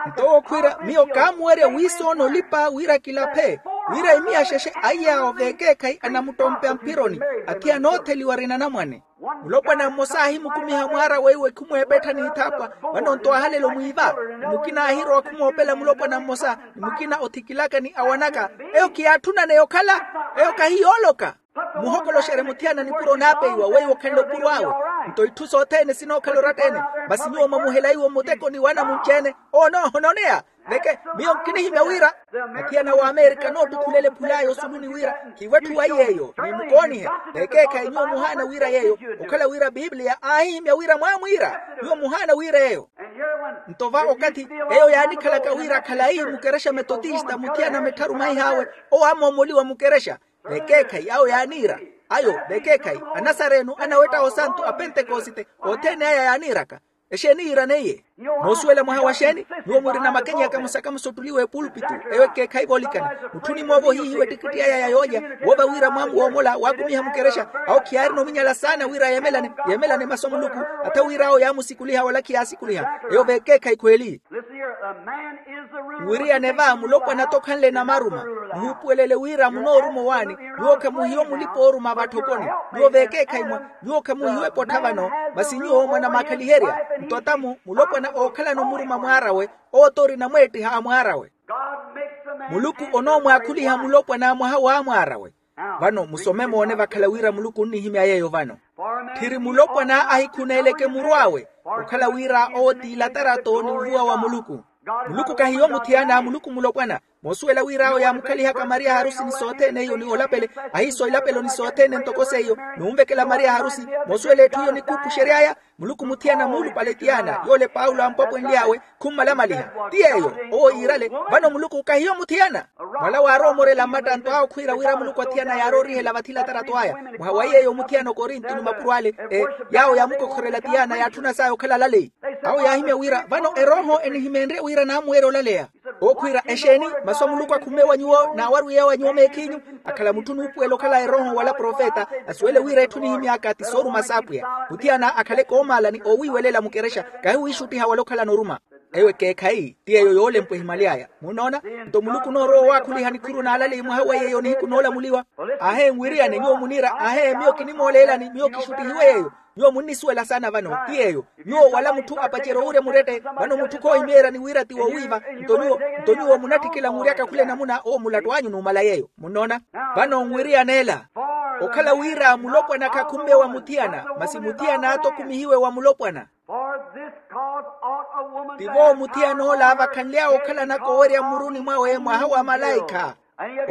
Nto owo khwiira miyo kaamuwerya wiisoona olipa wira kilaphe wira imiya xexe aiy'awo vekeekhayi anamuttompe amphironi. Athiyana ootheliwa arina anamwane. Mulopwana mmosa aahimukumiha mwaara weiwo ekhumweepetthani ithaapwa. Vano-nto aahalela omwiiva. Ni mukina aahirowa khumoopela mulopwana mmosa, ni mukina othikilaka ni awanaka. Eyo khiyaatthunane yokhala. Eyo kahiyooloka. Muhokoloxerye muthiyana nipuro naapeiwa weiwo okhanle opuro awe. Nto itthu sothene sinookhala oratta-ene. Masi nyuwo mwamuhela iwo mmutekoni w'anamunci-ene. Owo noohononeya. Veke, miyo nkinihimya wira athiyana w'amerika noottukhulele ephulaya osuluni wira khiiwetthu wa iy'eyo, ni mukoonihe. Vekeekhayi nyuwo muhaana wira yeeyo. Okhala wira bibliya aahihimya wira mwaamwiira, nyuwo muhaana wira eyo. Nto va okathi eyo yaanikhalaka wira khalayi mukerexa metotista muthiyana mettharu maihaawe, owo aamoomoliwa mukerexa. Vekeekhayi awo yaaniira. Ayo vekeekhayi, anasarenu anawetta osantu a pentekosite, othene aya yaaniiraka. Exeeni yiiraneiye? Moosuwela mwaha wa xeeni? Nyuwo murina makenyeya kamosa kamosa ottuliwa epulpitu. Eyo ekeekhayi voolikana. Mutthu onimoova ohihiwa ettikitti aya ya yoolya, woova wira mwamu woomola waakumiha mukerexa. Awo khiyaarina ominyala saana wira yeemelane yeemelane masu a muluku. Atha wira awo yaamusikuliha wala khiyaasikuliha. Eyo vekeekhayi khweeli. Nwiriyane va mulopwana tokhanle namaruma. Muhupuwelele wira munooruma owaani. Nyuwo khamuhiwe mulipa ooruma vatthokoni. Nyuwo vekeekhayi mwa nyuwo khamuhiwe epottha vano. Masi nyuwo mwanamaakhaliherya. Nto atamu mulopwana ookhalana omuruma mwaarawe, owo t'orina mweettiha a mwaarawe. Muluku onoomwaakhuliha mulopwana mwaha w'amwaarawe. Vano musome moone vakhala wira muluku onnihimya yeeyo vano. Tthiri mulopwana ahikhuneeleke muru awe, okhala wira owo t'ilatarato ni uvuwa wa muluku. Muluku kahiyo muthiyana, muluku mulopwana. Moosuwela wira awo yaamukhalihaka mariya harusi ni sothene iyo ni olapele. Ahiiso ilapelo ni sothene ntoko seiyo, n'unvekela mariya harusi. Moosuwela etthu iyo nikhuupuxery'aya. Muluku muthiyana muulupale tiyana yoole paulo ampwapwenly'awe. Khummalamaliha ti yeeyo. Owo yiirale. Vano muluku kahiyo muthiyana. Mwala waarowa omorela mmattanto awo khwiira wira muluku athiyana yaaroorihela vathi latarato aya. Mwaha wa yeeyo muthiyana okorinto ni mapuro ale, e yaawo yaamukokhorela tiyana yaatthuna saya okhala alaleyi. Awo yaahimya wira vano erooho enihimeenrye wira naamuweerya olaleya. Owo khwiira exeeni? Masu a muluku akhumme wa nyuwo naawarwiyawa nyuwo meekhinyu. Akhala mutthu nuupuwela okhala erooho wala profeta, asuwele wira etthu nihimy'aka ti sooruma s'apwiya. Muthiyana akhale koomaala ni oowiiwelela mukerexa, kahiwiixuttiha wala okhalana oruma. Eyo ekeekhayi ti yeeyo yoolempwa ehimaly'aya. Munnoona? Nto muluku onoorowa owaakhuliha nikhuru n'alaleyi mwaha wa yeeyo nihiku noolamuliwa. Ahee nwiriyane nyuwo muniira ahee miyo kinimooleelani miyo kixuttihiwe yeeyo. Nyuwo munnisuwela saana vano ti yeeyo. Nyuwo wala mutthu apacerya owurya murette. Vano mutthu khoohimeeryani wira ti woowiiva. Nto nyuwo nto nyuwo munatthikila muryaka khula enamuna owo mulattu anyu numala yeeyo munnoona. Vano nwiriyaneela okhala wira mulopwana khakhumme wa muthiyana masi muthiyana attokumihiwe wa mulopwana. Tivo muthiyana ola vakhanly'awe okhalanaka owerya mmuruni mwawe mwaha wa malaikha.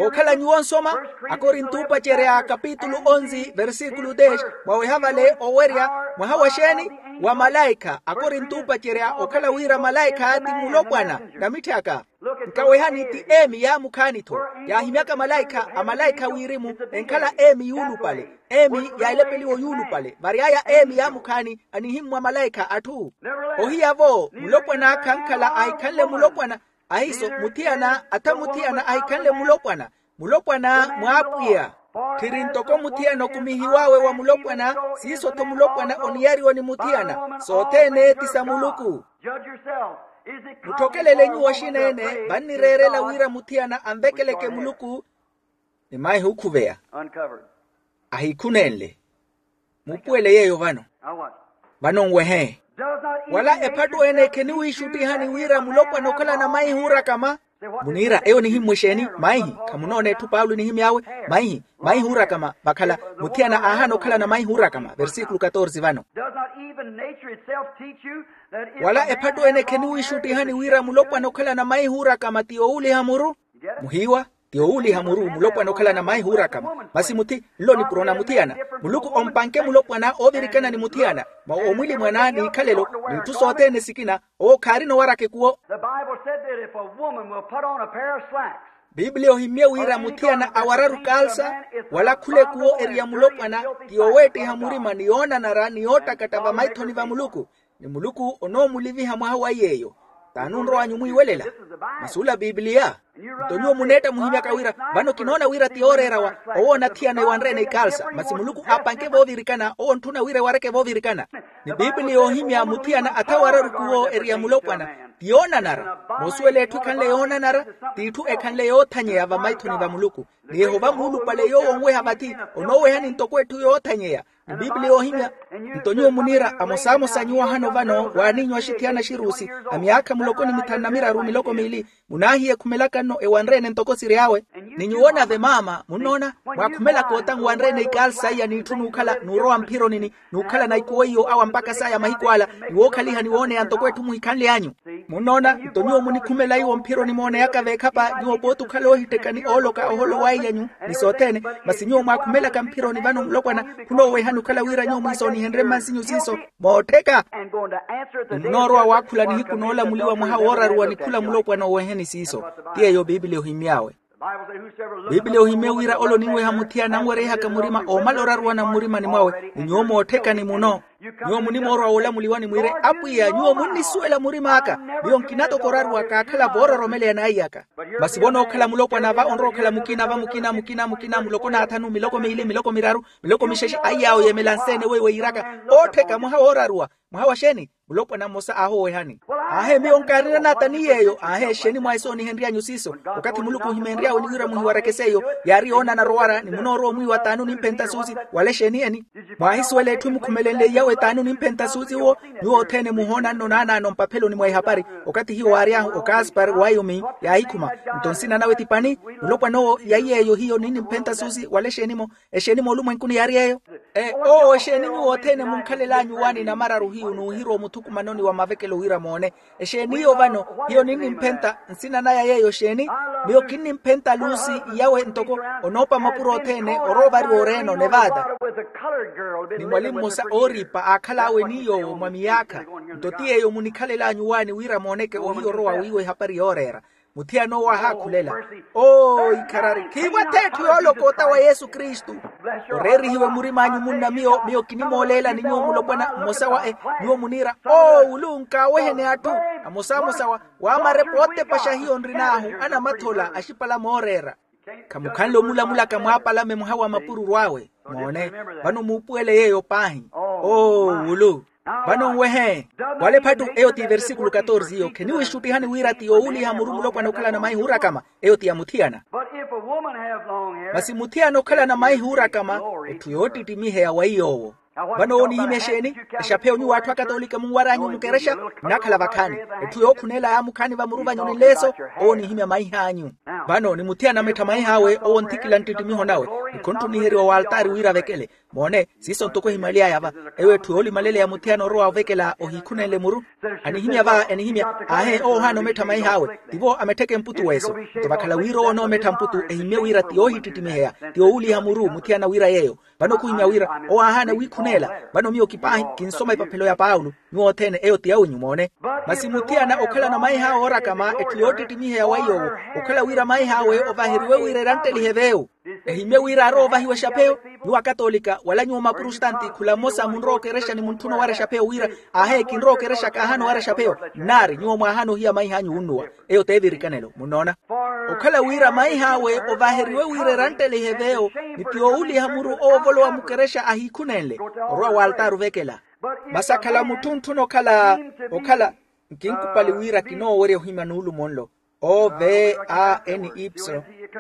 Okhala nyuwo nsoma akorinto upacerya kapitulu onzi versikulu dez. Mwaweha vale owerya mwaha wa xeeni? Wa malaikha akorinto upacerya okhala wira malaikha ti mulopwana. Namitthi aka nkawehani ti emi yaamukhaani-tho. Yaahimyaka malaikha amalaikha wirimu enkhala emi yuulupale. Emi yaalepeliwa oyuulupale vary'aya emi yaamukhaani anihimmwa malaikha atthu. Ohiya-vo mulopwana khankhala ahikhanle mulopwana. Ahiiso muthiyana atha muthiyana ahikhanle mulopwana. Mulopwana mw'apwiya. Tthiri ntoko muthiyana okumihiw'awe wa mulopwana. Siiso-tho mulopwana oniyariwa ni muthiyana sothene ti sa muluku. Mutthokelele nyuwo oxina-ene vannireerela wira muthiyana anvekeleke muluku. Ni maihi okhuveya ahiikhunenle. Mupuwele yeeyo vano. Vano nwehe wala ephattu ene kheniwiixuttihani wira mulopwana okhalana maihi oorakama. Muniira eyo nihimmwa exeeni? Maihi khamunoona etthu paulo enihimy'awe. Maihi maihi oorakama vakhala muthiyana aahaana okhalana maihi oorakama versikulu katorsi vano. Wala ephattu ene kheniwiixuttihani wira mulopwana okhalana maihi oorakama ti yoowuliha muru? Muhiiwa ti yoowuliha muru mulopwana okhalana maihi oorakama. Masi muthi nlo nipuro na muthiyana. Muluku ompanke mulopwana oovirikana ni muthiyana mwa omwilimwana n'ikhalelo n'itthu sothene sikina. Owo khaarina owaraka ekuwo. Biblia ohimmye wira muthiyana awararu kalsa wala khula ekuwo eriya mulopwana ti yoweettiha murima ni yoonanara ni yoottakatta vamaithoni va muluku. Ni muluku onoomuliviha mwaha wa yeeyo. T'ani onrow'anyu mwiiwelela? Masi ola biblia. Nto nyuwo muneetta muhimyaka wira vano kinoona wira ti yooreerawa. Owo onathiyana ewanre-ene ikalsa masi muluku aapanke voovirikana owo ontthuna wira ewareke voovirikana. Ni biblia yoohimya muthiyana atha wararu kuwo eriya mulopwana. Ti yoonanara. Moosuwela etthu ekhanle yoonanara, t'itthu ekhanle yoothanyeya vamaithoni va muluku. Ni yehova muulupale yoowo onweha vathi, onoowehani ntoko etthu yoothanyeya. Ni bibliya ohimya. Nto nyuwo muniira amosamosa nyuwo ahano vano waaniinyu axithiyana axiruusi, a myaakha muloko ni mithanu na miraru miloko miili, munaahiya ekhumelaka nno ewanre-ene ntoko siri awe. Ni nyuwo nave maama munnoona, mwaakhumelaka ota nwanre-ene ikaalu saiya n'itthu n'ukhala n'urowa mphironi ni n'ukhalana ikuwo iyo awa mpakha saya mahiku ala, ni wookhaliha ni wooneya ntoko etthu muhikhanle anyu. Munnoona nto nyuwo munikhumela iwo mphironi mooneyaka veekhapa nyuwo pooti okhala oohittekani ooloka oholo wa iy'anyu, ni sothene. Masi nyuwo mwaakhumelaka mphironi vano mulopwana, khunoowehani okhala wira nyuwo mwiisoonihenrye mmansinyu siiso, moottheka. Ni munoorowa waakhula nihiku noolamuliwa mwaha wooraruwa ni khula mulopwana oweheni siiso. Ti yeeyo bibiliya ohimmy'awe. Bibiliya ohimmye wira ole oninweha muthiyana anwereihaka murima oomala oraruwana mmurimani mwawe ni nyuwo mootthekani muno. Nyuwo munimoorowa woolamuliwani mwiire apwiya nyuwo munnisuwela murim'aka. Miyo nkina toko oraruwa kaakhala voororomeleya n'aiy'aka. Masi vonookhala mulopwana va onrowa okhala mukina va mukina mukina mukina muloko n'athanu miloko miili miloko miraru miloko mixexe aiy'awo yeemela nseene weiwo eyiraka oottheka mwaha wooraruwa. Mwaha wa xeeni? Mulopwana mmosa aahowehani. Aahe miyo nkaarina naata ni yeeyo aahe exeeni mwaahisoonihenry'anyu siiso? Okathi muluku ohimeenry'awe ni wira muhiwareke seiyo yaari yoonanara owara ni munoorowa omwiiwa t'ani onimphenta suusi? Wala exeeni eni? Mwaahisuwela etthu emukhumelenle iyawe t'ani onimphenta suusi uwo? Nyuwo othene muhoona nno naanaano mpapheloni mwa ehapari okathi hiyo waary'ahu okaspar waiyomin yaahikhuma. Nto nsina nawe ti pani? Mulopwana owo ya yeeyo hiyo ninimphenta suusi wala exeeni-mo? Exeeni moolumwenkuni yaari yeeyo? Ee owo exeeni nyuwo othene munkhalel'anyu waani namararu hiyu n'uhirowa omuthukumanoni wa mavekelo wira moone? Exeeni iyo vano hiyo ninnimphenta nsina naya yeeyo exeeni? Miyo kinnimphenta luusi iyawe ntoko onoopa mapuro othene orowa ovariwa oreeno nevada. Ni mwali mmosa ooriipa aakhal'awe ni yoowo mwa miyaakha. Nto ti yeeyo munikhalel'anyu waani wira mooneke ohiya orowa wiiwa ehapari yooreera. Muthiyana owo aahaakhulela, oo ikharari khiivo ath'etthu yooloka ota wa yesu kristu. Oreerihiwe murim'anyu munna miyo miyo kinimooleela ni nyuwo mulopwana mmosa wa e nyuwo muniira oo wulu nkaaweheni atthu amosamosa wa waamarepo ootepaxa hiyo nrin'ahu anamathola axipala mooreera. Khamukhanle omulamulaka mwaapalame mwaha wa mapururu awe. Moone, vano muupuwele yeeyo paahi. Oo wulu. Vano nwehe wala ephattu eyo ti versíkulu katorze iyo kheniwiixuttihani wira ti yoowuliha muru mulopwana okhalana maihi oorakama. Eyo ti ya muthiyana. Masi muthiyana okhalana maihi oorakama etthu yoottittimiheya wa iy'owo. Vano owo onihimya exeeni? Exapheyo nyuwo atthu akatolika munwar'anyu mukerexa, nnakhala vakhaani. Etthu yookhuneela yaamukhaani vamuru vanyu ni nleeso. Owo onihimya maih'anyu. Vano ni muthiyana amettha maih'awe owo onthikila nttittimiho nawe, ni khunttuniheryiwa w'altaari wira avekele. Moone, siiso ntoko ehimaly'aya va. Eyo etthu yoolimaleleya muthiyana orowa ovekela ohiikhunenle muru. Anihimya va enihimya, aahe owo ohaana omettha maih'awe. Tivo amettheke mputu w'eso. Nto vakhala wira owo onoomettha mputu ehimmye wira ti yoohittittimiheya, ti yoowuliha muru muthiyana wira yeeyo. Vano khuhimya wira owo aahaana wiikhuneela. Vano miyo kipaahi kinsoma epaphelo ya paulo. Nyuwo othene eyo ti yawinyu moone. Masi muthiyana okhalana maih'awe oorakama etthu yoottittimiheya wa iy'owo, okhala wira maih'awe ovaheriwe wira eranttelihe v'ewu. Ehimmye wira arowa ovahiwa exapheyo. Nyuwo akatolika wala nyuwo maprostanti khula mmosa munrowa okerexa ni muntthuna owara exapheyo wira, aahe kinrowa okerexa kaahaana owara exapheyo. Nnaari nyuwo mwaahaana ohiya maih'anyu wunnuwa. Eyo t'evirikanelo munnoona. Okhala wira maih'awe ovaheriwe wira eranttelihe v'eyo, ni ti yoowuliha muru owo ovolowa mukerexa ahiikhunenle. Orowa w'altaari ovekela. Masi akhala mutthu ntthuna okhala okhala nkinkupali wira kinoowerya ohimya nuulumo nlo. O v a n y.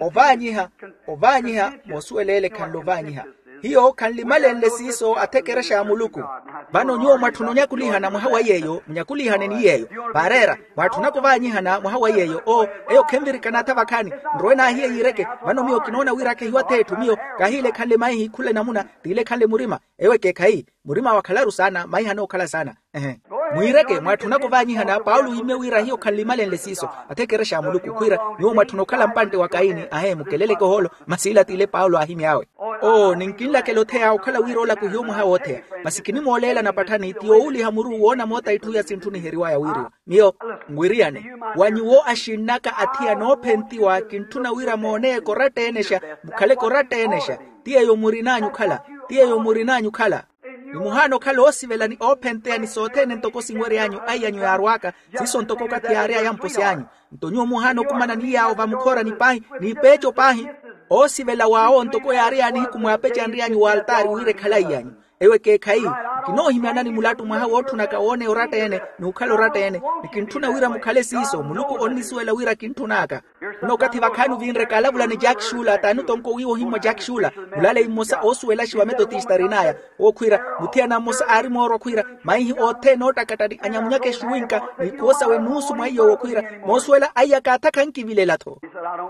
Ovaanyiha. Ovaanyiha. Moosuwela ele khanle ovaanyiha. Hiyo khanlimalenle siiso athekerexa a muluku. Vano nyuwo mwatthuna onyakulihana mwaha wa yeeyo munyakulihane ni yeeyo. Vaareera mwatthunaka ovaanyihana mwaha wa yeeyo oo. Eyo khenvirikana atha vakhaani. Nrowe naahiye yiireke. Vano miyo kinoona wira khehiwa ath'etthu miyo. Kaahiile khanle maihi khula enamuna. Tiile khanle murima. Ewo ekeekha eyi. Murima wakhalaru saana maiha anookhala saana. Ehe. Mwiireke mwaatthunaka ovaanyihana paulo ohimmye wira hiyo khanlimalenle siiso. Athekerexa a muluku khwiira nyuwo mwatthuna okhala mpantte wa kaini ahe mukeleleke ohoolo. Masi ila t'ile paulo aahimy'awe. Oo ninkinlakela otheya okhala wira olaku hiyo mwaha wootheya. Masi kinimooleela napatthani ti yoowuliha muru woona moota itthu iya sintthuniheriwaya wiiriwa. Miyo nwiriyane. Wa nyuwo axinnaka athiya noophentiwa kintthuna wira moone ekoratta eenexa. Mukhale ekoratta eenexa. Ti yeeyo murin'anyu okhala. Ti yeeyo murin'anyu okhala. Ni muhaana okhala oosivela ni oophenteya ni sothene ntoko sinwery'anyu aiy'anyu yaarw'aka. Siiso ntoko okathi yaary'aya mposi anyu. Nto nyuwo muhaana okumana ni yaawo vamukhorani paahi. N'ipeeco paahi. Oosivela w'awo ntoko yaary'aya nihiku mwaapecenry'anyu w'altaari wira ekhale aiy'anyu. Eyo ekeekhayi, kinoohimyanani mulattu mwaha wootthunaka wooneya oratta-ene, n'ukhala oratta-ene. Ni kintthuna wira mukhale siiso, muluku onnisuwela wira kintthun'aka. Nno okathi vakhaani ovinre kaalavula ni jack shula t'ani otonko wiiwa ohimmwa jack shula, mulaleyi mmosa oosuwelaxiwa metotista arin'aya. Owo khwiira, muthiyana mmosa aari moorwa khwiira, maihi othene oottakattari anyamunyaka exuwinka, n'ikhuwo sawe nuusu mwa iy'owo khwiira, moosuwela aiyaka atha khankivilela-tho.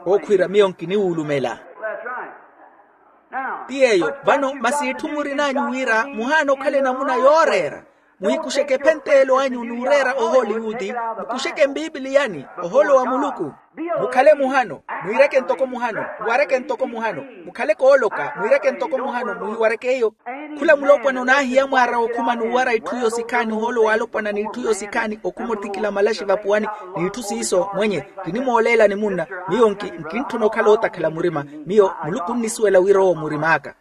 Owo khwiira miyo nkiniwuulumela. Ti yeeyo. Vano masi itthu murin'anyu wira muhaana okhala enamuna yooreera. Muhikuxeke ephentelo anyu n'ureera ohooliwuti. Mukuxeke mpipiliyani, ohoolo wa muluku. Mukhale muhano, mwiireke ntoko muhano. Muwareke ntoko muhano. Mukhale kooloka, mwiireke ntoko muhano, muhiwareke iyo. Khula mulopwana onaahiya mwaara okhuma n'uwara itthu yosikhaani ohoolo waalopwana n'itthu yosikhaani okhuma ottikila malaxi vapuwani. N'itthu siiso mwenye, kinimooleelani munna. Miyo nki nkintthuna okhala ootakhala murima. Miyo muluku onnisuwela wira owo murim'aka.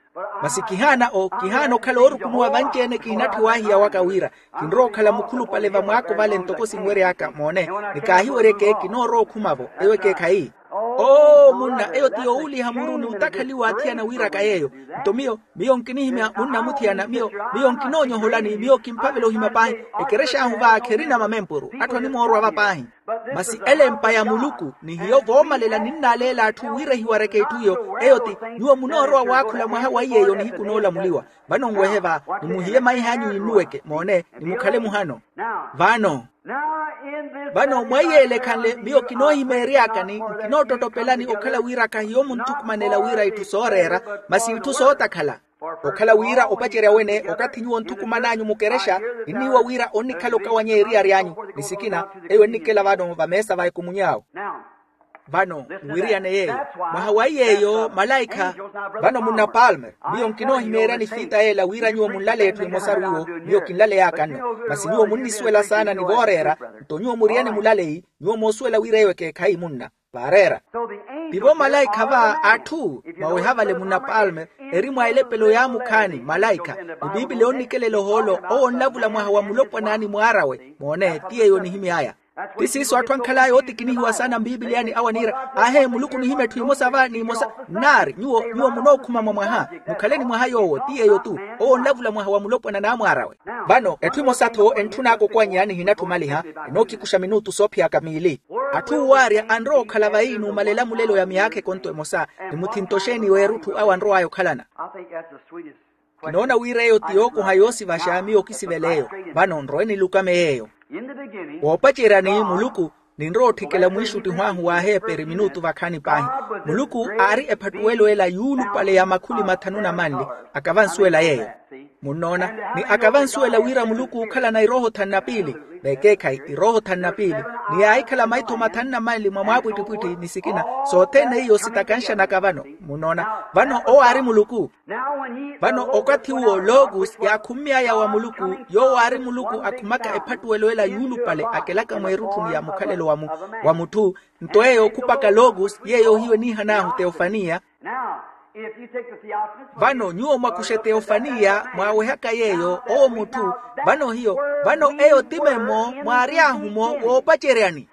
Masi kihaana o kihaana okhala oorukunuwa vanci-ene kiinatthi waahiya waka wira, kinrowa okhala mukhulupale vamwaako vale ntoko sinwery'aka moone. Ni kaahiweryeke kinoorowa okhuma-vo. Eyo ekeekhayi. Oo munna, eyo ti yoowuliha muru ni otakhaliwa athiyana wiiraka yeeyo. Nto miyo, miyo nkinihimya munna muthiyana. Miyo, miyo nkinoonyoholani, miyo kimphavela ohimya paahi. Ekerexa ahu va kherina mamempuru, atthu animoorwa va paahi. Masi elempa ya muluku ni hiyo voomalela ninnaleela atthu wira ehiwareke itthu iyo. Eyo ti, nyuwo munoorowa waakhula mwaha wa iy'eyo nihiku noolamuliwa. Vano nwehe va, ni muhiye maiha anyu innuweke moone, ni mukhale muhano. Vano, vano mwa iyeele ekhanle miyo kinoohimeery'akani, nkinoottotopelani okhala wira kahiyo munthukumanela wira itthu sooreera, masi itthu sootakhala. Okhala wira opacerya wene okathi nyuwo nthukuman'anyu mukerexa, inniiwa wira onnikhala okawanyeya eriyari anyu. Ni sikina, eyo ennikela vano vameesa va ekumuny'awe. Vano nwiriyane yeeyo, mwaha wa iy'eyo malaikha. Vano munna palmer, miyo nkinoohimeeryani fiita yeela wira nyuwo munlale etthu emosaru iwo. Miyo kinlaley'aka nno. Masi nyuwo munnisuwela saana ni vooreera. Nto nyuwo muriyane mulaleyi, nyuwo moosuwela wira eyo ekeekhayi munna. Vaareera. Tivo malaikha va atthu mwaweha vale munna palme, eri mwa elepelo yaamukhaani malaikha. Ni piipili onnikelela ohoolo owo onlavula mwaha wa mulopwana ni mwaar'awe moone ti yeeyo onihimy'aya. Ti siiso atthu ankhal'aya ootikinihiwa saana mpiipiliyani awo aniira ahe muluku onihimya etthu emosa va n'emosa. Nnaari nyuwo nyuwo munookhuma mwa mwaha, mukhale ni mwaha yoowo ti yeeyo-tu. Owo onlavula mwaha wa mulopwana n'amwaar'awe. Vano etthu emosa-tho entthun'aka okwannya nihinatthumaliha. Enookikusha minutu soophiyaka miili. Atthu uwaarya anrowa okhala vayi n'umalela mulelo ya myaakha ekonto emosa. Ni muthinto xeeni w'erutthu awo anrow'aya okhalana? Kinoona wira eyo ti yookoha yoosivaxa miyo okisivel'eyo. Vano nrowe nilukame yeeyo. Woopaceryani muluku, ninrowa otthikela mwiixuttiho ahu w'aheeperi minutu vakhaani paahi. Muluku aari ephattuwelo ela yuulupale ya makhuli mathanu na manli. Akavansuwela yeeyo. Munnoona, ni akavansuwela wira muluku ookhalana irooho thanu na piili. Vekeekhayi irooho thanu na piili, ni yaahikhala maitho mathanu na manli mwa mwaapwittipwitthi ni sikina. Sothene iyo sitakanxanaka vano. Munnoona, vano owo aari muluku. Vano okathi uwo logos yaakhummy'aya wa muluku, yoowo aari muluku akhumaka ephattuwelo ela yuulupale akelaka mweerutthuni ya mukhalelo wa mutthu. Nto eyo okhupaka logos yeeyo ohiyo eniihan'ahu teofaniya. Vano nyuwo mwakuxe teofaniya mwaawehaka yeeyo owo mutthu. Vano hiyo, vano eyo ti memmo mwaary'ahu-mo woopaceryani.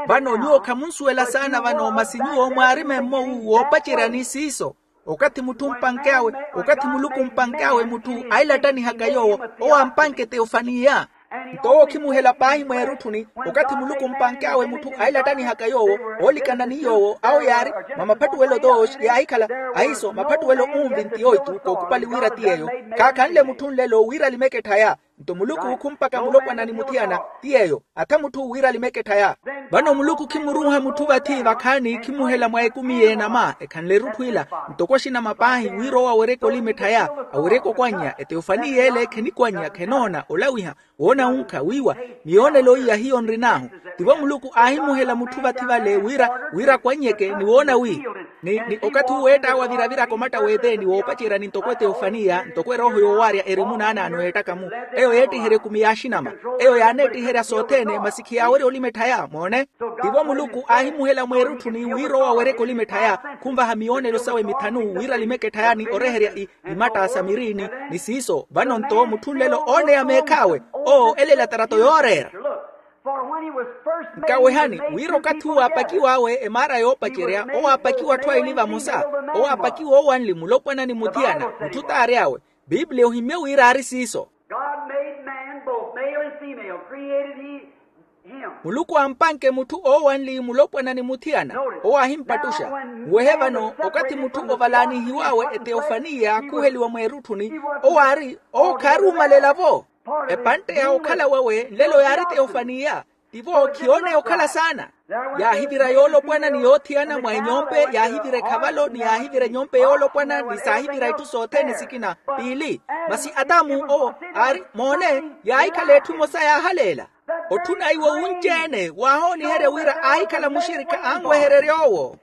Vano nyuwo khamunsuwela saana vano masi nyuwo mwaari memmo wu woopaceryani siiso. Okathi mutthu mpanke awe, okathi muluku mpanke awe mutthu ailattanihaka yoowo, owo ampanke teofaniya. Nto owo okhimuhela paahi mweerutthuni. Okathi muluku mpanke awe mutthu ailattanihaka yoowo, oolikana ni yoowo awo yaari mwa maphattuwelo tooxi yaahikhala. Ahiiso maphattuwelo unvi nti yooitu kookupali wira ti yeeyo. Khaakhanle mutthu nlelo wira alimeke etthaya. Nto muluku khumpaka mulopwana ni muthiyana ti yeeyo. Atha mutthu wira alimeke etthaya. Vano muluku khimuruuha mutthu vathi vakhaani khimuhela mwa ekumi y'enama ekhanle erutthu ila. Ntoko axinama paahi wira owo aweryeke olima etthaya, aweryeke okwannya eteofani y'ele khenikwannya khenoona olawiha, woona wunkha wiiwa. Miyoonelo iya hiyo nrin'ahu. Tivo muluku aahimuhela mutthu vathi vale wira wira akwannyeke ni woona wi ni ni okathi uwo eett'awe aviraviraka omatta w'eteeni woopaceryani ntoko eteofaniya ntoko erooho yoowaarya eri munaanaano yeettaka-mu. Eyo yeettiherya ekumi y'axinama. Eyo yaaneettiherya sothene masi khiyaawerya olima etthaya moone. Tivo muluku aahimuhela mweerutthuni wira owo aweryeke olima etthaya. Khunvaha miyoonelo sawe mithanu wira alimeke etthaya ni oreherya imatta sa mirini. Ni siiso vano nto mutthu nlelo ooneya meekh'awe owo elela tarato yooreera. Nkawehani wira okathi uwo aapakiw'awe emaara yoopacerya owo aapakiwa atthu aili vamosa. Owo aapakiwa owanli mulopwana ni muthiyana mutthu t'ary'awe. Piplia ohimmye wira aari siiso. God made man both male and female, created he him. Muluku ampanke mutthu oowanli mulopwana ni muthiyana. Owo aahimpattuxa. Nwehe vano, okathi mutthu ovalaanihiw'awe eteofaniya khuheliwa mweerutthuni, owo aari owo khaaruumalela-vo. Epantte ya okhala wawe nlelo yaari teofaniya. Tivo khiyooneya okhala saana. Yaahivira yoolopwana ni yoothiyana mwa enyompe, yaahivira ekhavalo ni yaahivira enyompe yoolopwana ni saahivira itthu sothene sikina. Piili, masi atamu owo aari moone, yaahikhala etthu emosa yaahaleela. Otthuna iwo wunci-ene waahooniherya wira aahikhala muxirikha anwehererya owo.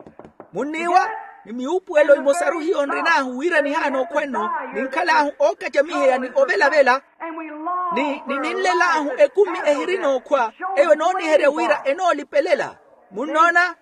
Munniiwa, ni miwuupuwelo emosaru hiyo nrin'ahu wira nihaana okhwa nno, ninkhal'ahu ookacamiheya ni ovelavela, ni ninlel'ahu ekumi ehirina okhwa. Eyo enooniherya wira enoolipelela. Munnoona?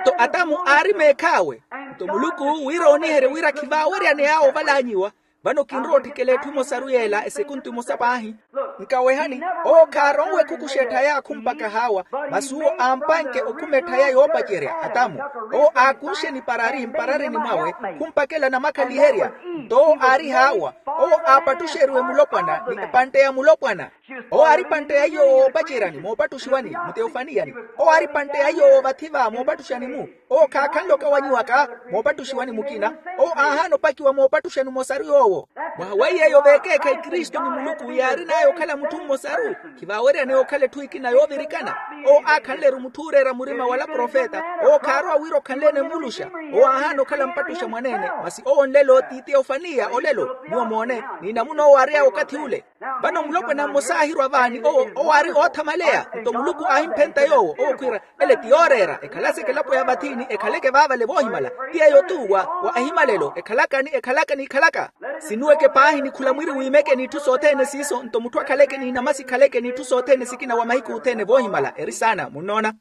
Nto atamu aari meekh'awe. Nto muluku wira ooniherye wira khivaaweryaneya ovalaanyiwa. Vano kinrowa otthikela etthu emosaru yeela esekuntu emosa paahi. Nkawehani, owo khaaronwe khukuxa etthaya khumpaka haawa. Masi uwo ampanke okhuma etthaya yoopacerya atamu. Owo aakunxe niparari mpararini mwawe, khumpakela namakhaliherya. Nto owo aari haawa. Owo aapattuxeriwe mulopwana ni epantte ya mulopwana. Owo aari epantte ya iyo woopaceryani moopattuxiwani muteofaniyani. Owo aari epantte ya iyo woovathi-va moopattuxani-mu. Owo khaakhanle okawanyiwaka moopattuxiwani mukina. Owo aahaana opakiwa moopattuxani omosaru yoowo. Mwaha wa iy'eyo veekeekhayi kristu ni muluku yaarin'aya okhala mutthu mmosaru. Khivaaweryaneya okhala etthu ekina yoovirikana. Owo aakhanle-ru mutthu ooreera murima wala profeta. Owo khaarowa wira okhanle-ene muluxa. Owo aahaana okhala mpattuxa mwaneene. Masi owo nlelo ti teofaniya olelo nyuwo moone. Ni namuna owo aary'aya okathi ule. Vano mulopwana mmosa aahirwa vaani owo owo aari oothamaleya. Nto muluku aahimphenta yoowo owo khwiira, ele ti yooreera ekhalase ekelapo ya vathi ni ekhaleke vaavale voohimala. Ti yeeyo-tu wa wa ehimalelo ekhalaka ni ekhalaka ni ekhalaka. Sinuweke paahi ni khula mwiri wiimeke n'itthu sothene siiso nto mutthu akhaleke n'inamasi khaleke n'itthu sothene sikina wa mahiku othene voohimala eri saana munnoona.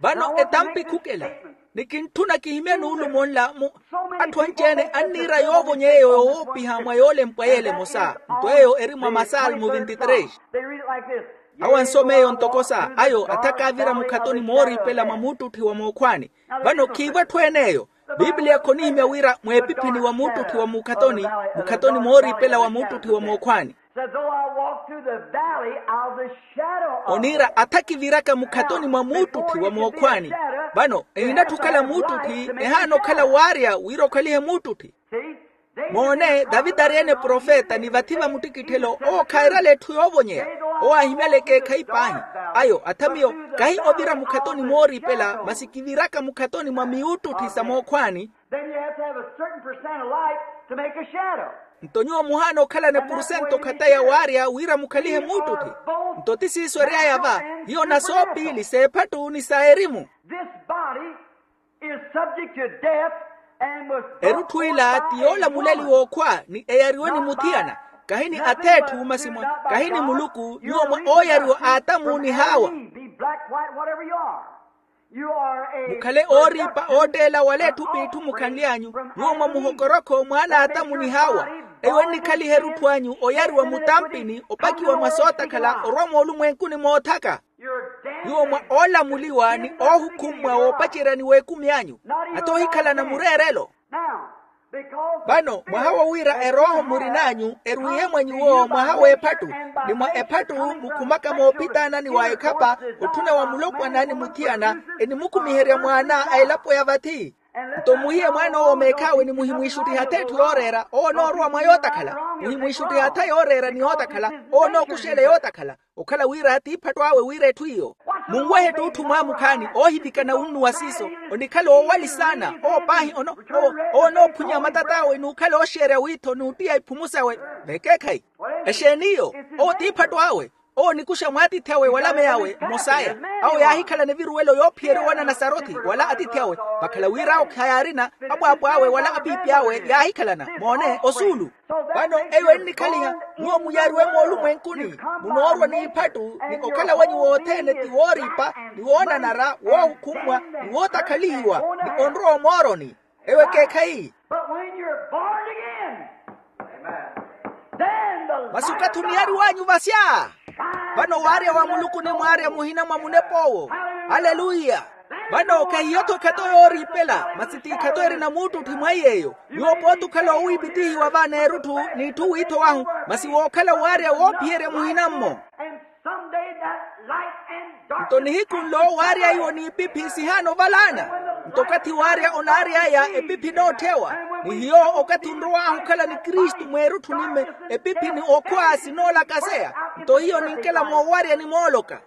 Vano etampi khukela. Ni kintthuna kihimye nuulumo nla mu atthu anci-ene anniira yoovonyeya eyo yowoopiha mwa yoolempwa yeela emosa. Nto eyo eri mwa masalmu vinti tres. Awo ansoma eyo ntoko sa ayo atha kaavira mukhatoni mooriipela mwa muuttutthi wa mookhwaani. Vano khiivo etthu ene eyo. Piplia khonihimya wira mweepiphini wa muuttutthi wa mukhatoni, mukhatoni mooriipela wa muuttutthi wa mookhwaani. Oniira atha kiviraka mukhatoni mwa muuttutthi wa mookhwaani. Vano ehinatthi okhala muuttutthi ehaana okhala waarya wira okhalihe muuttutthi. Moone, tavita ari-ene profeta ni vathi va muttikitthelo owo khairala etthu yoovonyeya. Owo aahimyala ekeekhayi paahi. Ayo atha miyo kahi ovira mukhatoni mooriipela masi kiviraka mukhatoni mwa miuttutthi sa mookhwaani. Then you have to have a certain percent of light to make a shadow. Nto nyuwo muhaana okhalana epurusento khata ya waarya wira mukhalihe muuttutti. Nto ti siiso ery'aya va. Hiyo na soopiili s'ephattu ni sa erimu. This body is subject to death and was brought forth by a woman. Erutthu ila ti yoolamuleliwa okhwa ni eyariwe ni muthiyana. Kahi ni ath'etthu masi mwa kahi ni muluku nyuwo mwa ooyariwa a atamu ni haawa. Be black, white, whatever you are. Mukhale ooriipa ootteela wala etthu p'itthu mukhanly'anyu. Nyuwo mwa muhokorokho mwaana a atamu ni haawa. Eyo ennikhaliha erutthu anyu oyariwa mutampini opakiwa mwa sootakhala orwa moolumwenkuni moothaka. Nyuwo mwa oolamuliwa ni oohukhummwa woopaceryani w'ekumi anyu. Ata ohikhalana mureerelo. Vano mwaha wo wira erooho murin'anyu erwiihe mwa nyuwo mwaha w'ephattu. Ni mwa ephattu mukhumaka moophitaanani wa ekhapa otthuna wa mulopwana ni muthiyana. Enimukhumiherya mwaana a elapo ya vathi. Nto muhiye mwaan'owo meekh'awe ni muhimwiixuttiha ath'etthu yooreera owo onoorowa mwa yootakhala. Muhimwiixuttiha atha yooreera ni yootakhala. Owo onookuxa ele yootakhala. Okhala wira tiiphattu awe wira etthu iyo. Munwehe etthu otthu mwaamukhaani oohivikana wunnuwa siiso. Onikhala oowali saana owo paahi ono. Owo onoophunya matat'awe n'ukhala ooxeerya wiitho n'uttiya iphumu sawe. Vekeekhayi. Exeeni iyo? Owo tiiphattu awe. Owo onikuxa mwaatiithi awe wala meyawe mmosaya. Awo yaahikhalana eviruwelo yoophiyerya owanana sarothi wala atiithi awe. Vakhala wira awo khayaarina apwaapw'awe wala apiipi awe yaahikhalana moone osuulu. Vano eyo ennikhaliha nyuwo muyariwe moolumwenkuni. Munoorwa n'iphattu ni okhala wanyu wothene ti wooriipa ni woonanara woohukhummwa ni wootakhalihiwa ni onrowa omooroni. Eyo ekeekhayi. But when you're born again, then the masi okathi oniyariw'anyu vasya vano waarya wa muluku ni mwaarya muhina mwa munep'owo. Aleluya. Vano khahiyo-tho ekhato yooriipela, masi ti ekhato erina muuttutthi mwa iy'eyo. Nyuwo pooti okhala owiipitihiwa va n'erutthu n'itthu wiitho wahu, masi wookhala waarya woophiyerya muhina-mmo. Nto nihiku nlo waarya iwo n'ipiphi sihaana ovalaana. Nto okathi waarya onaary'aya epiphi enootthy'ewa, ni hiyo okathi onrow'ahu okhala ni kristu mweerutthu nimme, epiphi ni okhwa sinoolakaseya. Nto hiyo ninkela moowaryani mooloka,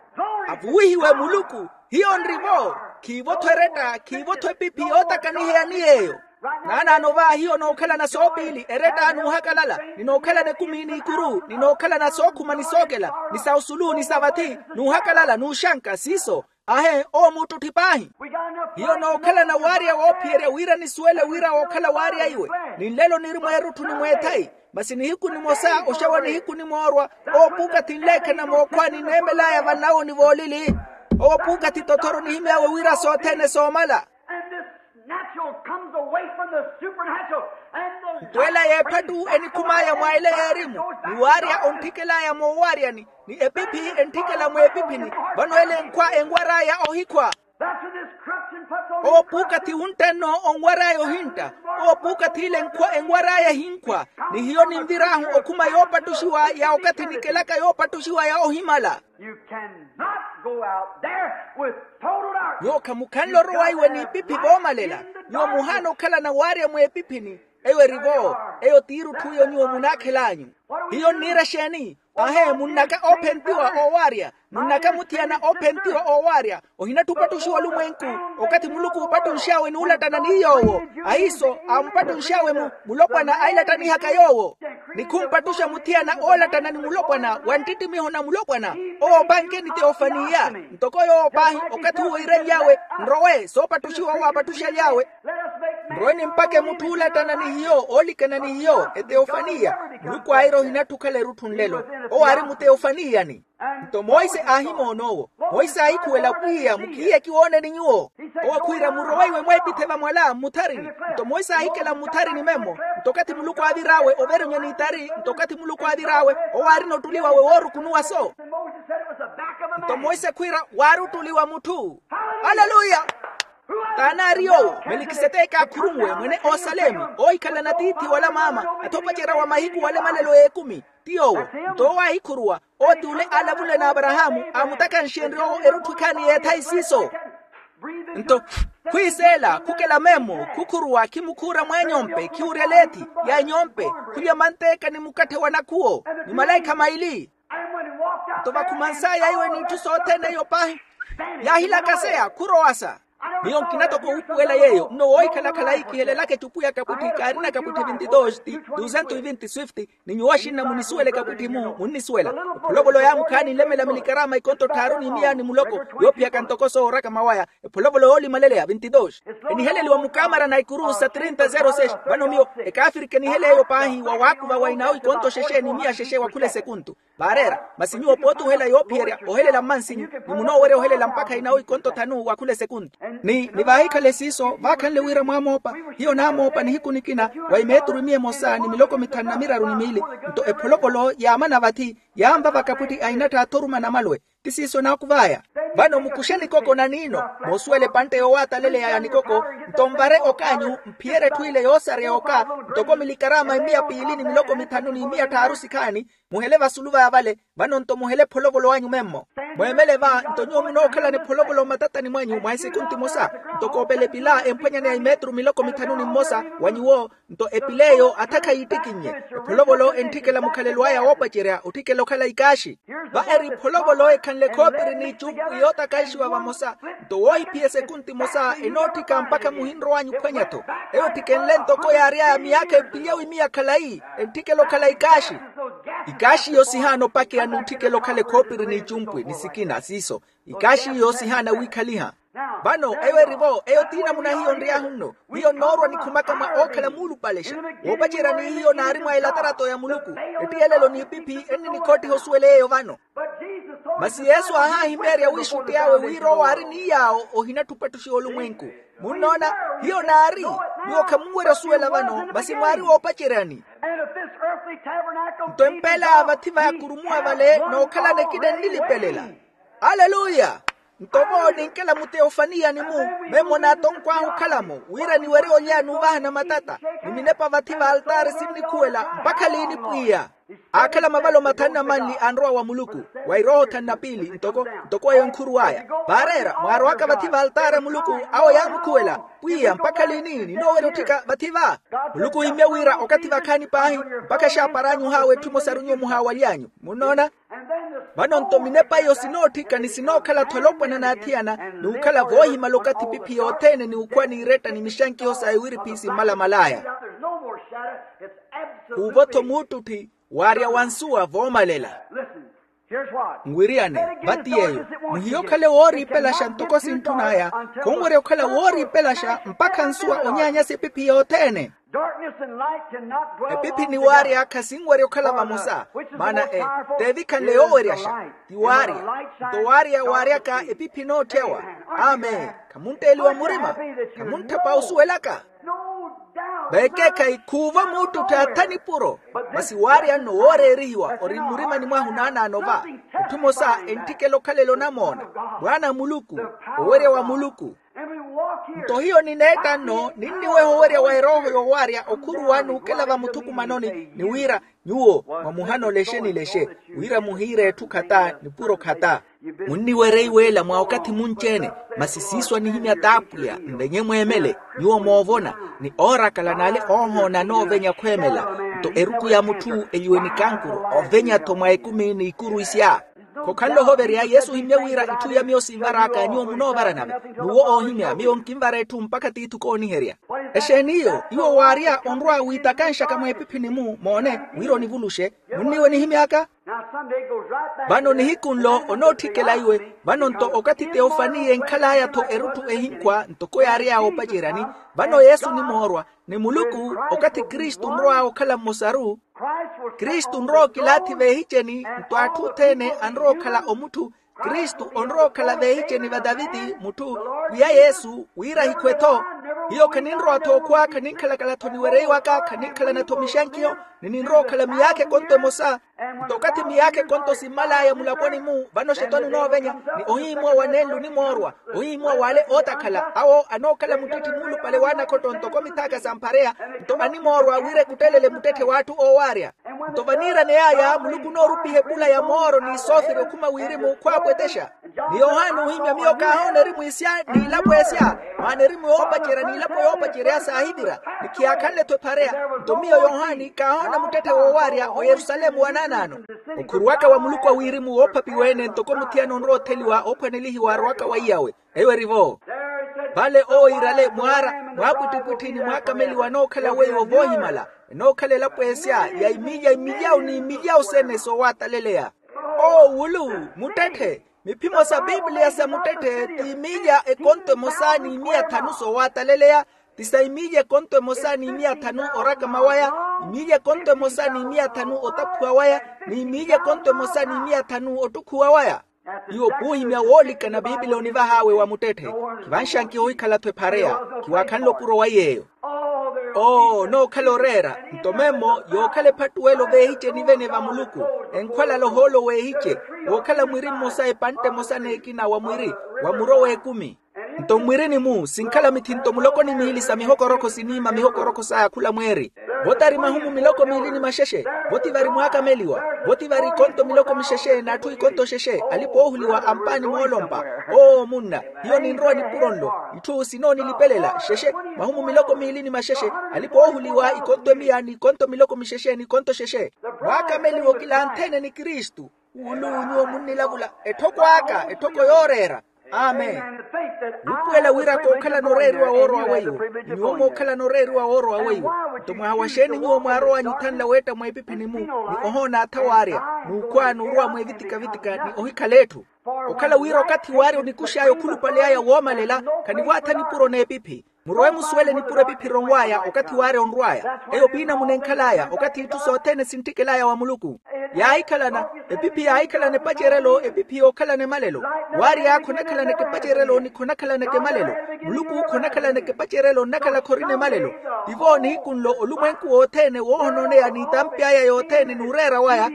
avuwihiwe muluku. Hiyo nri-vo. Khiivo-tho eretta, khiivo-tho epiphi yootakaniheya ni yeeyo. Naanaano va hiyo nookhalana soopiili eretta n'uhakalala, ni nookhalana ekumi n'ikuru ni nookhalana sookhuma ni sookela, ni sa osulu ni sa vathi, n'uhakalala n'uxanka siiso. Ahe owo muuttutthi paahi. Hiyo nookhalana waarya woophiyerya wira nisuwele wira wookhala waarya iwe, ni nlelo niri mweerutthu ni mweethayi. Masi nihiku nimosa oxawa nihiku nimoorwa, owo puukathi nleekhana mookhwa nineemel'aya vannawo ni voolili. Owo puukathi tothoro nihimy'awe wira sothene soomala. Nto ela y'ephattu enikhum'aya mwa ela y'erimu, ni waarya ontthikel'aya moowaryani, ni epiphi entthikela mweepiphini. Vano ela enkhwa enwar'aya ohikhwa. Owo puukathi wuntta-nno onwar'aya ohintta. Owo puukathi ila enkhwa enwar'aya ehinkhwa. Ni hiyo ninvir'ahu okhuma yoopattuxiwa ya okathi nikelaka yoopattuxiwa ya ohimala. Nyuwo khamukhanle orowa iwe n'ipiphi voomalela. Nyuwo muhaana okhalana waarya mweepiphini. Eyo eri-vo. Eyo t'irutthu iyo nyuwo munaakhel'anyu. Hiyo nniira exeeni? Ahe munnaka oophentiwa oowaarya. Munnaka muthiyana oophentiwa oowaarya. Ohinatthi opattuxiwa olumwenku okathi muluku uupattunx'awe n'ulattana ni yoowo. Ahiiso aamupattunx'awe mu mulopwana ailattanihaka yoowo. Ni khumpattuxa muthiyana oolattana ni mulopwana wa nttittimiho na mulopwana. Owo opanke ni teofaniya. Ntoko yoowo paahi okathi uwo iirenly'awe nrowe soopattuxiwa owo aapattuxaly'awe. Nrowe nimpake mutthu oolattana ni hiyo oolikana ni hiyo eteofaniya. Muluku aira ohinatthi okhala erutthu nlelo. Owo aari muteofaniyani. Nto monse aahimoona owo. Monse aahikhuwela pwiya mukhiiye kiwooneni nyuwo. Owo khwiira murowe iwe mweepithe vamwala mmutharini. Nto monse aahikela mmutharini memmo. Nto okathi muluku aavir'awe overemya n'itari nto okathi muluku aavir'awe owo aarina ottuli wawe woorukunuwa so. Nto monse khwiira waari ottuli wa mutthu. Aleluya. T'anaari yoowo melikiseteke aakhurunwe mwene oosalemi oohikhalana tiithi wala maama. Athopacerya wa mahiku wala emalelo y'ekumi ti yoowo. Nto owo aahikhuruwa. Owo ti ole aalavule n'aparahaamu aamutakhanxenrye owo erutthu ekhaani y'ethayi siiso. Nto khwiiseela khukela memmo khukhuruwa khimukhuura mweenyompe khiwurya leethi ya enyompe khulya manteeka ni mukatthe wa nakhuwo ni malaikha maili. Nto vakhumans'aya iwe n'itthu sothene eyo paahi yaahilakaseya khurowasa. Miyo nkina toko wuupuwela yeeyo nno woohikhala khalayi kihelelaka ecupu ya kapwitthi kaarina kapwitthi vinti dos ti duzentos e vinti swift. Ni nyuwo axinna munisuwela ekapwitthi-mu munnisuwela. Epholovolo yaamukhaani nlemela milikaraama ikonto tthaaru ni miya ni muloko yoophiyaka ntoko sooraka mawaya. Epholovolo yoolimaleleya vinti dos eniheleliwa mukaamara na ikuru sa trinta zero seis. Vano miyo ekaafirika enihela eyo paahi wa waakuva wa inawo ikonto xexe ni miya xexe wa khula esekuntu. Vaareera masi nyuwo pooti ohela yoophiyerya ohelela mmansinyu ni munoowerya ohelela mpakha inawo ikonto thanu wa khula esekuntu. Ni ni vaahikhale siiso vaakhanle wira mwaamoopa hiyo naamoopa nihiku nikina wa imeeturu imiya emosa ni miloko mithanu na miraru ni miili. Nto epholovolo yaamana vathi yaamva vakapwitti a inattha athoruma namalwe. Ti siiso naakuv'aya. Vano mukuxe nikoko na niino moosuwela epantte yoowataleleya ya nikoko. Nto nvare ok'anyu mphiyerye etthu ile yoosareya oka ntoko milikaraama imiya piili ni miloko mithanu ni imiya tthaaru sikhaani. Muhele vasulu vaya vale vano nto muhele epholovolo anyu memmo. Mweemele va nto nyuwo munookhalana epholovolo mmatatani mwanyu mwa esikunti emosa. Nto koopela epila emphwanyaneya imeeturu miloko mithanu ni mmosa wa nyuwo. Nto epila eyo athakha yiittikinnye epholovolo entthikela mukhalelo aya woopacerya otthikela okhala ikaaxi. Va eri epholovolo ekhanle khoopiri n'icumpwi yootakaixiwa vamosa. Nto woohiphiya esekunti emosa enootthika mpakha muhinrow'anyu ophwanya-tho. Eyo ethikenle ntoko yaary'aya miyaakha epili awi miya khalayi entthikela okhala ikaaxi. Ikaaxi iyo sihaana opakeya n'utthikela okhala ekhoopiri n'icumpwi ni sikina siiso. Ikaaxi iyo sihaana wiikhaliha. Vano eyo eri-vo eyo ti namuna hiyo nry'ahu nno. Hiyo nnoorwa nikhumaka mwa ookhala muulupalexa woopacerya ni hiyo naari mwa elatarato ya muluku. Ettiyelelo n'ipiphi enninikhottiha osuwela eyo vano. Masi yesu aahaahimeerya wiixutti awe wira owo aari ni yaawo ohinatthu opattuxiwa olumwenku. Munnoona hiyo naari. Nyuwo khamunwerya osuwela vano masi mwaari woopaceryani. Nto empeel'aya vathi vayakurumuwa vale nookhalana ekina ennilipelela. Aleluya. Nto vo ninkela muteofaniya ni mu memmo n'atonkw'ahu okhala-mo wira niwerye olya n'uvahana matata ni minepa vathi v'altaari sinnikhuwela mpakha liini pwiya. Aakhala mavalo mathanu na manli anrowa wa muluku wa erooho thanu na piili ntoko ntoko eyo enkhuruw'aya. Vaareera mwaarowaka vathi v'altaari a muluku awo yaamukhuwela pwiya mpakha liini ninoowerya otthika vathi va? Muluku ohimmye wira okathi vakhaani paahi mpakha exaapar'anyu ohaawa etthu emosaru nyuwo muhaawaly'anyu munnoona. Vano nto minepa iyo sinootthika ni sinookhala-tho olopwana n'athiyana ni okhala voohimala okathi epiphi yothene ni okhwa n'iretta ni mixankiho sa iwiriphi simmalamal'aya. Khuuvo-tho muttutthi waarya wa nsuwa voomalela. Nwiriyane vati yeeyo muhiye okhale wooriipelaxa ntoko sintthun'aya khonwerya okhala wooriipelaxa mpakha nsuwa onyaanyasa epiphi yothene. Epiphi ni waarya khasinwerya okhala vamosa maana e teevikhanle yooweryaxa ti waarya. Nto waarya waaryaka epiphi enootthyawa. Amen. Khamuntteeliwa murima khamuntthapa osuwelaka. Veekeekhayi khuuvo muttutthi atha nipuro masi waarya nno wooreerihiwa ori mmurimani mwahu naanaano va. Etthu emosa entthikela okhalela onamoona mwaana a muluku owerya wa muluku. Nto hiyo nineetta nno ninniweha owerya wa erooho yowaarya okhuruwa n'ukela vamuthukumanoni ni wira nyuwo mwamuhana olexeni lexe wira muhiire etthu khata nipuro khata. Munniwerya iweela mwa okathi munci-ene masi siiso anihimya t'apwiya nvenye mweemele nyuwo moovona ni oorakala n'ale oohoona anoovenya khweemela. Nto eruku ya mutthu eliwe ni kankuru ovenya-tho mwa ekumi n'ikuru isya. Khokhanle ohoverya yesu ohimmye wira itthu iya miyo sinvar'aka nyuwo munoovaranave n'uwo oohimya miyo nkinvara etthu mpakha tiithi kooniherya. Exeeni iyo iwo waarya onrwa wiitakanxaka mwa epiphini-mu moone wira onivuluxe munniwe nihimy'aka. Vano nihiku nlo onootthikela iwe vano nto okathi teofaniya enkhal'aya-tho erutthu ehinkhwa ntoko yaary'aya oopaceryani. Vano yesu onimoorwa ni muluku okathi kristu onrow'aya okhala mmosaru. Kristu onrowa okilaathi veehiceni nto atthu othene anrowa okhala omutthu kristu onrowa okhala veehiceni va taviti mutthu pwiya yesu wira ahikhwe-tho. Hiyo khaninrowa-tho okhwa khaninkhalakala-tho niweryeyiwaka khaninkhalana-tho mixankiyo ni ninrowa okhala miyaakha ekonto emosa. Nto okathi miyaakha ekonto simmal'aya mulaponi-mu vano xetwani onoovenya ni ohihimuwa wa nenlu onimoorwa ohihimuwa w'ale ootakhala awo anookhala muttitthi muulupale w'anakhotto ntoko mithaaka sa mphareya. Nto animoorwa wira ekuttelele muttetthe w'atthu oowaarya. Nto vaniiraney'aya muluku onoorupiha epula ya mooro ni sooferi okhuma wirimu khwaapwetexa. Ni yohani oohimya miyo kaahoona erimu isya n'ilapo esya maana erimu yoopacerya n'ilapo yoopacerya saahivira ni khiyaakhanle-tho ephareya. Nto miyo yohani kaahoona muttetthe woowaarya oyerusalemu wa naanaano. Okhuruwaka wa muluku a wirimu woophapiwa-ene ntoko muthiyana onrowa otheliwa oophwanelihiwa arowaka weiyawe eyo eri-vo. Vale owo iirale mwaara mwaapwittipwitthi ni mwaakameliwa anookhala weiwo voohimala enookhala elapo esya ya imilya imilyawu ni imilyawu sene soowataleleya. Owo wulu muttetthe miphimo sa piipiliya sa muttetthe ti imilya ekonto emosa ni imiya thanu soowataleleya. Ti sa imilya ekonto emosa ni imiya thanu orakama waya imilya ekonto emosa ni imiya thanu otaphuwa waya ni imilya ekonto emosa ni imiya thanu ottukhuwa waya. Iwo p'uhimya woolikana piipili onivah'awe wa muttetthe. Khivanxankiha ohikhala-tho ephareya khiwaakhanle opuro wa yeeyo. Oo nookhala oreera nto memmo yookhala ephattuwelo veehiceni vene va muluku enkhwalala ohoolo weehice wookhala mwiri mmosa epantte emosa n'ekina wa mwiri wa muro w'ekumi. Nto mmwirini-mu sinkhala mithinto muloko ni miili sa mihokorokho siniima mihokorokho saya khula mweeri. Vo tari mahumu miloko miili ni maxexe vo ti vari mwaakameliwa vo ti vari ikonto miloko mixexe n'atthu ikonto xexe alipa oohuliwa ampaani moolompa. Oo munna hiyo ninrowa nipuro nlo itthu sinoonilipelela xexe mahumu miloko miili ni maxexe alipa oohuliwa ikonto emiya n'ikonto miloko mixexe n'ikonto xexe. Mwaakameliwa okilanthe-ene ni kristu. Wulu nyuwo munnilavula etthoko aka etthoko yooreera. Amen. Wuupuwela wira kookhalana oreeriwa woorowa weiwo ni nyuwo mookhalana oreeriwa woorowa weiwo. Nto mwaha wa xeeni nyuwo mwaarowanyu othanla weetta mweepiphini-mu ni ohoona atha waarya n'ukhwa n'urowa mweevitika-vitika ni ohikhala etthu? Okhala wira okathi waarya onikux'aya okhulupale aya woomalela khanivo atha nipuro n'epiphi. Murowe musuwele nipuro epiphi eronw'aya okathi waarya onrw'aya eyo piinamuna enkhal'aya okathi itthu sothene sinttikel'aya wa muluku. Yaahikhalana epiphi yaahikhalana epacerelo epiphi yookhalana emalelo. Waarya khonakhalanaka epacerelo ni khonakhalanaka emalelo. Muluku khonakhalanaka epacerelo nnakhala khorina emalelo. Tivo nihiku nlo olumwenku wothene woohonooneya n'itampi aya yothene n'ureera waya.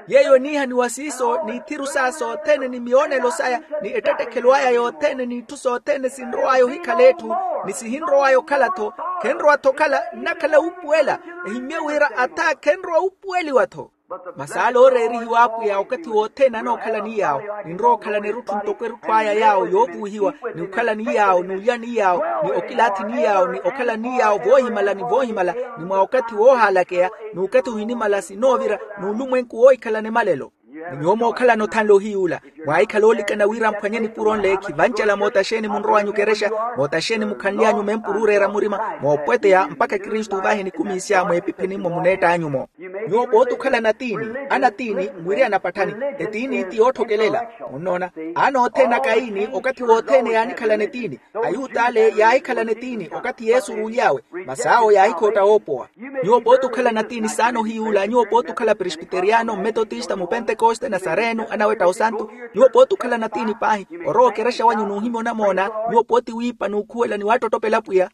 Yeeyo eniihaniwa siiso n'ithiru saya sothene ni miyoonelo saya, ni ettettekhelo aya yothene n'itthu sothene sinrow'aya ohikhala etthu, ni sihinrow'aya okhala-tho. Khenrowa-tho okhala nnakhala wuupuwela. Ehimmye wira atha khenrowa wuupuweliwa-tho. Masi ale ooreerihiwa apwiya okathi wothene anookhalani yaawo, ninrowa okhalana erutthu ntoko erutthu aya yaawo yoovuwihiwa, ni okhalani yaawo ni olyani yaawo, ni okilaathini yaawo ni okhalani yaawo voohimala ni voohimala, ni mwa okathi woohaalakeya, n'ukathi ohinimala sinoovira, n'ulumwenku woohikhalana emalelo. Ni nyuwo mookhalana othanle ohiyuula, mwaahikhala oolikana wira mphwanye nipuro nle khivancela moota xeeni munrow'anyu okerexa, moota xeeni mukhanly'anyu mempuru ooreera murima, moopweteya mpakha kristu ovahe nikumiisya mweepiphini-mo muneett'anyu-mo. Nyuwo pooti okhalana tiini, anatiini nwiriyana patthani, etiini ti yootthokelela. Munnoona, anoothene a kaini okathi wothene yaanikhalana etiini. Ayuta ale yaahikhalana etiini okathi yesu oruuly'awe, masi awo yaahikhootta woopowa. Nyuwo pooti okhalana tiini saana ohiyuula, nyuwo pooti okhala presbiteriyano mmetotista mupentekoste nasareeno anawetta osantu. Nyuwo pooti okhalana tiini paahi, orowa okerexa wanyu n'uhimya onamoona. Nyuwo pooti wiipa n'ukhuwela ni waattottopela pwiya.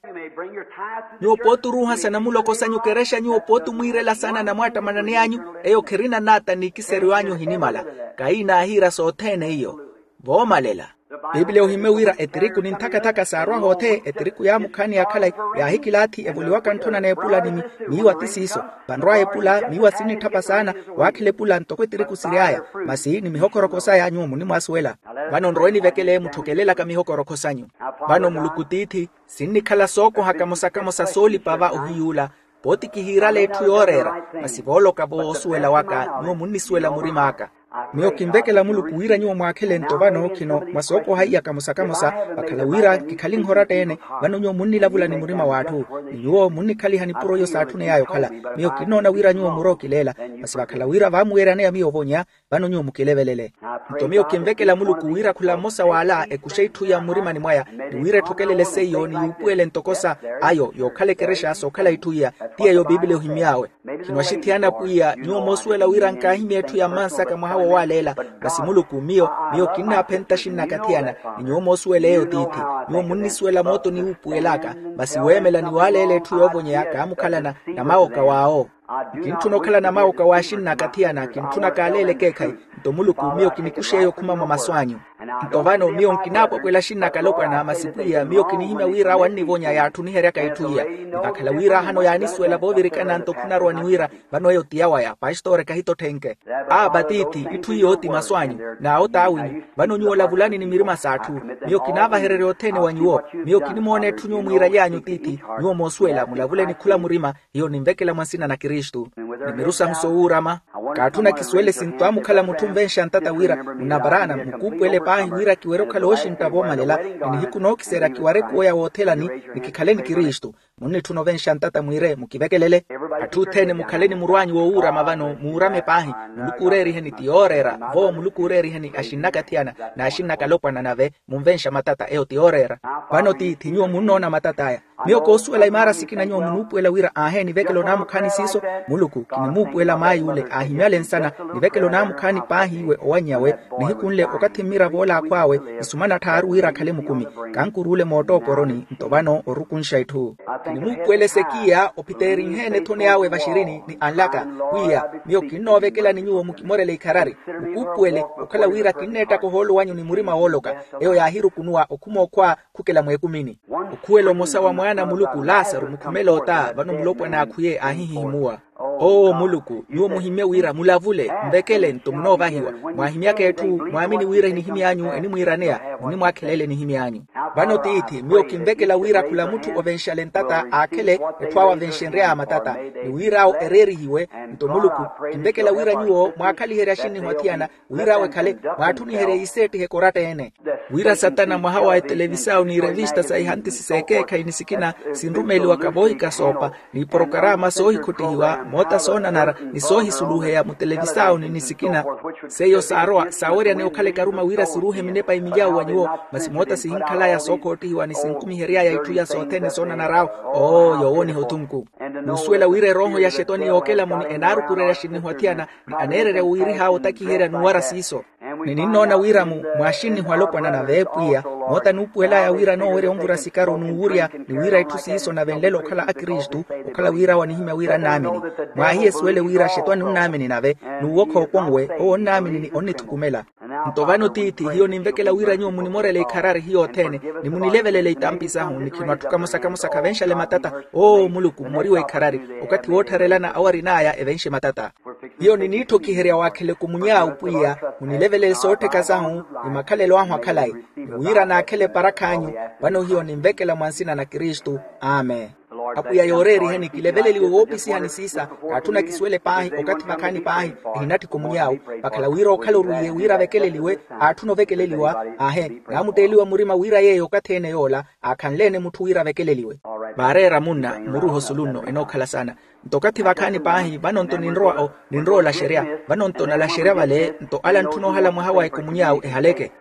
Nyuwo pooti oruuha sanamuloko sanyu okerexa nyuwo pooti omwiirela saana anamwaattamananeyanyu. Eyo khirina naata n'ikiseryo anyu ohinimala. Kaini aahiira sothene iyo. Voomalela. Piipiliya ohimmye wira etiriku ni nthakathaka saarwa hoothe etiriku yaamukhaani yakhalayi, yaahikilaathi evoliwaka ntthona n'epula ni miiwa ti siiso. Vanrw'aya epula miiwa sinnitthapa saana. Waakhela epula ntoko etiriku siry'aya. Masi ni mihokorokosa ya nyuwo munimwaasuwela. Vano nrowe nivekele mutthokelelaka mihokorokosanyu. Vano muluku tiithi, sinnikhala sookoha kamosa-kamosa soolipa va ohiyuula. Pooti kihiirala etthu yooreera. Masi vooloka voosuwela waka nyuwo munnisuwela murim'aka. Miyo kinvekela muluku wira nyuwo mwaakhele nto vano khino mwa sookoha iya kamosa-kamosa. Vakhala wira kikhali nhoratta-ene, vano nyuwo munnilavula ni murima w'atthu. Ni nyuwo munnikhaliha nipuro iyo saatthuney'aya okhala. Miyo kinnoona wira nyuwo murowa okileela. Masi vakhala wira vaamuweeryaneya miyo ovonya, vano nyuwo mukilevelele. Nto miyo kinvekela muluku wira khula mmosa w'ala ekuxe itthu iya mmurimani mwaya, ni wira etthokelele seiyo ni yuupuwele ntoko sa ayo yookhala ekerexa sookhala itthu iya. Ti yeeyo piipiliya ohimmy'awe. Khino axithiyana pwiya nyuwo moosuwela wira nkaahimya etthu ya mmansaka mwaha woowaaleela. Masi muluku miyo, miyo kinnaaphenta axinn'aka athiyana. Ni nyuwo moosuwela eyo tiithi, nyuwo munnisuwela mootoni wuupuwel'aka. Masi weemela ni waaleela etthu yoovonyeya kaamukhalana namawoka w'awo. Nkintthuna okhalana mawoka w'axinn'aka athiyana kintthuna kaaleela ekeekhayi. Nto muluku miyo kinikux'eyo okhuma mwa masu anyu. Nto vano miyo nkinaapwapwela axinn'aka alopwana masi pwiya miyo kinihimya wira wannivonya yaatthuniheryaka itthu iya. Ni vakhala wira ahano yaanisuwela voovirikana nto khunarowa ni wira, vano eyo ti yawaya pastori kahitotthenke. Aapa tiithi, itthu iyo ti masu anyu. N'awo t'awinyu. Vano nyuwo lavulani ni mirima s'atthu. Miyo kinaavahererya othene wa nyuwo. Miyo kinimoona etthu nyuwo mwiiraly'anyu tiithi. Nyuwo moosuwela mulavule ni khula murima. Hiyo ninvekela mwa nsina na kristu. Ni miru sahu soowuurama. Kaatthuna kisuwele sintwaamukhala mutthu onvenxa ntata wira munavaraana mukuupuwele paahi wira kiwerye okhala ooxintta voomalela. Ni nihiku nookiserya kiware kuweya woothelani. Ni kikhale ni kristu. Munnitthuna ovenxa ntata mwiire mukivekelele. Atthu othene mukhale ni murw'anyu woowuurama vano muurame paahi. Muluku ooreeriheni ti yooreera. Vo muluku ooreeriheni axinn'aka athiyana n'axinn'aka alopwana nave. Munvenxa matata eyo ti yooreera. Vano tiithi nyuwo munnoona matat'aya. Miyo koosuwela imaara sikina nyuwo munuupuwela wira aaheeni vekelo naamukhaani siiso. Muluku kinimuupuwela maay'ule aahimyale nsana. Ni vekelo naamukhaani paahi iwe owannyawe. Nihiku nle okathi mmiravo ola akhw'awe. Nsumana tthaaru wira akhale mukumi. Kankuruule moottooporoni nto vano orukunxa itthu. Kinimuupuwela esekiya ophiteerinheene ethono yaawe vaxirini ni anlaka. Pwiya miyo kinnoovekelani nyuwo mukimorele ikharari. Mukuupuwele okhala wira kinneettaka ohoolo wanyu ni murima wooloka. Eyo yaahirukunuwa okhuma okhwa khukela mweekumini. Okhuwela omosa wa mwaana a muluku lasaru mukhumela ota vano mulopwana akhuye aahihihimuwa. Oo muluku nyuwo muhimmye wira mulavule nvekele nto munoovahiwa. Mwaahimyaka etthu mwaamini wira enihimy'anyu enimwiiraneya. Munimwaakhelela enihimy'anyu. Vano tiithi miyo kinvekela wira khula mutthu ovenxale ntata aakhele etthu awo avenxenry'aya matata. Ni wir'awo ereerihiwe. Nto muluku kinvekela wira nyuwo mwaakhaliherye axinnihu athiyana. Wir'awo ekhale mwaatthuniherye yiseettiha ekoratta-ene. Wira satana mwaha wa etelevisawu n'irevista sa ihantisi s'ekeekhayi ni sikina sinrumeeliwaka voohikasoopa, n'iporokarama soohikhottihiwa moota soonanara ni soohisuluheya mutelevisawuni ni sikina. Seiyo saarowa saaweryaneya okhala ekaruma wira siruuhe minepa imiyawu wa nyuwo. Masi moota sihinkhalaya sookhoottihiwa ni sinkumihery'aya itthu iya sothene soonanar'awo. Oo yoowoniha othunku. N'usuwela wira erooho ya xetwani yookelamuni enaarukurerya axinnihu athiyana. Ni aneererya wiirih'awe otakiherya n'uwara siiso. Ni ninnoona wira mu mwaaxinnihu alopwana na veepwiya, moota nuupuwel'aya wira noowerya onvura sikaru n'uwurya, ni wira itthu siiso nave nlelo okhala akristu, okhala wira wanihimya wira nnaamini. Mwaahiye esuwele wira xetwani onnaamini nave, n'uwokha okonwe owo onnaamini ni onnithukumela. Nto vano tiithi hiyo ninvekela wira nyuwo munimorele ikharari hiyo othene, ni munilevelele itampi sahu ni khino atthu kamosa kamosa khavenxale matata. Oo muluku mmoriwe ikharari, okathi woottharelana awo arin'aya evenxe matata. Hiyo niniitthokiherya waakhele kumuny'awe pwiya, munilevelele soottheka sahu, ni makhalelo ahu akhalayi, ni wira naakhele eparakh'anyu. Vano hiyo ninvekela mwa nsina na kristu. Amen. Apwiya yooreeriheni kileveleliwe woopisihani siisa. Kaatthuna kisuwele paahi okathi vakhaani paahi, ehinatthi kumuny'awe, vakhala wira okhala orwiiye wira avekeleliwe. Aatthuna ovekeleliwa, aahe, naamutteeliwa murima wira yeeyo okathi ene yoola, aakhanle-ene mutthu wira avekeleliwe. Vaareera munna mmuruuha osulu nno enookhala saana. Nto okathi vakhaani paahi vano nto ninrowa o ninrowa olaxerya. Vano nto nalaxerya vale nto ala antthuna ohala mwaha wa ekumuny'awe ehaleke.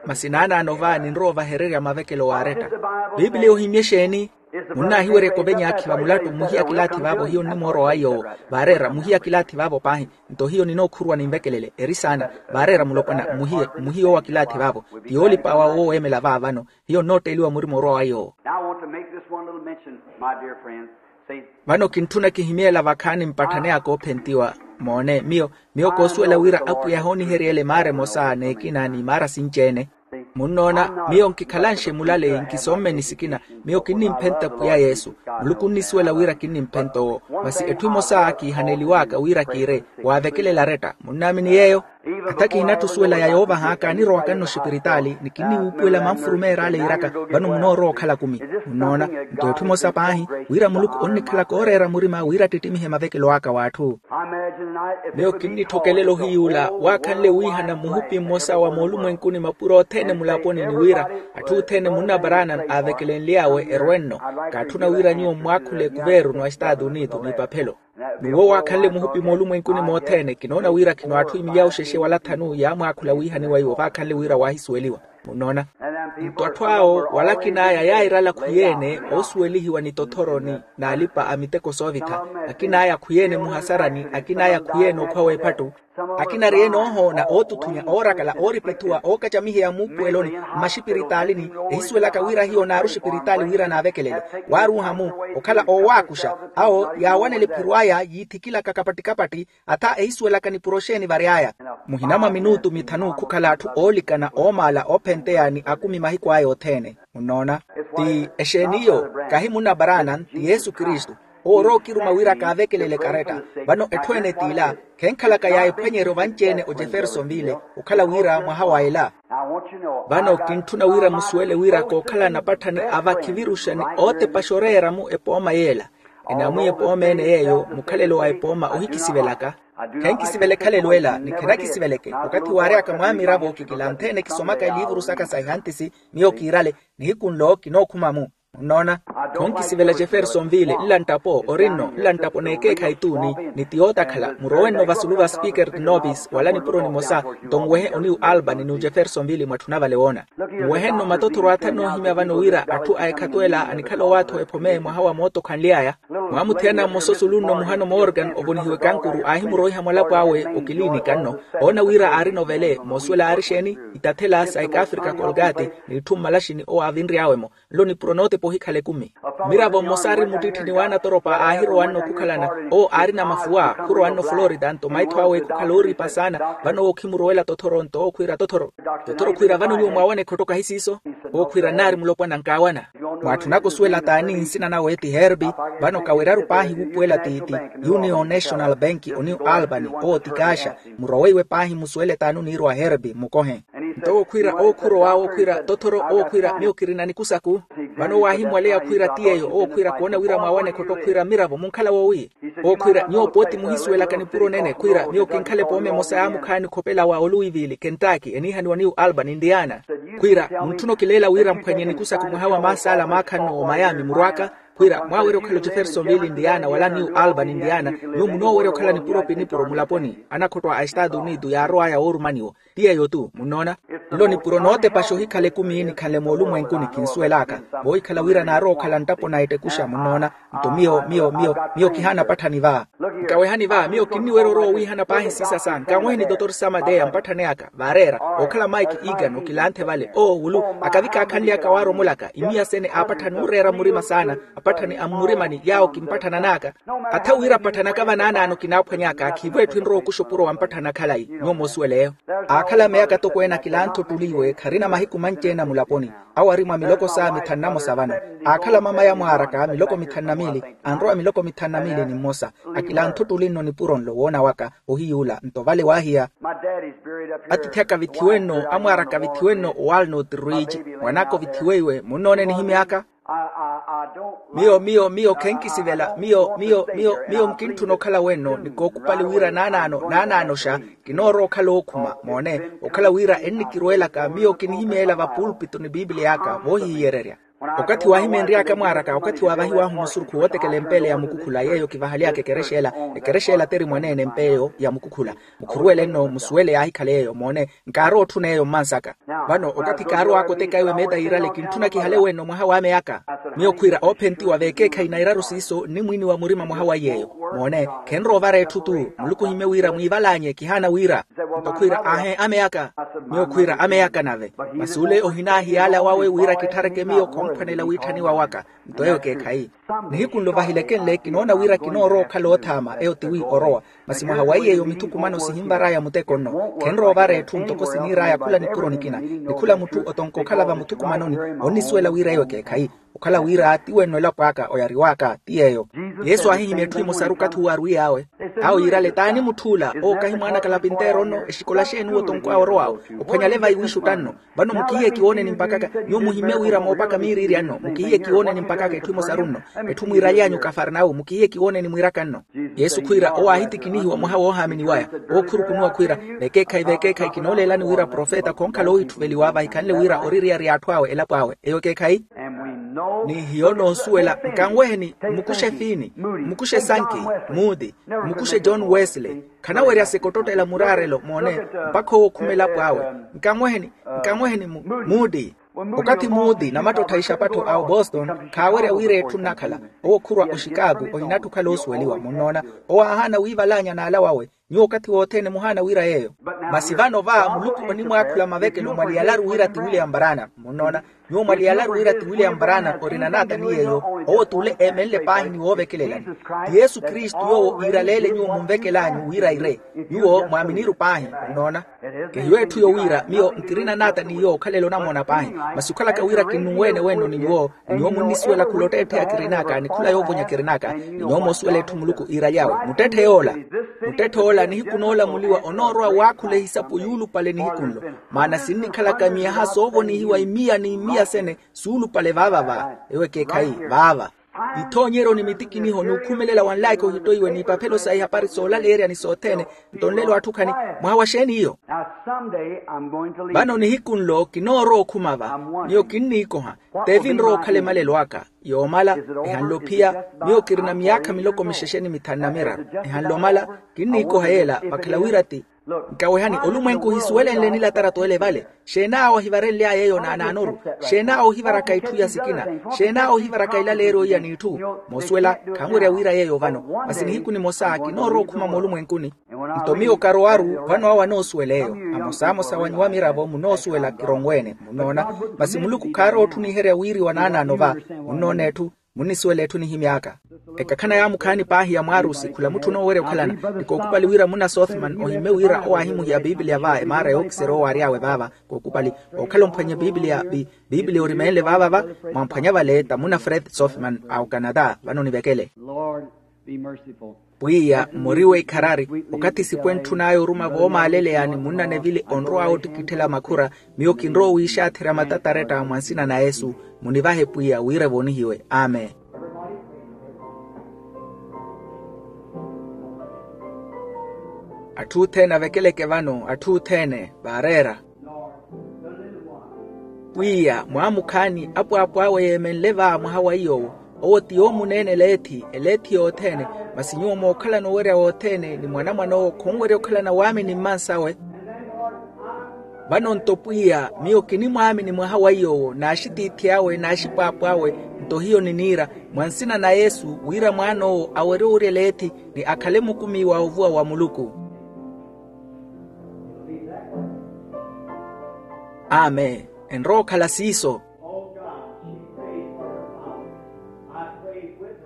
Masi naanaano va ninrowa ovahererya mavekelo waaretta. Piipiliya ohimye exeeni? Munnaahiweryaka ovenyaakhi va mulattu mmuhiya kilaathi vaavo hiyo nnimoorowa yoowo. Vaareera mmuhiya kilaathi vaavo paahi. Nto hiyo ninookhurwa ninvekelele eri saana. Vaareera mulopwana mmuhiye mmuhiye owa kilaathi vaavo. Ti yoolip'awa wooweemela vaavano. Hiyo nnootteeliwa murima orowa wa yoowo. Now I want to make this one little mention, my dear friends. Vano kintthuna kihimyeela vakhaani mpatthani aka oophentiwa. Moone miyo miyo koosuwela wira apwiya hooniheryele maara emosa n'ekina n'imaara sinci-ene. Munnoona, miyo nkikhalanxe mulaleyi nkisoommeni sikina. Miyo kinnimphenta pwiya yesu. Muluku onnisuwela wira kinnimphenta owo. Masi etthu emosa kiihaneliw'aka wira kiire, waavekelela aretta munnaamini yeeyo. Hata kihinatthi osuwela ya yoovah'aka anirowaka nno oxipiritaali ni kinniwuupuwela manfurumeer'ale yiiraka. Vano munoorowa okhala kumi. Munnoona, nto etthu emosa paahi, wira muluku onnikhalaka ooreera murima wira attittimihe mavekelo aka w'atthu. Miyo kinnitthokelela ohiyuula waakhanle wiihana muhupi mmosa wa moolumwenkuni mapuro othene mulaponi ni wira atthu othene munna branham aavekelenly'awe erwe-nno. Kaatthuna wira nyuwo mmwaakhule kuveeru n'wa estaatu unitu n'ipaphelo. N'uwo waakhanle muhupi moolumwenkuni mothene kinoona wira khino atthu imilya oxexe wala thanu yaamwaakhula wiihaniwa iwo vaakhanle wira waahisuweliwa. Munnoona, nto atthu awo wala akin'aya yairala khwiyeene oosuwelihiwa ni tothoroni n'alipa a miteko soovitha. Akin'aya khwiyeene muhasarani akin'aya khwiyeene okhwa w'ephattu. Akina ariyeene oohoona ootuthunya oorakala ooripithuwa ookacamiheya muupuweloni mmaxipiritaalini. Ehisuwelaka wira hiyo naaru oxipiritaali wira naavekelele waaruuha-mu okhala oowaakuxa. Awo yaawanela ephiro aya yiithikilaka kapattikapatti. Atha ehisuwelaka nipuro xeeni vary'aya. Muhina mwa minutu mithanu khukhala atthu oolikana oomaala oophenteya ni akumi mahiku aya othene. Munnoona, ti exeeni iyo? Kahi munna branham ti yesu kristu. Owo orowa okiruma wira kaavekelele karetta. Vano etthu ene t'ila khenkhalaka ya ephwanyeryo vanci-ene ojeffersonville okhala wira mwaha wa ela. Vano kintthuna wira musuwele wira kookhala anapatthani a vakhiviruxa ni ootepaxa oreera-mu epooma y'ela. Enamwiya epooma ene yeeyo mukhalelo wa epooma ohikisivelaka. Khenkisivela ekhalelo ela ni khenakisiveleke okathi waary'aka mwaamiravo kikilanthene kisomaka eliivuru saka sa ehantisi. Miyo kiirale nihiku nlo kinookhuma-mu. Munnoona, khonkisivela jeffersonville nla nttapo ori-nno nla nttapo n'ekeekhayi tuuni ni ti yootakhala murowe-nno vasulu va speaker tinopis wala nipuro nimosa. Nto nwehe oniw albany ni ojeffersonville mwatthuna vale woona. Nwehe-nno matothoro athanu noohimya vano wira atthu a ekhatw'ela anikhala owaathi owephome mwaha wa mootokhanly'aya. Mwaamuthiyana mmosa osulu-nno muhano morgan ovonihiwe kankuru aahimuroiha mwalapo awe okilinika-nno. Oona wira aari novele moosuwela aari exeeni? Itathela sa ekaafrika colgate n'itthu mmalaxini owo aavinry'awe-mo. Nlo nipuro nootepa ohikhala ekumi. Mmiravo mmosa aari mmuttitthini w'anatoropa aahirowa-nno khukhalana. Owo aarina mafuwa khurowa-nno florida nto maitho awe khukhala ooriipa saana. Vano owo khimurowela tothoro nto owo khwiira tothoro. Tothoro khwiira vano nyuwo mwaawana ekhotto kahi siiso? Owo khwiira nnaari mulopwana nkaawana. Mwaatthunaka osuwela t'ani nsina nawe ti herbi. Vano kaweryaru paahi wuupuwela ti union national bank oniw albany owo ti kaaxa. Muroweiwe paahi musuwele t'ani oniirwa herbi mmukohe. Nto owo khwiira owo khurowa owo khwiira tothoro owo khwiira miyo kirina nikusaku. Vano waahimmwaleya khwiira ti yeeyo owo khwiira koona wira mwaawana ekhotto khwiira mmiravo munkhala woowi. Owo khwiira nyuwo pooti muhisuwelaka nipuro nene khwiira miyo kinkhala epooma emosa yaamukhaani khopela wa oluwivili kentaki eniihaniwa niyu albany indiana. Khwiira muntthuna okileela wira mphwanye nikusaku mwaha wa maasa ala maakha-nno omayami murw'aka. Khwiira mwaawerya okhala ojeffersonville indiana wala niyu albany indiana. Nyuwo munoowerya okhala nipuro pi nipuro mulaponi anakhotto a estaatu unitu yaarow'aya woorumaniwo. Ti yeeyo-tu munnoona. Nlo nipuro nootepaxa ohikhala ekumi nikhanle moolumwenkuni kinsuwel'aka. Voohikhala wira naarowa okhala nttapo na ettekuxa munnoona. Nto miyo miyo miyo miyo kihaana apatthani va. Nkawehani va miyo kinniwerya orowa owiihana paahi siisasa nkanweheni dotor samadeya mpatthani aka vaareera. Okhala mike egan okilanthe vale oowulu akavikaakhanly'aka waaromolaka imiya sene aapatthani ooreera murima saana. Apatthani a mmurimani yaawo kimpatthanan'aka. Atha wira apatthani aka vanaanaano kinaaphwany'aka khiivo etthu enrowa okuxa opuro wa mpatthani akhalayi. Nyuwo moosuwela eyo. Aakhala ameyaka atokweene akilantha ottuli iwe kharina mahiku manci-ene a mulaponi. Awo ari mwa miloko saa mithanu na mosa vano. Aakhala mamaya mwaaraka miloko mithanu na miili. Anrowa miloko mithanu na miili ni mmosa. Akilantha ottuli nno nipuro nlo woona waka. Ohiyuula nto vale waahiya. Atiithi aka vithiwe nno amwaaraka vithiwe nno owalnut ridge. Mwan'aka ovithiweiwe munnoone nihimy'aka. Miyo miyo miyo khenkisivela miyo miyo miyo miyo nkintthuna okhala wenno ni kookupali wira naanaano naanaanoxa. Kinoorowa okhala ookhuma moone okhala wira ennikirweelaka miyo kinihimeela va pulpito ni piipiliya aka voohihiyererya. Okathi waahimeenry'aka mwaaraka okathi waavahiw'ahu musurukhu wootekela empeele ya mukukhula yeeyo kivahaly'aka ekerexa ela. Ekerexa ela teri mwaneene empeeyo ya mukukhula. Mukhuruwele nno musuwele yaahikhala eyo moone. Nkaarowa otthuna eyo mmansaka. Vano okathi kaarow'aka oteka iwe meeta yiirale kintthuna kihale wenno mwaha w'ame aka. Miyo khwiira oophentiwa veekeekhayi na iraru siiso nnimwiiniwa murima mwaha wa iy'eyo. Moone khenrowa ovara etthu-tu. Muluku ohimye wira mwiival'anyu kihaana wira. Nto khwiira aahe ame aka. Miyo khwiira ame aka nave. Masi ole ohinaahiyaala wawe wira kithareke miyo khomphwanela witthaniwa waka. Nto eyo ekeekhayi. Nihiku nlo vahilekenle kinoona wira kinoorowa okhala oothaama eyo tiwi orowa. Masi mwaha wa iy'eyo mithukumano sihinvar'aya muteko nno. Khenrowa ovara etthu ntoko siniir'aya khula nipuro nikina ni khula mutthu otonka okhala vamuthukumanoni. Onnisuwela wira eyo ekeekhayi. Okhala wira ti wenno elapo aka oyariw'aka ti yeeyo. Yesu aahihimya etthu emosaru okathi uwo arwiy'awe. Awo yiirale t'ani mutth'ula owo kahi mwaana kalapinteero nno exikola xeeni uwo otonkw'awe orow'awe. Ophwanyale vayi wiixutta nno. Vano mukihiye kiwooneni mpakaka. Nyuwo muhimmye wira moopaka miiriirya nno mukihiye kiwooneni mpakaka etthu emosaru nno. Etthu mwiiraly'anyu kafarnawu mukihiye kiwooneni mwiiraka nno. Yesu khwiira owo aahitikinihiwa mwaha woohaaminiw'aya. Owo khurukunuwa khwiira vekeekhayi vekeekhayi kinooleelani wira profeta khonkhala oohitthuveliwa vahikhanle wira oririyary'atthu awe elapo awe eyo ekeekhayi. Ni hiyo noosuwela nkanweheni. Mmukuxe fiini mmukuxe sanki muudi mmukuxe john wesley. Khanawerya-se kottottela muraarelo moone mpakha owo okhuma elapo awe. Nkanweheni nkanweheni muudi. Okathi muudi namattottha ixapattho a oboston khaawerya wira etthu nnakhala. Owo khurwa oxikaku ohinatthi okhala oosuweliwa munnoona. Owo aahaana wiival'anya n'ala wawe. Nyuwo okathi wothene muhaana wira yeeyo. Masi vano va muluku onimwaakhula mavekelo mwaliyalaru wira ti william barana munnoona. Nyuwo mwaliyalaru wira ti william barana orina naatani yeeyo. Owo t'ule eemenle paahi ni woovekelelani ti yesu kristu yoowo iiraleele nyuwo munvekel'anyu wira ire. Nyuwo mwaaminiru paahi munnoona. Kehiyo etthu yowira miyo nkirina naatani yoowo okhalela onamoona paahi. Masi okhalaka wira kinnunweene wenno ni nyuwo. Ni nyuwo munnisuwela khula otteettheya kirin'aka ni khula yoovonya kirin'aka ni nyuwo moosuwela etthu muluku iiraly'awe muttetthe yoola. Muttetthe ola nihiku noolamuliwa onoorowa waakhula ehisapo yuulupale nihiku nlo. Maana sinnikhalaka miyaha soovonihiwa imiya ni imiya sene suulupale vaava va ewo ekeekhayi vaava. Ithoonyeryo ni mitikiniho n'ukhumelela wa nlaikha ohittoiwe n'ipaphelo sa ihapari soolaleerya ni sothene. Nto nlelo atthu khani mwaha wa xeeni iyo? Vano nihiku nlo kinoorowa okhuma va. Miyo kinniikoha. Teevi nrowa okhala emalelo aka yoomala. Ehanle ophiya. Miyo kirina miyaakha miloko mixexe ni mithanu na miraru. Ehanle omala. Kinniikoha yeela vakhala wira ti nkawehani olumwenku ohisuwelenle nilatarato ele vale. Xeenaawo ohivarenly'aya eyo naanaanoru? Xeenaawo ohivaraka itthu iya sikina? Xeenaawo ohivaraka ilaleeryo iya n'itthu? Moosuwela khanwerya wira yeeyo vano. Masi nihiku nimosa kinoorowa okhuma moolumwenkuni. Nto miyo karowaru vano awo anoosuwela eyo. Amosamosa wa nyuwo amiravo munoosuwela kironweene munnoona. Masi muluku khaarowa otthuniherya wiiriwa naanaano va. Munnoona etthu munnisuwela etthu nihimy'aka. Ekakhana yaamukhaani paahi ya mwaarusi khula mutthu onoowerya okhalana. Ni kookupali wira muna sothman ohimme wira owo aahimuhiya piipiliya va emaara yookiserya owo aary'awe vaava. Kookupali okhala omphwanya piipiliya. Piipiliya orimeenle vaava va mwamphwanya vale tamuna fred sothman a okanata vano onivekele. Pwiya mmoriwe ikharari. Okathi sipwe ntthun'aya oruma voomaaleleyani munna nevili onrow'awe ottikitthela makhura. Miyo kinrowa owiixaatherya matataretta mwa nsina na yesu. Munivahe pwiya wira evoonihiwe amen. Atthu othene avekeleke vano atthu othene vaareera. Pwiya mwaamukhaani apwapw'awe yeemenle va mwaha wa iy'owo. Owo ti yoomuneene eleethi eleethi yothene. Masi nyuwo mookhalana owerya wothene ni mwanamwan'owo khonwerya okhalana waamini mmansawe. Vano nto pwiya, miyo kinimwaamini mwaha wa iy'owo n'axitiithi awe n'axipwaapw'awe, nto hiyo niniira, mwa nsina na yesu, wira mwaan'owo awerye owuryela ethi, ni akhale mukumi wa ovuwa wa muluku. Amen. Enrowa okhala siiso.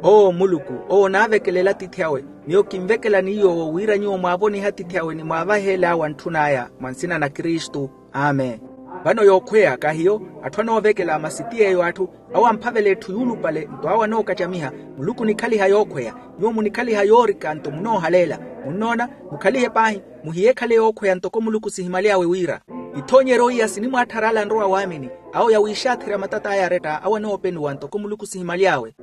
Owo muluku, owo onaavekelela atiithi awe. Miyo kinvekela ni yoowo wira nyuwo mwaavonihe atiithi awe ni mwaavaheele awo antthun'aya mwa nsina na kristu. Amen. Vano yookhweya kahiyo, atthu anoovekela masi ti yeeyo atthu, awo amphavela etthu yuulupale nto awo anookacamiha. Muluku onikhaliha yookhweya. Nyuwo munikhaliha yoorika nto munoohaleela. Munnoona? Mukhalihe paahi. Muhiyeekhale yookhweya ntoko muluku sihimaly'awe wira ithoonyeryo iya sinimwaattharala nrowa waamini, awo yawiixaatherya matat'aya aretta awo anoopenuwa ntoko muluku sihimaly'awe.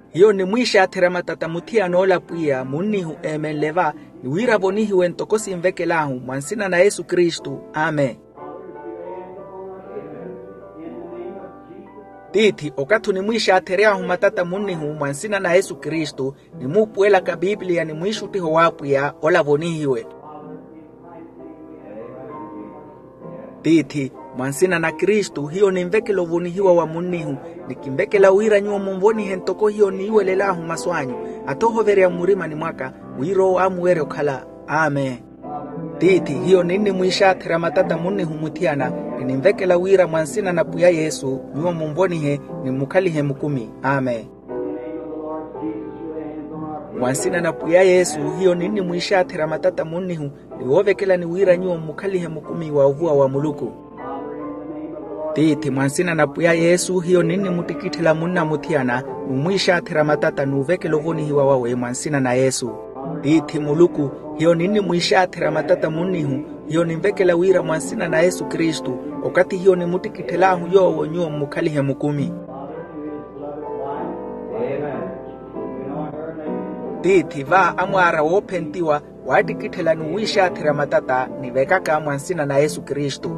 Hiyo nimwiixaatherya matata muthiyana ola pwiya munnihu eemenle va, ni wira avonihiwe ntoko sinvekel'ahu mwa nsina na yesu kristu. Amen. Tiithi okathi onimwiixaathery'ahu matata munnihu mwa nsina na yesu kristu, nimuupuwelaka pipiliya ni mwiixuttiho w'apwiya ola avonihiwe. Tiithi, mwa nsina na kristu hiyo ninvekela ovonihiwa wa munnihu, ni kinvekela wira nyuwo munvonihe ntoko hiyo niiwelel'ahu masu anyu, athohoverya mmurimani mwaka, wira owo aamuwerye okhala. Amen. Tiithi, hiyo ninnimwiixaatherya matata munnihu muthiyana, ni ninvekela wira mwa nsina na pwiya yesu nyuwo munvonihe, ni mmukhalihe mukumi. Amen. Mwa nsina na pwiya yesu hiyo ninnimwiixaatherya matata munnihu, ni woovekelani wira nyuwo mmukhalihe mukumi wa ovuwa wa muluku. Tiithi, mwa nsina na pwiya yesu hiyo ninnimuttikitthela munna muthiyana, n'umwiixaatherya matata n'uvekela ovonihiwa wawe mwa nsina na yesu. Tiithi muluku, hiyo ninnimwiixaatherya matata munnihu, hiyo ninvekela wira mwa nsina na yesu kristu, okathi hiyo nimuttikitthelahu yoowo nyuwo mmukhalihe mukumi. Tiithi va amwaara woophentiwa, waattikitthela n'uwiixaatherya matata nivekaka mwa nsina na yesu kristu.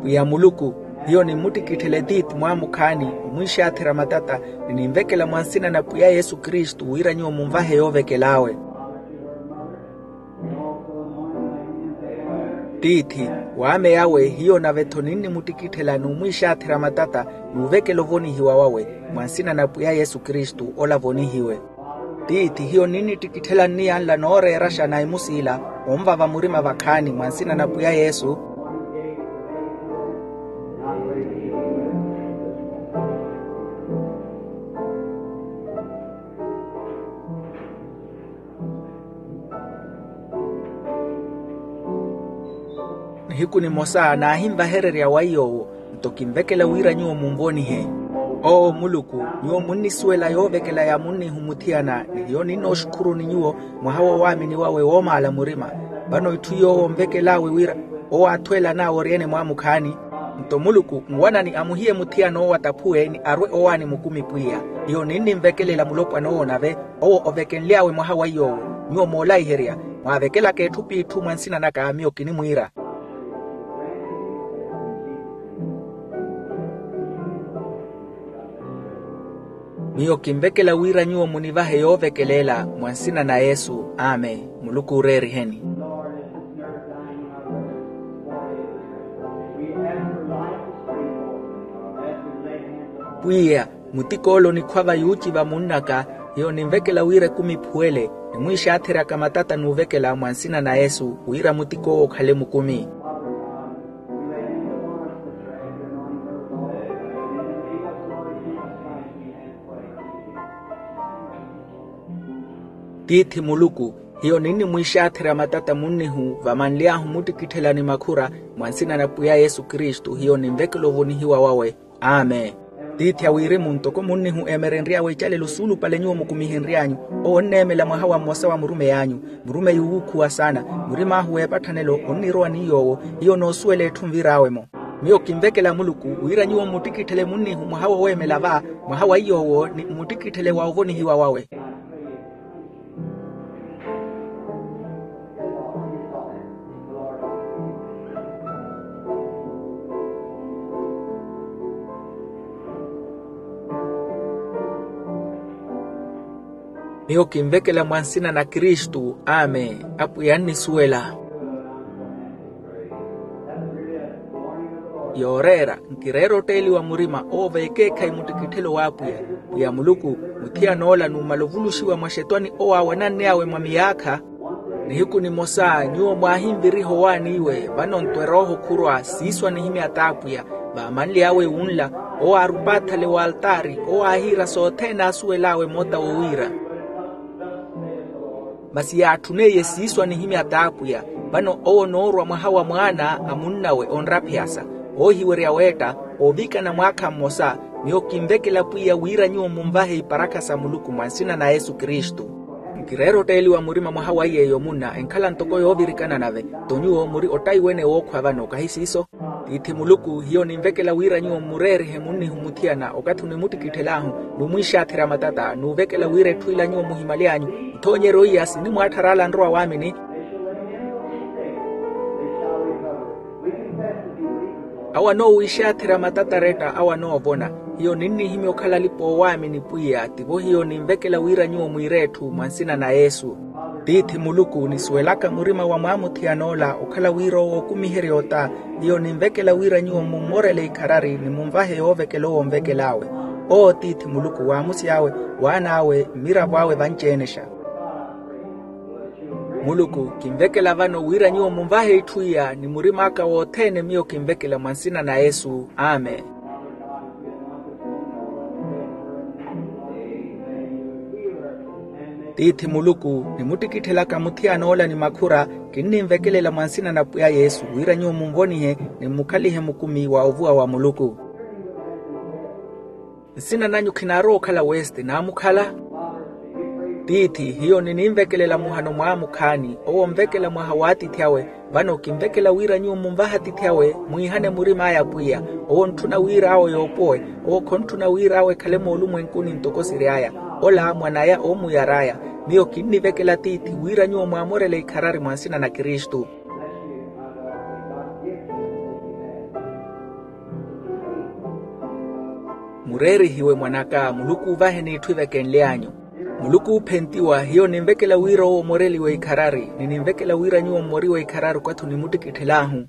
Pwiya muluku, hiyo nimmuttikitthele tiithi mwaamukhaani, omwiixaatherya matata, ni ninvekela mwa nsina na pwiya yesu kristu wira nyuwo munvahe yoovekel'awe. Tiithi, w'ame yawe hiyo nave-tho ninnimuttikitthela n'umwiixaatherya matata, n'uvekela ovonihiwa wawe mwa nsina na pwiya yesu kristu ola avonihiwe. Tiithi, hiyo ninnittikitthela nniya nla nooreeraxa na imusi ila, onvava murima vakhaani mwa nsina na pwiya yesu. Nihiku nimosa naahinvahererya wa iy'owo, nto kinvekela wira nyuwo munvonihe. Owo muluku, nyuwo munnisuwela yoovekela ya munnihu muthiyana, ni hiyo ninnooxukhuruni nyuwo, mwaha wa owaamini wawe woomaala murima. Vano itthu yoowo onvekel'awe wira owo aathwelan'awe oryeene mwaamukhaani. Nto muluku nwanani amuhiye muthiyana owo ataphuwe ni arwe owaani mukumi pwiya. Hiyo ninninvekelela mulopwana owo nave, owo ovekenly'awe mwaha wa iy'owo. Nyuwo moolaiherya, mwaavekelaka etthu p'itthu mwa nsina naka miyo kinimwiira. Miyo kinvekela wira nyuwo munivahe yoovekelela mwa nsina na yesu. Amen. Muluku ooreeriheni. Pwiya, mutik'ole onikhwava yuuciva munn'aka, hiyo ninvekela wira ekumi ephuwele, nimwiixaatheryaka matata n'uvekela mwa nsina na yesu wira mutik'owo okhale mukumi. Tiithi muluku, hiyo ninnimwiixaatherya matata munnihu vamanly'ahu muttikitthela ni makhura, mwa nsina na pwiya yesu kristu hiyo ninvekela ovonihiwa wawe. Amen. Tiithi a wirimu ntoko munnihu eemerenry'awe icalelo suulupale nyuwo mukumihenry'anyu, owo onneemela mwaha wa mmosa wa murumey'anyu. Murumeyi wuukhuwa saana. Murim'ahu w'epatthanelo onnirowa ni yoowo, hiyo noosuwela etthu nvir'awe-mo. Miyo kinvekela muluku wira nyuwo mmuttikitthele munnihu mwaha woweemela va, mwaha wa iy'owo ni mmuttikitthele wa ovonihiwa wawe. Miyo kinvekela mwa nsina na kristu. Amen. Apwiya annisuwela. Yooreera, nkireera otteeliwa murima owo veekeekhayi muttikitthelo w'apwiya. Pwiya muluku, muthiyan'ola numala ovuluxiwa mwa xetwani owo aawanann'awe mwa miyaakha. Nihiku nimosa nyuwo mwaahinviriha owaaniwe vano ntwer'oho khurwa siiso anihimya t'apwiya. Vaamanly'awe wunla, owo aarupa athale w'altaari owo aahiira sothene aasuwel'awe moota wowiira. Masi yaatthuneiye siiso anihimya t'apwiya. Vano owo onoorwa mwaha wa mwaana a munnawe onraphiyasa, oohiwerya weetta, oovikana mwaakha mmosa. Miyo kinvekela pwiya wira nyuwo munvahe iparakha sa muluku mwa nsina na yesu kristu. Nkireera otteeliwa murima mwaha wa iy'eyo munna enkhala ntoko yoovirikana nave. Nto nyuwo muri ottaiwene wookhwa vano kahi siiso? Tiithi muluku hiyo ninvekela wira nyuwo mmureerihe munnihumuthiyana okathi onimuttikitthelahu, numwiixaatherya matata nuvekela wira etthu ila nyuwo muhimaly'anyu ithoonyeryo iya sinimwaatthar'ala nrowa waamini. Awo anoowiixaatherya matata retta awo anoovona. Hiyo ninnihimya okhala alipa oowaamini pwiya tivo hiyo ninvekela wira nyuwo mwiire etthu mwa nsina na yesu. Tiithi muluku nisuwelaka murima wa mwaamuthiyana-ola okhala wira owo okumiherya ota. Hiyo ninvekela wira nyuwo mummorele ikharari nimunvahe yoovekela owo onvekel'awe. Owo tiithi muluku waamusy'awe, waan'awe, mmirav'awe vanci-enexa. Muluku kinvekela vano wira nyuwo munvahe itthu iya ni murim'aka wothene miyo kinvekela mwa nsina na yesu. Amen. Tiithi muluku nimuttikithelaka muthiyan'ola ni makhura, kinninvekelela mwa nsina na pwiya yesu wira nyuwo munvonihe ni mmukhalihe mukumi wa ovuwa wa muluku. Nsina nanyu khinaarowa okhala weste naamukhala? Tiithi hiyo nininvekelela muhano mwaamukhaani owo onvekela mwaha w'atiithi awe. Vano kinvekela wira nyuwo munvahe atiithi awe mwiihane murim'aya pwiya. Owo ontthuna wira awo yoopowe. Owo khontthuna wira awo ekhale moolumwenkuni ntoko siry'aya. Ola mwan'aya oomuyar'aya. Miyo kinnivekela tiithi wira nyuwo mwaamorele ikharari mwa nsina na kristu. Mureerihiwe mwan'aka muluku uuvahe n'itthu ivekenly'anyu. Muluku uuphentiwa hiyo ninvekela wira owo omoreliwe ikharari ni ninvekela wira nyuwo mmoriwe ikharari okathi onimuttikitthelahu.